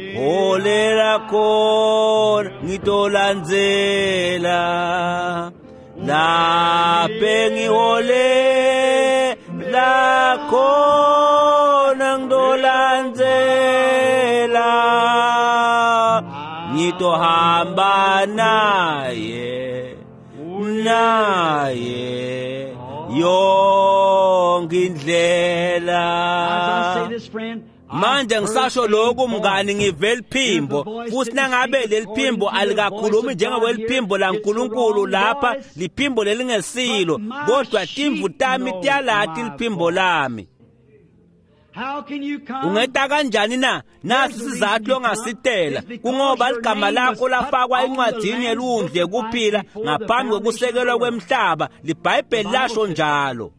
ngiholela khona, ngitolandzela laphe ngiholela Ngiyakhona ngidolandzela, ngitohamba naye, naye yonke indlela. Manje ngisasho lokhu mngani, ngive liphimbo, futhi nangabe leliphimbo alikakhulumi njengokweliphimbo laNkulunkulu lapha, liphimbo lelingesilo, kodwa timvu tami tiyalati liphimbo lami. Ungeta kanjani na? Nasi sizathu longasitela, kungoba ligama lakho lafakwa encwadzini yelundlu yekuphila ngaphambi kokusekelwa kwemhlaba. LiBhayibheli lasho njalo.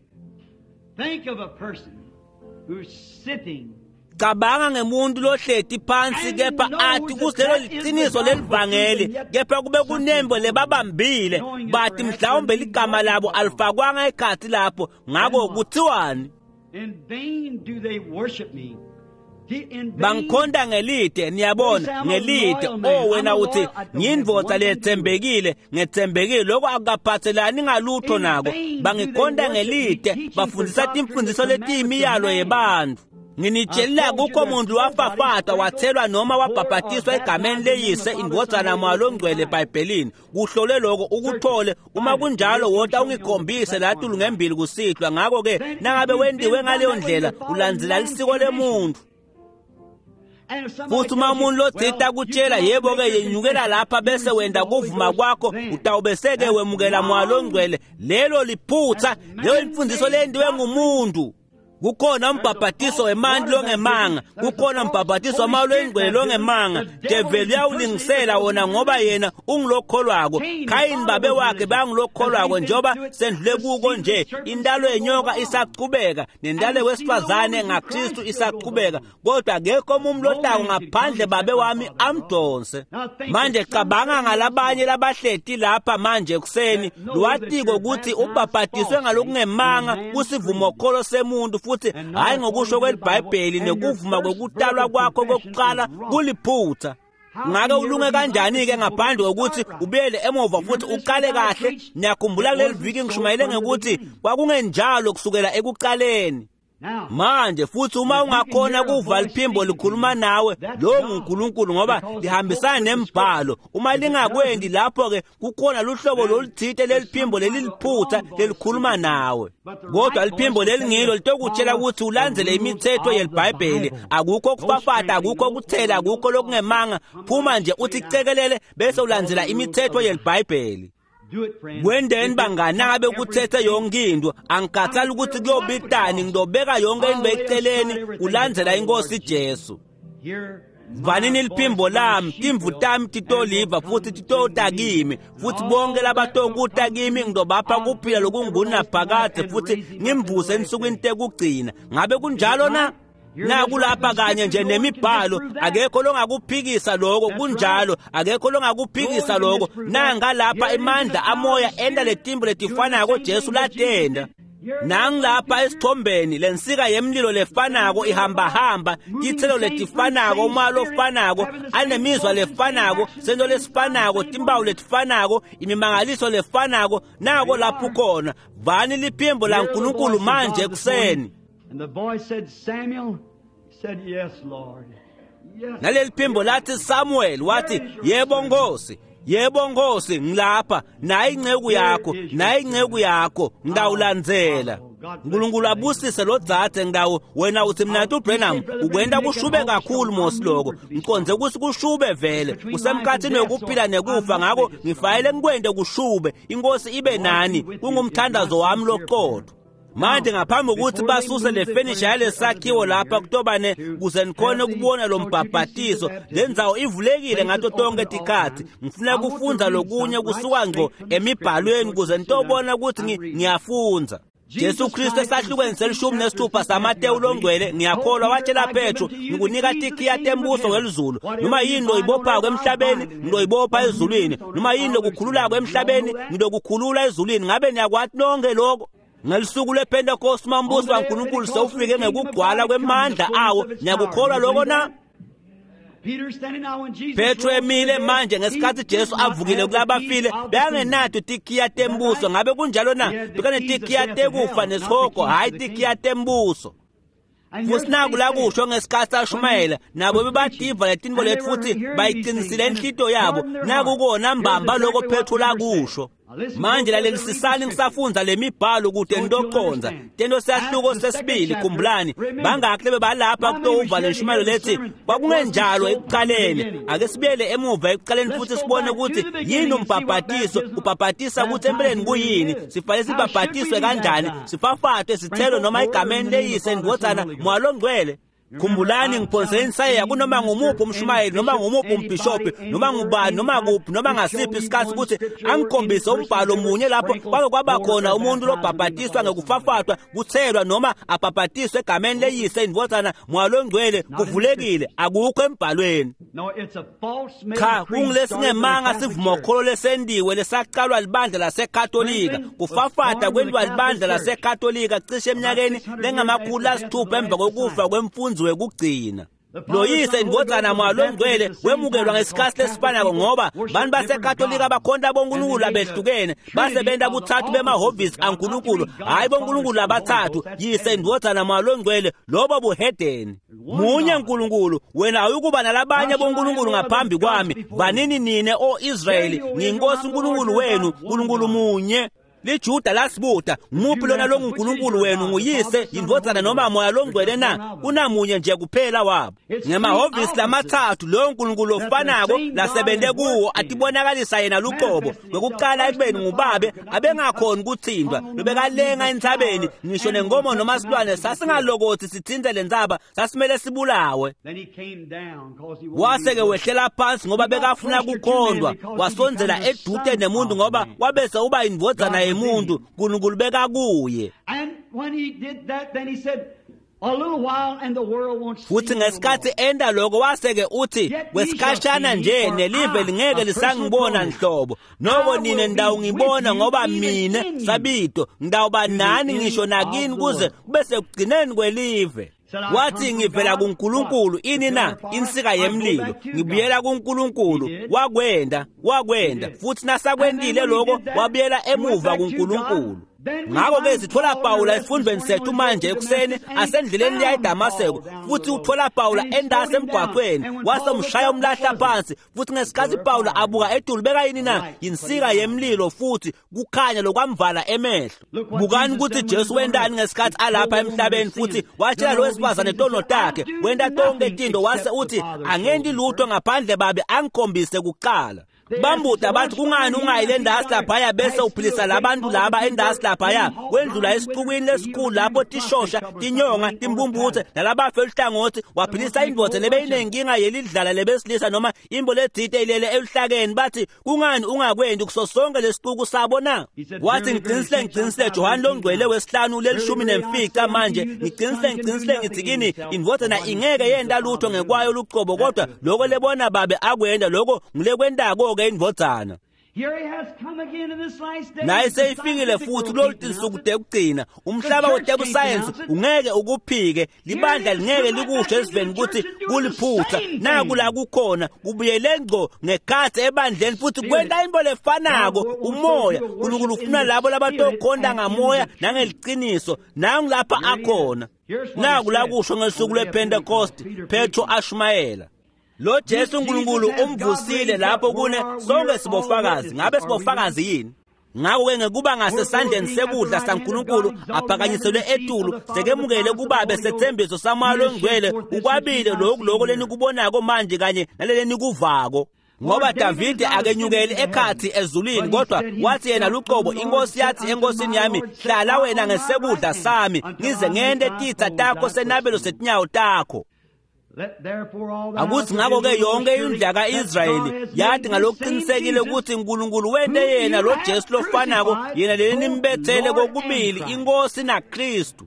Cabanga ngemuntu lohleti phansi kepha athi kusilelo liciniso lelivangeli, kepha kube kunembo lebabambile, bathi mhlawumbe ligama labo alifakwanga ekhathi lapho. Ngako kuthiwani? Bangikhonta ngelide, niyabona, ngelide. Oh wena uthi ngiyindvodza letsembekile, ngetsembekile. Lokho akukaphathelani ngalutho nako. Bangikhonta ngelide, bafundisa timfundiso letiyimiyalo yebantfu. Nginitshelile akukho muntu wafafata, wathelwa noma wabhabhatiswa egameni leyise, indvodzana, Moya Longcwele eBhayibhelini. Kuhlole lokho ukuthole. Uma kunjalo wota ungikhombise latulu ngembili kusihlwa. Ngakho-ke nangabe wendiwe ngaleyo ndlela, ulandzela lisiko lemuntu. Futhi uma umuntu lotsite akutshela, yebo-ke yenyukela lapha bese wenda kuvuma kwakho, utawubese-ke wemukela Moya Longcwele. Lelo liphutha, leyo imfundiso lendiwe ngumuntu. Kukhona umbhabhatiso wemanti longemanga, kukhona umbhabhatiso wamoya longcwele longemanga. Develi uyawulingisela wona ngoba yena ungulokholwako. Khayini babe wakhe bangulokholwako, njengoba sendlule kuko nje. Intalo yenyoka isachubeka, nentalo wesifazane ngaKristu isachubeka, kodwa akekho umuntu lotako ngaphandle babe wami amdonse. Manje cabanga ngalabanye labahleti lapha manje ekuseni, lwatiko ukuthi ubhabhatiswe ngalokungemanga kusivumokholo semuntu, futhi hayi ngokusho kweliBhayibheli, nekuvuma kwekutalwa kwakho kokuqala kuliphutha. Ngake ulunge kanjani-ke ngaphandle kokuthi ubuyele emuva futhi uqale kahle? Niyakhumbula kuleli viki ngishumayele ngekuthi kwakungenjalo kusukela ekuqaleni. Manje futhi uma ungakhona kuva liphimbo likhuluma nawe, lo nguNkulunkulu, ngoba lihambisana nembhalo. Uma lingakwendi lapho-ke kukhona luhlobo loluthite leliphimbo leliliphutha lelikhuluma nawe, kodwa liphimbo lelingilo litokutshela ukuthi ulandzele imithetho yeliBhayibheli. Akukho kufafata, akukho kuthela, akukho lokungemanga. Phuma nje uthi cekelele bese ulandzela imithetho yeliBhayibheli. Kwendeni bangani, nangabe kuthethe yonke into, angikhathali ukuthi kuyobitani, ngidobeka yonke into eceleni kulandzela inkosi Jesu. Vanini liphimbo lami, timvu tami titoliva futhi titota kimi, futhi bonke labatokuta kimi ngidobapha kuphila lokungunaphakadze futhi ngimvuse ensukwini tekugcina. Ngabe kunjalo na? Nakulapha kanye nje nemibhalo, akekho longakuphikisa lokho. Kunjalo, akekho longakuphikisa lokho. Nanga lapha imandla amoya enda letimbo letifanako Jesu latenda. Nangilapha esithombeni lensika yemlilo lefanako ihambahamba, titselo letifanako, umoya lofanako, anemizwa lefanako, sento lesifanako, timpawu letifanako, imimangaliso lefanako. Nako lapho ukhona. Vani liphimbo laNkulunkulu manje ekuseni. And the voice said, Samuel, he said, yes, Lord. Yes. Naleli phimbo lathi Samuel, wathi yebo Nkosi, yebo Nkosi, ngilapha, nayi inceku yakho, nayi inceku yakho, ngidawulandzela. uNkulunkulu abusise lo dzadze. Ngidawu wena uthi mina tu Branham ukwenda kushube kakhulu mos lokho. Ngiqonze ukuthi kushube vele, kusemkhathini wekuphila nekufa, ngakho ngifayele ngikwende kushube. Inkosi ibe nani, kungumthandazo wami loqotho. Manje ngaphambi kokuthi basuse le fenisha yalesakhiwo lapha kutobane kuze nikhone ukubona lo mbhabhatiso, le ndzawo ivulekile ngato tonke tikhathi. Ngifuna kufundza lokunye kusuka ngco emibhalweni kuze nitobona ukuthi ngiyafundza. Jesu Kristu esahlukweni se-16 saMatewu longcwele, ngiyakholwa, watshela Petro, ngikunika tikhiya tembuso welizulu. Noma yini loyibophako emhlabeni, ngiloyibopha ezulwini. Noma yini lokukhululako emhlabeni, ngilokukhulula ezulwini. Ngabe niyakwati nonke lokho? Ngelisuku lePentecost mambuso waNkulunkulu sewufike ngekugcwala kwemandla awo. Niyakukholwa lokho na? Petro emile manje ngesikhathi Jesu avukile kulabafile bekangenato tikhiya tembuso. Ngabe kunjalo na? Bekanetikiya tekufa nesihogo, hhayi tikhiya tembuso. Futhi naku la kusho ngesikhathi ashumayela nabo bebadiva letinto leti futhi bayiqinisile inhlito yabo. Nakukona mbamba lokho Petro lakusho. Manje lalelisisani ngisafundza lemibhalo kude nitoconza tento siyahluko sesibili. Khumbulani bangakhi lebebalapha kutowuva lenshumayelo lethi kwakungenjalo ekuqaleni. Ake sibuyele emuva ekuqaleni futhi sibone ukuthi yini umbhabhatiso, ubhabhatisa ukuthi empeleni kuyini, sifanele sibhabhatiswe kanjani, sifafatwe sithelwe noma egameni leyise indvodzana Moya Longcwele. Khumbulani ngiphonsele insayeya kunoma ngumuphi umshumayeli noma ngumuphi umbhishobhi noma ngubani noma kuphi noma ngasiphi isikhathi ukuthi angikhombise umbhalo munye lapho kwake kwaba khona umuntu lobhabhatiswa ngekufafatwa kuthelwa noma abhabhatiswe egameni leyise indvodzana Moya Longcwele. Kuvulekile, akukho embhalweni. Cha, kungulesingemanga sivumokholo lesendiwe lesaqalwa libandla laseKatolika. Kufafata kwentiwa libandla laseKatolika cishe eminyakeni lengama-600 emva kokufa kwemfunzi wekugcina. Loyise indvodzana Moya Longcwele wemukelwa ngesikhathi lesifanako ngoba bantu baseKatolika bakhonta bonkulunkulu abehlukene, basebenta buthathu bemahhovisi aNkulunkulu, hhayi bonkulunkulu abathathu, yise indvodzana Moya Longcwele, lobo buhedeni. Munye Nkulunkulu, wena awuyukuba nalabanye bonkulunkulu ngaphambi kwami. Vanini nine o Israyeli, ngiyinkosi uNkulunkulu wenu, Nkulunkulu munye. LiJuda lasibuta, ngumuphi lona longuNkulunkulu wenu, nguyise indvodzana noma Moya Longcwele na? Kunamunye nje kuphela wabo. Ngemahhovisi lamathathu loyo Nkulunkulu ofanako lasebente kuwo atibonakalisa yena luqobo. Kwekuqala ekubeni ngubabe abengakhoni kuthintwa, lobekalenga entsabeni, ngisho nenkomo noma silwane sasingalokothi sithinte lentsaba, sasimele sibulawe. Wase-ke wehlela phansi ngoba bekafuna kukhondwa, wasondzela edute nemuntu ngoba wabese uba indvodzana yemuntu, Nkulunkulu bekakuye. Futhi ngesikhathi enda lokho wase-ke uthi kwesikhashana nje nelive lingeke lisangibona nhlobo, noko nine ndawungibona ngoba mine sabito ngidawuba nani ngisho nakini kuze kube sekugcineni kwelive. Wathi ngivela kuNkulunkulu, ini na? Insika yemlilo. Ngibuyela kuNkulunkulu. Wakwenda, wakwenda. Futhi nasakwentile lokho wabuyela emuva kuNkulunkulu. Ngakho-ke sithola Pawula esifundweni sethu manje ekuseni asendleleni leya eDamaseko, futhi uthola Pawula endase emgwaqweni wasemshaya umlahla phansi. Futhi ngesikhathi Pawula abuka etulu bekayini na? Yinsika yemlilo futhi kukhanya lokwamvala emehlo. Bukani ukuthi Jesu wentani ngesikhathi alapha emhlabeni, futhi watshela lo wesifazane tono takhe, wenta tonke tinto, wase uthi angenti lutho ngaphandle babe angikhombise kuqala. Bambuda bathi kungani ungayi le ndasi laphaya bese uphilisa labantu laba endasi laphaya, wendlula esixukwini lesikhulu lapho tishosha tinyonga timbumbuthe nalabafe eluhlangothi, waphilisa indvodza lebeyinenkinga yelidlala lebesilisa noma imbo ledzite ilele eluhlakeni. Bathi kungani ungakwendi kuso sonke lesixuku sabo na? Wathi ngiqinisile ngiqinisile, Johane longcwele wesihlanu lelishumi nemfica manje, ngiqinisile ngiqinisile ngithi kini indvodzana ingeke yenta lutho ngekwayo lucobo, kodwa lokho lebona babe akwenda lokho ngulekwentako-ke indvodzana. Naye seyifikile futhi kulolu tinsuku tekugcina. Umhlaba wetebusayensi ungeke ukuphike, libandla lingeke likusho esiveni ukuthi kuliphutha. Naku la kukhona kubuyele ngco ngekhathi ebandleni futhi kwenta into lefanako. Umoya uNkulunkulu ufuna labo labatokhonta ngamoya nangeliciniso. Nangu lapha akhona. Naku la kusho ngesuku lwePentecost, Petro ashumayela. Lo Jesu uNkulunkulu umvusile lapho kune sonke sibofakazi. Ngabe sibofakazi yini? Ngakho-ke ngekuba ngasesandleni sekudla saNkulunkulu aphakanyiselwe etulu, sekemukele kubabe sethembiso saMoya Longcwele, ukwabile lokhu lokho lenikubonako manje kanye nalelenikuvako. Ngoba Davide akenyukeli ekhathi ezulwini, kodwa wathi yena luqobo, inkosi yathi enkosini yami, hlala wena ngesekudla sami ngize ngente titsa takho senabelo setinyawo takho. Akuthi ngakho-ke yonke indlu ka-Israyeli yathi ngalokuqinisekile ukuthi uNkulunkulu wente yena lo Jesu lofanako, yena leli nimbethele kokubili inkosi naKristu.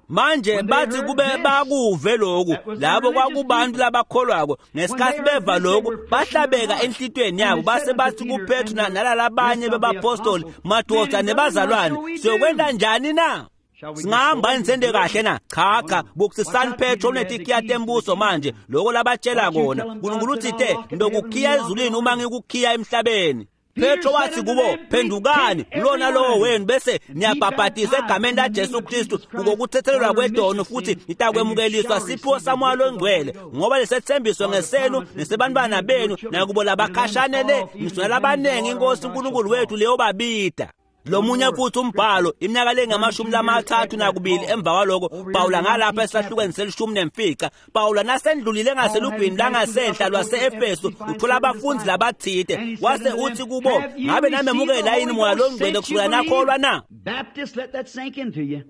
Manje bathi kube bakuve lokhu, labo kwakubantu labakholwako. Ngesikhathi beva lokhu bahlabeka enhlitweni yabo, base bathi kuPetru nalalabanye bebapostoli, madoda nebazalwane, siyokwenta njani na? Singahamba yini sente kahle na? Cha cha, bukisisani Petro unetikhiya tembuso manje, lokho labatshela kona. Nkulunkulu uthite, ngitokukhiya ezulwini uma ngikukhiya emhlabeni. Petro wathi kubo, phendukani lona lowo wenu bese niyabhabhatisa egameni laJesu Kristu ngokuthethelelwa kwedono futhi nitakwemukeliswa siphiwo saMoya loNgcwele, ngoba lesethembiso ngesenu nesebantwana benu nakubo labakhashane le ngisho nalabaningi iNkosi uNkulunkulu wethu leyobabida. Lomunye futhi umbhalo iminyaka lengama-32 emva kwaloko Pawula ngalapha esahlukweni se-15 Pawula nasendlulile ngaselugwini langasenhla lwase-Efesu uthola abafundi labathide wase uthi kubo, ngabe namemukela yini Moya loNgcwele kusukela nakholwa na? Baptist, let that sink into you.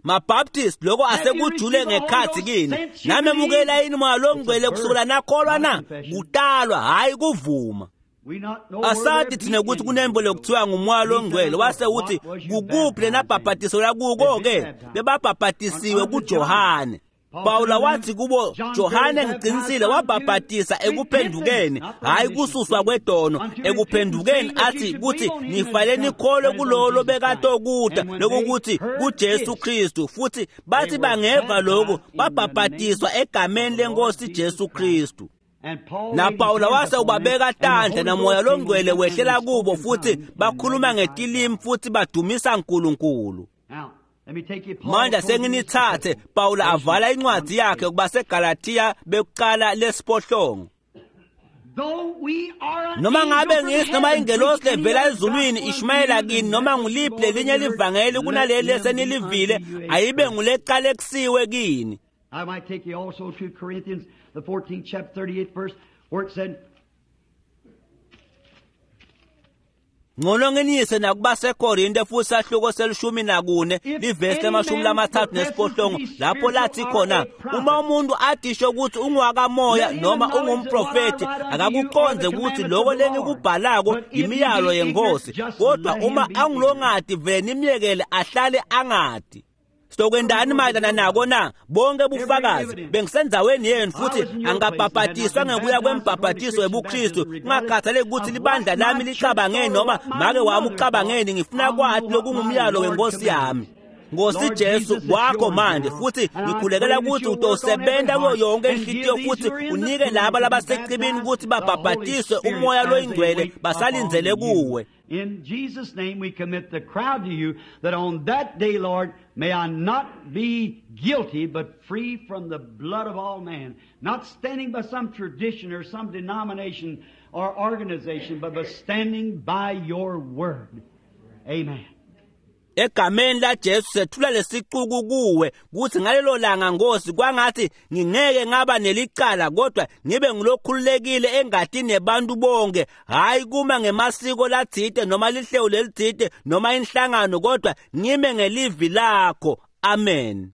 MaBaptist, lokho asekujule ngekhathi kini. Namemukela yini Moya loNgcwele kusukela nakholwa na? Kutalwa, hhayi kuvuma. Asathi thina ukuthi kunembo lokuthiwa nguMoya loNgcwele. Wase uthi kukuphi lenabhabhatiso lakuko-ke? Bebabhabhatisiwe kuJohane. Pawula wathi kubo, Johane ngiqinisile wabhabhatisa ekuphendukeni, hhayi kususwa kwedono, ekuphendukeni athi kuthi nifanele nikholwe kulolo lobekatokuta, lokukuthi kuJesu Kristu. Futhi bathi bangeva lokhu babhabhatiswa egameni lenkosi Jesu Kristu. NaPawula wase ubabeka tandla naMoya loNgcwele wehlela kubo futhi bakhuluma ngetilimi futhi badumisa uNkulunkulu. Manje senginithathe Pawula avala incwadi yakhe kubaseGalathiya bekuqala lesiphohlongo. Noma ngabe ngisi noma ingelosi levela ezulwini ishumayela kini noma nguliphi lelinye livangeli kunaleli esenilivile, ayibe nguleqalekisiwe kini. I might take you also to Corinthians, the 14th chapter, 38th verse, where it said, Ngcono nginiyise nakubaseKorinte futhi sahluko se-14 livesi le-38 lapho lathi khona, uma umuntu adisho ukuthi ungwakamoya noma ungumprofeti akakuqonde ukuthi lokho lengikubhalako imiyalo yenkosi, kodwa uma angilongadi vele nimyekele ahlale angadi. Sokwendani mayelana nako na? Bonke bufakazi bengisendaweni yenu futhi angabhabhatiswa ngekuya kwembhabhatiso webuKristu, kungakhathaleki ukuthi libandla lami licabangeni noma make wami ucabangeni, ngifuna kwathi lokungumyalo wenkosi yami. Nkosi Jesu kwakho manje, futhi ngikhulekela ukuthi utosebenza kuyo yonke inhlitiyo futhi unike laba labasecibini ukuthi babhabhatiswe uMoya loyiNgcwele basalindzele kuwe. In Jesus' name we commit the crowd to you, that on that day, Lord, may I not be guilty, but free from the blood of all man, not standing by some tradition or some denomination or organization, but by standing by your word. Amen. Egameni laJesu sethula lesicuku kuwe kuthi ngalelo langa Nkosi kwangathi ngingeke ngaba nelicala, kodwa ngibe ngilokhululekile engatini yabantu bonke, hayi kuma ngemasiko lathide noma lihlelo lelithide noma inhlangano, kodwa ngime ngelivi lakho. Amen.